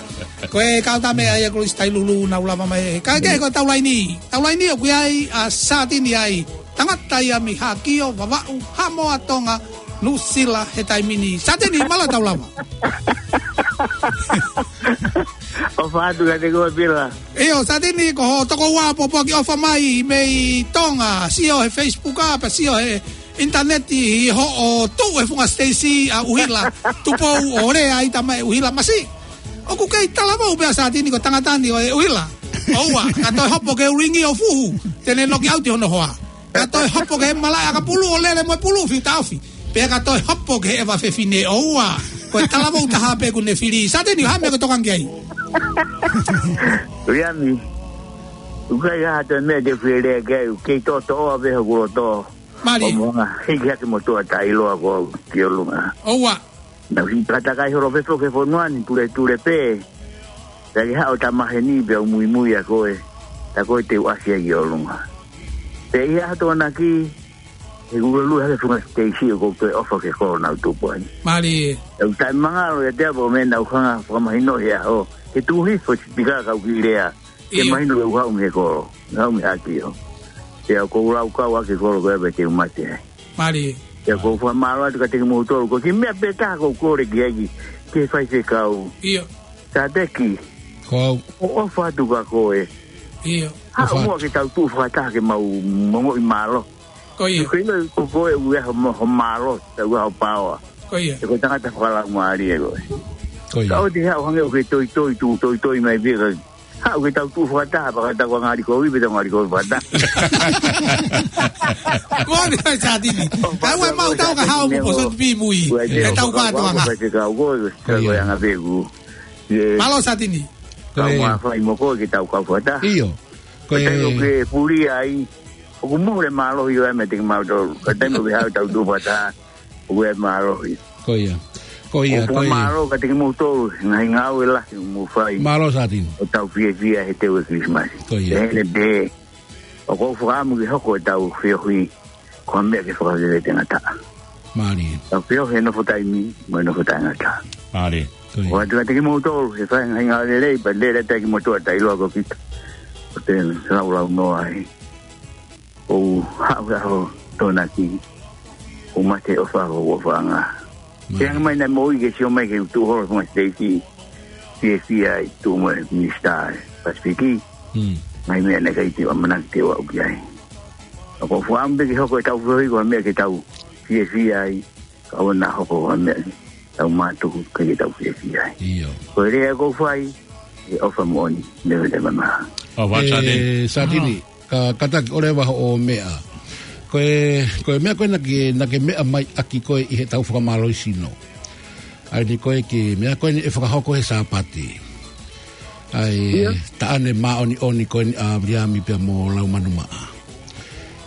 Ko e kau tā meʻa ia Kolisi Tailulu nau lava mai. Kae kehe ko e tau laini. Tau laini ʻoku ʻi ai ʻa Sātini ai. Tangata ia mei Haʻakio, Vavaʻu, Haʻamoa, Tonga, Nuʻusila he taimi ni. Sātini, mālō tau lava. ʻOfa atu kiate koe Pila. ʻIo, Sātini, ko ho tokoua pōpoaki ʻofa mai mei Tonga, sio he Facebook ʻa, pea sio he ʻinitaneti ʻi hoʻo tuʻu he funga siteisi ʻa ʻUhila, Tupou ʻo lea ai tama ʻe ʻUhila masi. ʻOku kei talavou pē ʻa Sātini ko e tangata ni ʻo e ʻUhila. ʻOua, ka toe hopo ke ulingi ʻo fuhu, te ne noki ʻauti hono hoa. Ka toe hopo ke malaʻe ʻakapulu ʻo lele mo e pulu fiu taofi. Pea ka toe hopo ke ʻeva fefine ʻoua. Ko e talavou taha pē ʻoku ne fili. Sātini, ha meʻa ke tokanga ki ai. Uiami. ʻOku ʻikai ha toe meʻa te u fie lea ki ai. ʻOku kei toʻotoʻo ʻave hoku loto. Mālie. ʻO mo hanga. Hiki hake mo tuʻa taʻiloa ko au ki ʻolunga. ʻOua. Naʻa ku hiki takatakai holo pē foki he fonua ni, tuletule pē. Pea ke haʻu ʻo tamaheni pea u muimui ʻa koe. Tā koe te u ʻasi ai ki ʻolunga. Pea ʻi he ʻaho Tokonaki, he kuo lue hake funga siteisi ʻoku ou toe ʻofa ki he kolo naʻa ku tupu ai. Mālie. ʻOku taʻemangalo ʻiate au ʻa e meʻa naʻa ku hanga fakamahinoʻi he ʻaho. He tuʻu hifo e sipika ka u kiʻi lea. Ke ʻIo. mahino ke u haʻu mei he kolo, haʻu mei Haʻakio. Pea ʻoku ou laukau ʻaki e kolo ko ia pea te u mate ai. Mālie. Pea ʻoku ou fakamālō atu kiate kimoutolu, ko e kiʻi meʻa pē taha ʻoku ou kole ki ai ki, ki he faifekau. ʻIo. Sāteki. Ko au. ʻOku ou ʻofa atu kia koe. ʻIo. Haʻu ʻOfa muʻa atu. ke tau tuʻu fakataha ke mau ongoʻi mālō. Ko ia. Ko ia, ko koe ʻoku ʻi ai ho, ho mālō, ʻoku ʻi ai ho paoa. Ko ia. He ko e tangata fakalaumālie koe. Ko ia. Ka ʻoua te ke haʻu hangē ʻoku ke toitoi, tuʻu toitoi mai pē ka Haʻu ke tau tuʻu fakataha, fakataha ko e ngali kovi, pe tau ngali kovi fakataha. Moʻoni ʻa e Satini. Kae ʻoua ʻe maʻu tau ka hao mo Poso Tupi mui. Ua, ʻe tau fakataha. Faifekau ko, ko e anga peku. Mālō Satini. Kau mafai mo koe ke tau kau fakataha. ʻIo. Ko e taimi ʻoku ke puli ai, ʻoku mole mālohi ʻo e meʻa te ke maʻu tolu. Ka taimi ʻoku ke haʻu tau tuʻu fakataha, ʻoku ʻi ai e mālohi. Ko ia. Ko ia, ʻoku ko ia. Mālō ka te ke maʻu tolu, ngaahi ngāue lahi ʻoku mou fai. Mālō Satini. ʻO tau fiefia he teu ʻo e Kilisimasi. Ko ia. Pehē pē, ʻoku ou fakaʻamu ke hoko ʻetau feohi ko ha meʻa ke fakaveve e tangata. Mālie. Tau feohi he nofo taimi, mo e nofo taʻengata. Mālie. Ko ia. ʻOatu kiate kimoutolu, he fai ngaahi ngāue lelei, pea lele atu kimoutolu ʻo tau ʻiloa ko kita. Ko te laulau noa ai. ʻOku haʻu he ʻaho Tokonaki, ʻoku mate ʻofa, ʻoku ʻofaʻanga. Mālie. Ke hanga mai naʻe moʻui ke sio mai ki he tuʻu holo mo e siteisi. Fiefia ai tuʻu mo e minisitā Pasifiki. Mm. Ngaahi meʻa naʻe ʻikai te u ʻamanaki te u aʻu ki ai. ʻOku ou fakaʻamu pē ke hoko ʻetau feohi ko ha meʻa ke tau fiefia ai, ka ʻoua naʻa hoko ko ha meʻa ke tau mātuku ke ke tau fiefia ai. ʻIo. Ko e lea ʻoku ou fai, ʻe ʻofa moʻoni, leva te mama. ʻO, ua Satini. ʻE, Satini, ka, kātaki ʻo leva hoʻo meʻa. Ko e, ko e meʻa ko ē naʻa ke, naʻa ke meʻa mai ʻaki koe ʻi heʻetau fakamālohisino. ʻA ia ko e kiʻi meʻa ko eni ʻe fakahoko he Sāpate. ʻA e taʻane māʻoniʻoni ko eni ʻa Viliami pea mo Laumanumaʻa.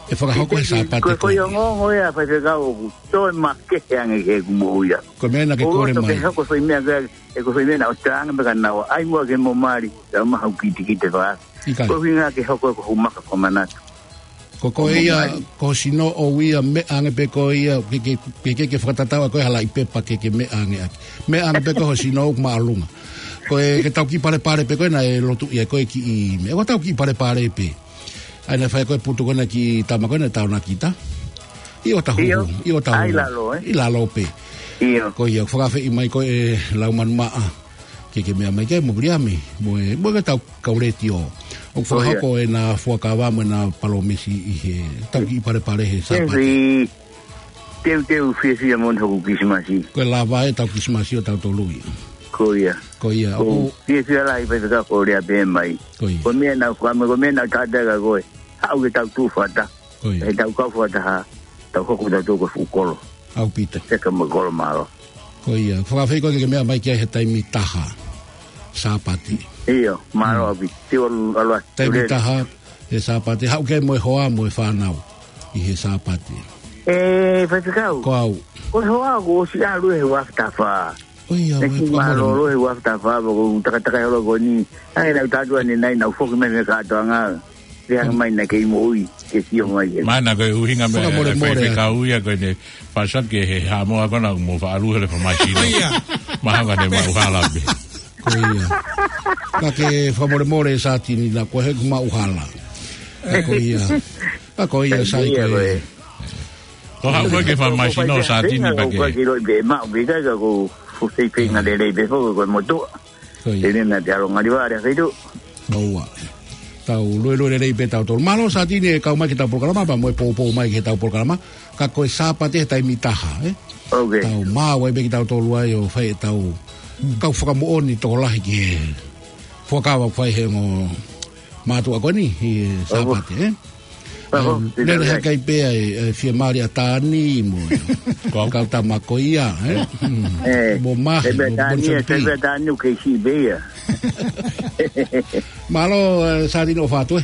ʻE fakahoko he Sāpate ko e. Ko e ongoongo ia, faifekau, ʻoku toe makehe ange ki heʻeku moʻui. Ko e meʻa naʻa ke kole mai. Ko e foʻi meʻa ko ē, ʻe ko e foʻi meʻa naʻa ʻosi ange pē ka naua. ʻAi muʻa ke mo mali, ʻe maha kitekite fā. ʻIkai. Ko e ʻuhinga ke hoko ko e maka fakamanatu. Ko, ko e ia, ko ho sino ʻoku ʻi ai e meʻa ange pē ko ia, ke, ke, ke, ke, ke fakatatau ʻa ko e halaʻi pepa ke, ke meʻa ange ʻaki. Meʻa ange pē ko ho sino ʻoku māʻolunga. Ko e ke tau kiʻi palepale pē ko ē naʻe lotu ia ko e kiʻi meʻa. Ko ʻetau kiʻi palepale pē. ʻA ia naʻe fai ko e putu ko ē naʻe kiʻi tama ko ē naʻe taonakita. ʻI ʻo tahu. ʻIo. ʻI ʻo tahu. ʻAi lalo, ē? ʻI lalo pē. ʻIo. Ko ia, fakafeʻi mai ko ē Laumanumaʻa. Ke, ke meʻa mai ke mo Viliami. Mo e, mo e ke tau Kau letiō. ʻOku fakahoko ʻena fuakava mo ʻena palōmesi ʻi heʻetau kiʻi palepale he Sāpate. Teuteu fiefia moʻoni hoku Kilisimasi. Ko e lava ʻetau Kilisimasi ʻo tautolu ia. Ko ia. Ko ia. ʻOku fiefia lahi pē ka ko e lea pē mai. Ko ia. Ko e meʻa naʻa ku ʻamu, ko e meʻa naʻa ku tala atu kia koe. Haʻu ke tau tuʻu fakataha. Ko ia. He tau kau fakataha, tau hoko tautolu ko e fuʻu kolo. ʻAupito. Seka mo e kolo mālō. Ko ia, fakafeʻi koe ke ke meʻa mai ki ai he taimi taha Sāpate. ʻIo, mālō ʻaupito. Te u ʻalu atu. Taimi taha he Sāpate, haʻu ki ai mo e hoa mo e fānau ʻi he Sāpate. ʻE, faifekau. Ko au. Ko e hoa kuo ʻosi ʻalu he ua afe taha fā. ʻOi, ʻa, ʻe mo e kiʻi mālōlō he ua afe taha fā, ʻoku takatakai holo ko eni. ʻAi, naʻa ku tala atu ʻanenai, naʻa ku foki mai mei he kātoanga. Leanga mai naʻa ke ʻi moʻui, ke sio mai ke. Mana ko e ʻuhinga meʻa, fakamolemole, faifekau ia ko ʻene fāsat ke he Haʻamoa ko ena mo faʻalu hele famaisino. Ko ia. Mahalo naʻa ne maʻuhala pē. Ko ia. Ka ke fakamolemole Satini naʻa ko e heʻeku maʻuhala. Ko ia. Ka ko ia sai ko e. Ko haʻu ko ē ke famaisino Satini pea ke. Ko e kilo i pē maʻu pē ka ko fusei pē ngā lelei pē foki ko e motuʻa. Ko ia. Tēnā te alo ngali vare a feitu. ʻOua. Tau luelue lelei pē tautolu. Mālō Satini ʻe kau mai ki heʻetau polokalama, pea mo e poupou mai ki heʻetau polokalama. Ka ko e Sāpate he taimi taha, ē? ʻOku tau maʻu ai pē kitautolu ai ʻo fai ʻetau kau fakamoʻoni tokolahi ki he fuakava ʻoku fai he ongo mātuʻa ko eni he Sāpate, ē? Lele hake ai pē ʻa e, ʻa e fiemālie ʻa Tani mo e kau tama ko ia, ē? Mo Mahi, mo Tani, Bonsoni P. Tani ʻoku kei siʻi pē ia. Mālō, ē, Satini ʻofa atu, ē?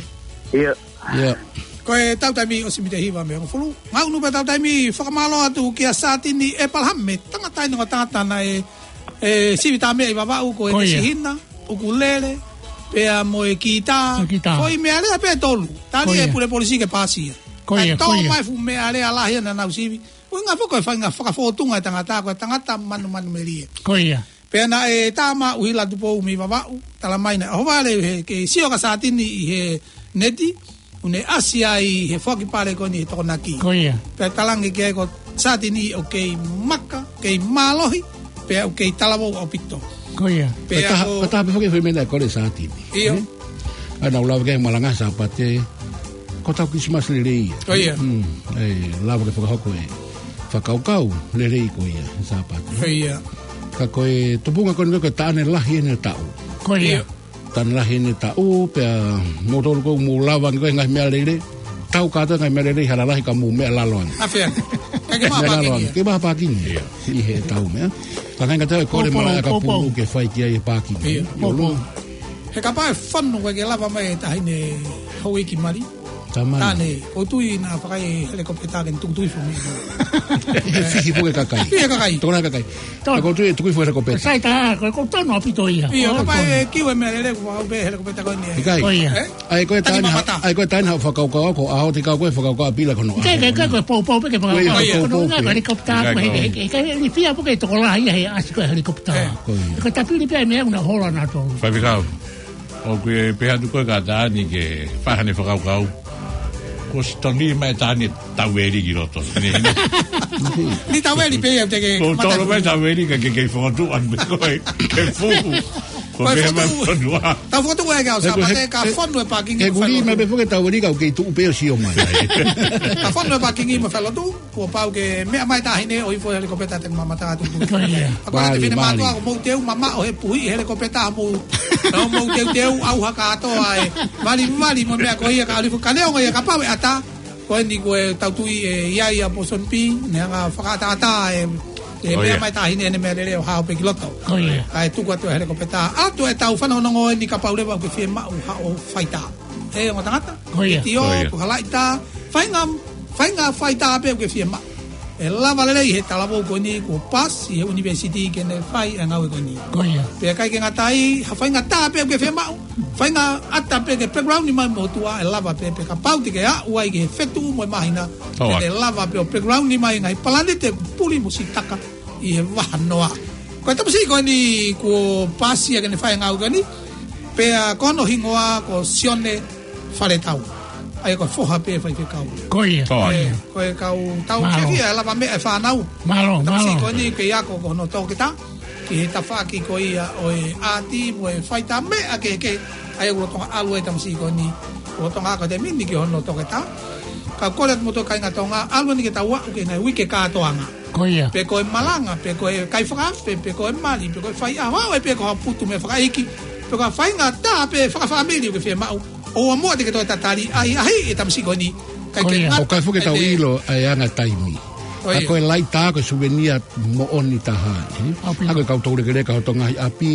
ʻIo. Ko e tau taimi ʻosi mita hiva mei hongofulu. Ngaʻunu pē tau taimi fakamālō atu kia Satini ʻEpalahame, tangata ʻi he tangata naʻe, ē, sivi tā meʻa ʻi Vavaʻu ko e sihina, ʻukulele, pea mo e kitā. Foʻi meʻalea pē ʻe tolu. Tali e pule polisi ke pāsia. Ko ia, ko ia. Tō mai fuʻu meʻalea lahi naʻa nau sivi. ʻUhinga foki ko e faʻahinga fakafōtunga e tangata, ko e tangata manumanu melie. Ko ia. Pea naʻe tā mai ʻUhila Tupou mei Vavaʻu, tala mai naʻe ʻohovale he, ke sio kia Satini ʻi he neti, ʻoku ne ʻasi ai he foaki pale ko eni he Tokonaki. Ko ia. Pea talaange ki ai ko Satini ʻoku kei maka, kei mālohi, pea ʻoku kei talavou ʻaupito. Ko ia. Pea ko e taha pē foki e foʻi meʻa naʻe kole Satini. ʻIo. ʻA ia naʻa ku lave ki ai he malanga Sāpate, ko ʻetau Kilisimasi lelei ia. Ko ia. Ē, lava ke fakahoko e fakakaukau lelei ko ia he Sāpate. Ko ia. Ka ko e tupunga ko eni ko e taʻane lahi ʻeni ʻo e taʻu. Ko ia. Tana lahi ʻene taʻu, pea moutolu ʻoku mou lava ange ko e ngaahi meʻalele. Tau kātoa ngaahi meʻalele ʻi ha lalahi ka mou meʻa lalo ange. Afe ange. Ka ke maʻu ha pākingi ia. Ke maʻu ha pākingi ia. ʻI he tau meʻa. Ka ngaahi ngata e kole Poupou, malaʻe ka poupou. Pulu ke fai ki ai e pākingi. Ia, ʻi ʻolunga. Poupou. He kapau ʻe fonu ko e ke lava mai e taʻahine houʻeiki mali. Tamani. Tane, ʻoku ou tui naʻa fakai helikopeta ke ne tuku hifo mei. Ke fihi foki e kakai. Fihi e kakai. Tokolahi e kakai. Tau. Ka ʻoku ou tui ʻe tuku hifo e helikopeta. Sai tā, ko e ʻoku tonu ʻaupito ia. Ia, kapau ʻe kiu e meʻalele, kuo pau pē helikopeta ko eni. ʻIkai. Ko ia. Ē? ʻAi ko e Tani taʻahine, mamata. ʻAi ko e taʻahine haʻu fakakaukau ko ē, ʻaho te kau ko e fakakaukau ʻa Pila ko hono ʻaho. Ke, ke, ke, ko e poupou pē ke fakakaukau. Ko ia, ko e poupou pē. Ko e helikopeta, ʻIkai ko e, ko e, ko e, ni fia pē ke tokolahi ia he ʻasi ko e helikopeta. Ē. Ko ia. Ko e tapili pē meʻa ʻoku na hola na tō. Faifekau. ʻOku ou pehē atu ko e kātaki ke fai haʻane fakakaukau. Kuo ʻosi tonu mai e taʻahine taueli ki loto. Ni taueli pē ia te ke Ko matau. Tolo mai taueli ka ke kei fokotuʻu ʻanu pē ko e ke fuhu. Ko Ko e pehē mai fokotuʻu. Fonua. Tau fokotuʻu e kau He ko Sāpate he, ka he, fonu e pākingi he mo kuli mai Failotu. Pē foki e taueli ka ʻoku kei tuʻu pē ʻo sio mai. Ka fonu e pākingi mo Failotu. Kuo pau ke meʻa mai taʻahine ʻo hifo helikopeta te mamata atu. Ko ia. Ka ko e Mali, te fine Mali. Mātuʻa ko mou teu mamaʻo he puhi helikopeta mou. Nau mou teuteu au ha kātoa e valivali mo e meʻa ko ia ka ʻalu hifo ka neongo ia kapau ʻe ʻatā. Ko eni ko e tau tui ʻe ʻi ai ʻa Pōsoni Pī, ne hanga fakaʻataʻatā e, e Ko meʻa ia. Mai taʻahine ʻene meʻalele ʻo hao pē ki loto. Ko ia. Kae tuku atu e helikopeta. ʻAtu e tau fanongonongo eni kapau leva ʻoku ke fiemaʻu haʻo faitā. ʻE ongo tangata. Ko ia. Tio, Ko ia. Ko ha laʻitā. Faʻahinga, faʻahinga faitā pē ʻoku ke fiemaʻu. ʻE lava lelei he talavou ko eni kuo pasi he university ke ne fai e ngāue ko eni. Ko ia. Pea ʻikai ke ngata ai, ha faʻahinga tā pē ʻoku ke fiemaʻu. Faʻahinga ʻata pē ke background mai mo tuʻa ʻe lava pē pea kapau te ke aʻu ai ki he fetuʻu mo e māhina. Tau ʻE atu. Lava pē ʻo background mai ngaahi palanite puli mo sitaka ʻi he vahanoa. Ko e tamasiʻi ko eni kuo pasi ia ke ne fai e ngāue ko eni. Pea ko hono hingoa ko Sione Faletau. ʻA ia ko e foha pē faifekau. Ko ia. Ko ia. Ko e kau tau Mālō. Fiefia e lava meʻa e fānau. Mālō, Tamasiʻi mālō. Ko eni kei ako ko hono toketā. Ki he tafaʻaki ko ia ʻo e ʻāti mo e faitā meʻa kehekehe. ʻA ia ʻoku lolotonga ʻalu e tamasiʻi ko eni. Lolotonga ako e taimi ni ki hono toketā. Ka kole atu mo e kāinga Tonga, ʻalu eni ke tau aʻu ki he ngaahi uike kātoanga. Ko ia. Pe ko e malanga, pe ko e kai fakaafe, pe ko e mali, pe ko e fai ʻaho, ʻe pe ko ha putu meʻa fakaʻeiki, pe ko ha faʻahinga tā pē fakafāmili ʻoku ke fiemaʻu. ʻOua muʻa te ke toe tatali, ʻahiʻahiʻi e tamasiʻi ko eni. Kae Ko ia. Ngata ʻOku ʻikai foki ke tau ʻene ʻilo ʻa e anga taimi. Ko ia. Ka ko e laʻitā ko e suvenia moʻoni taha, ē? ʻAupito. Ka ko e kau toulekeleka hoto ngaahi ʻapi,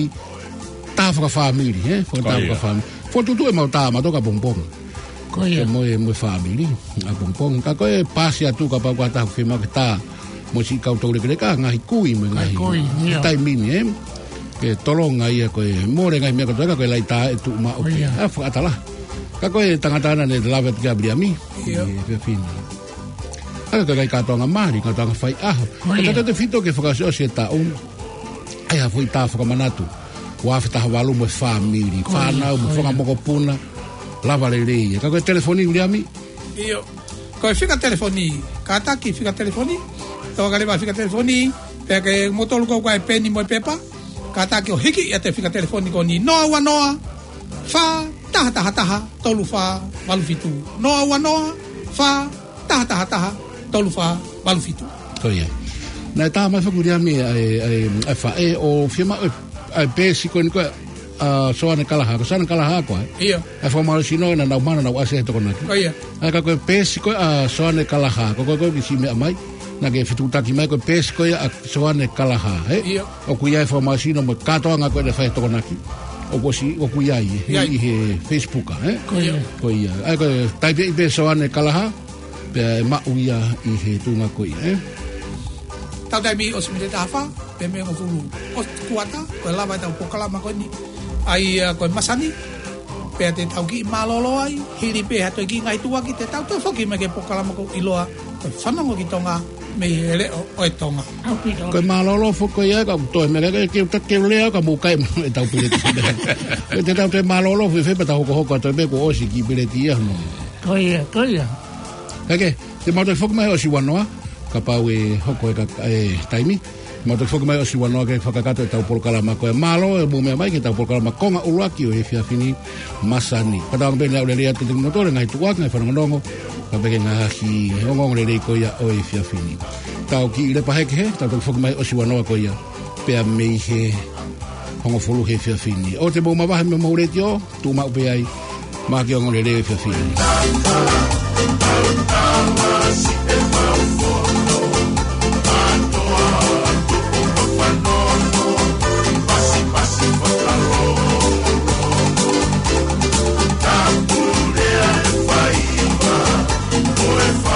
tā fakafāmili, ē? Ko e tā Ko ia. Fakafāmili. Fokotuʻutuʻu ʻemau tā mautolu ʻapongipongi. Ko ia. Ke mo e, mo e fāmili, ʻapongipongi. Ka ko e pasi atu kapau ko ha taha ʻoku fiemaʻu ke tā mo siʻi kau toulekeleka, ngaahi kui mo e Ngaahi ngaahi kui, ia. Taimi ni, ē? Ke tolonga ia ko e mole ngaahi meʻa kotoa ka ko e laʻitā ʻe tuʻu maʻu Ko pē. Ia. ʻA fakaʻatā lahi. Ka ko e tangata naʻá ne lave atu kia Viliami. Ia. ʻI he efiafi ni. ʻA ia ko e kai kātoanga mali, kātoanga fai ʻaho. Ko ia. Ka tautefito ke fakaʻosiʻosi e taʻu. ʻAi ha foʻi tā fakamanatu. Ua afe taha valu mo e fāmili. Ko ia, Fānau mo ko ia. Fanga mokopuna. Lava lelei. Ka ko e telefoni Viliami. ʻIo. Ko e fika telefoni. Kātaki fika telefoni. Tau ka leva fika telefoni. Pea ke moutolu ko ē ʻoku ʻi ai e peni mo e pepa. Kātaki ʻo hiki ʻa e fika telefoni ko eni noa ua noa, fā taha taha taha, tolu fā valu fitu. Noa ua noa, fā taha taha taha, tolu fā valu fitu. Ko ia. Naʻe tā mai foki Viliami ʻa e, ʻa e, ʻa e faʻē ʻoku fiemaʻu ʻa e peesi ko eni ko ē ʻa Soane Kalaha. Ko Soane Kalaha ko ē. ʻIo. ʻA e fakamālohisino naʻa nau mana naʻa nau ʻasi he Tokonaki. Ko ia. ʻA ia ka ko e peesi ko ē ʻa Soane Kalaha. Ko, ko, ko, ki si meʻa mai. Naʻá ke fetuʻutaki mai ko e peesi ko ē ʻa Soane Kalaha, ē? ʻIo. ʻOku ʻi ai e fakamālohisino mo e kātoanga ko ē naʻe fai he Tokonaki. ʻOku ʻosi, ʻoku ʻi ai, ʻI ai. ʻI he Facebook, ē? Ko ia. Ko ia. ʻA ia ko e taipe ʻi pē Soane Kalaha, pea ʻe maʻu ia ʻi he tuʻunga ko ia, ē? Tau taimi ʻosi miniti taha fā, pea mei hongofulu ʻosi kuata, ko e lava ʻetau polokalama ko eni. ʻA ia ko e masani, pea te tau kiʻi mālōlō ai, hili pē ha toe kiʻi ngaahi tuʻuaki, te tau toe foki mai ki he polokalama ʻoku ʻiloa, ko e Fanongo ki Tonga, mei he leʻo ʻo e Tonga. ʻAupito. Ko e mālōlō foki ko ia, ka ʻoku toe meʻa, ke, ke, ke lea, ka mou kai mo e tau peleti. Ko te tau toe mālōlō, fēfē pea tau hokohoko atu pē kuo ʻosi e kiʻi peleti ia, no. Ko ia, ko ia. Kae kehe, te mau toe foki mai he ʻosi ua noa, kapau ʻe hoko e ka, e taimi. Mau toe foki mai he ʻosi ua noa ke fakakakato ʻetau polokalama ko e mālō ʻemau meʻa mai ki heʻetau polokalama konga ʻuluaki ʻo e efiafi ni masani. Fakatauange pē ʻe aʻu lelei atu kiate kimoutolu e ngaahi tuʻuaki, ngaahi fanongonongo, kae pehē ki he ngaahi ongoongo lelei ko ia ʻo e efiafi ni. Tau kiʻi lepa hake hē, tau toe foki mai he ʻosi ua noa ko ia. Pea mei he hongofulu he efiafi ni. ʻOua te mou mavahe mei homou letiō, tuʻu maʻu pē ai, maʻa e ongoongolelei ʻo e efiafi ni.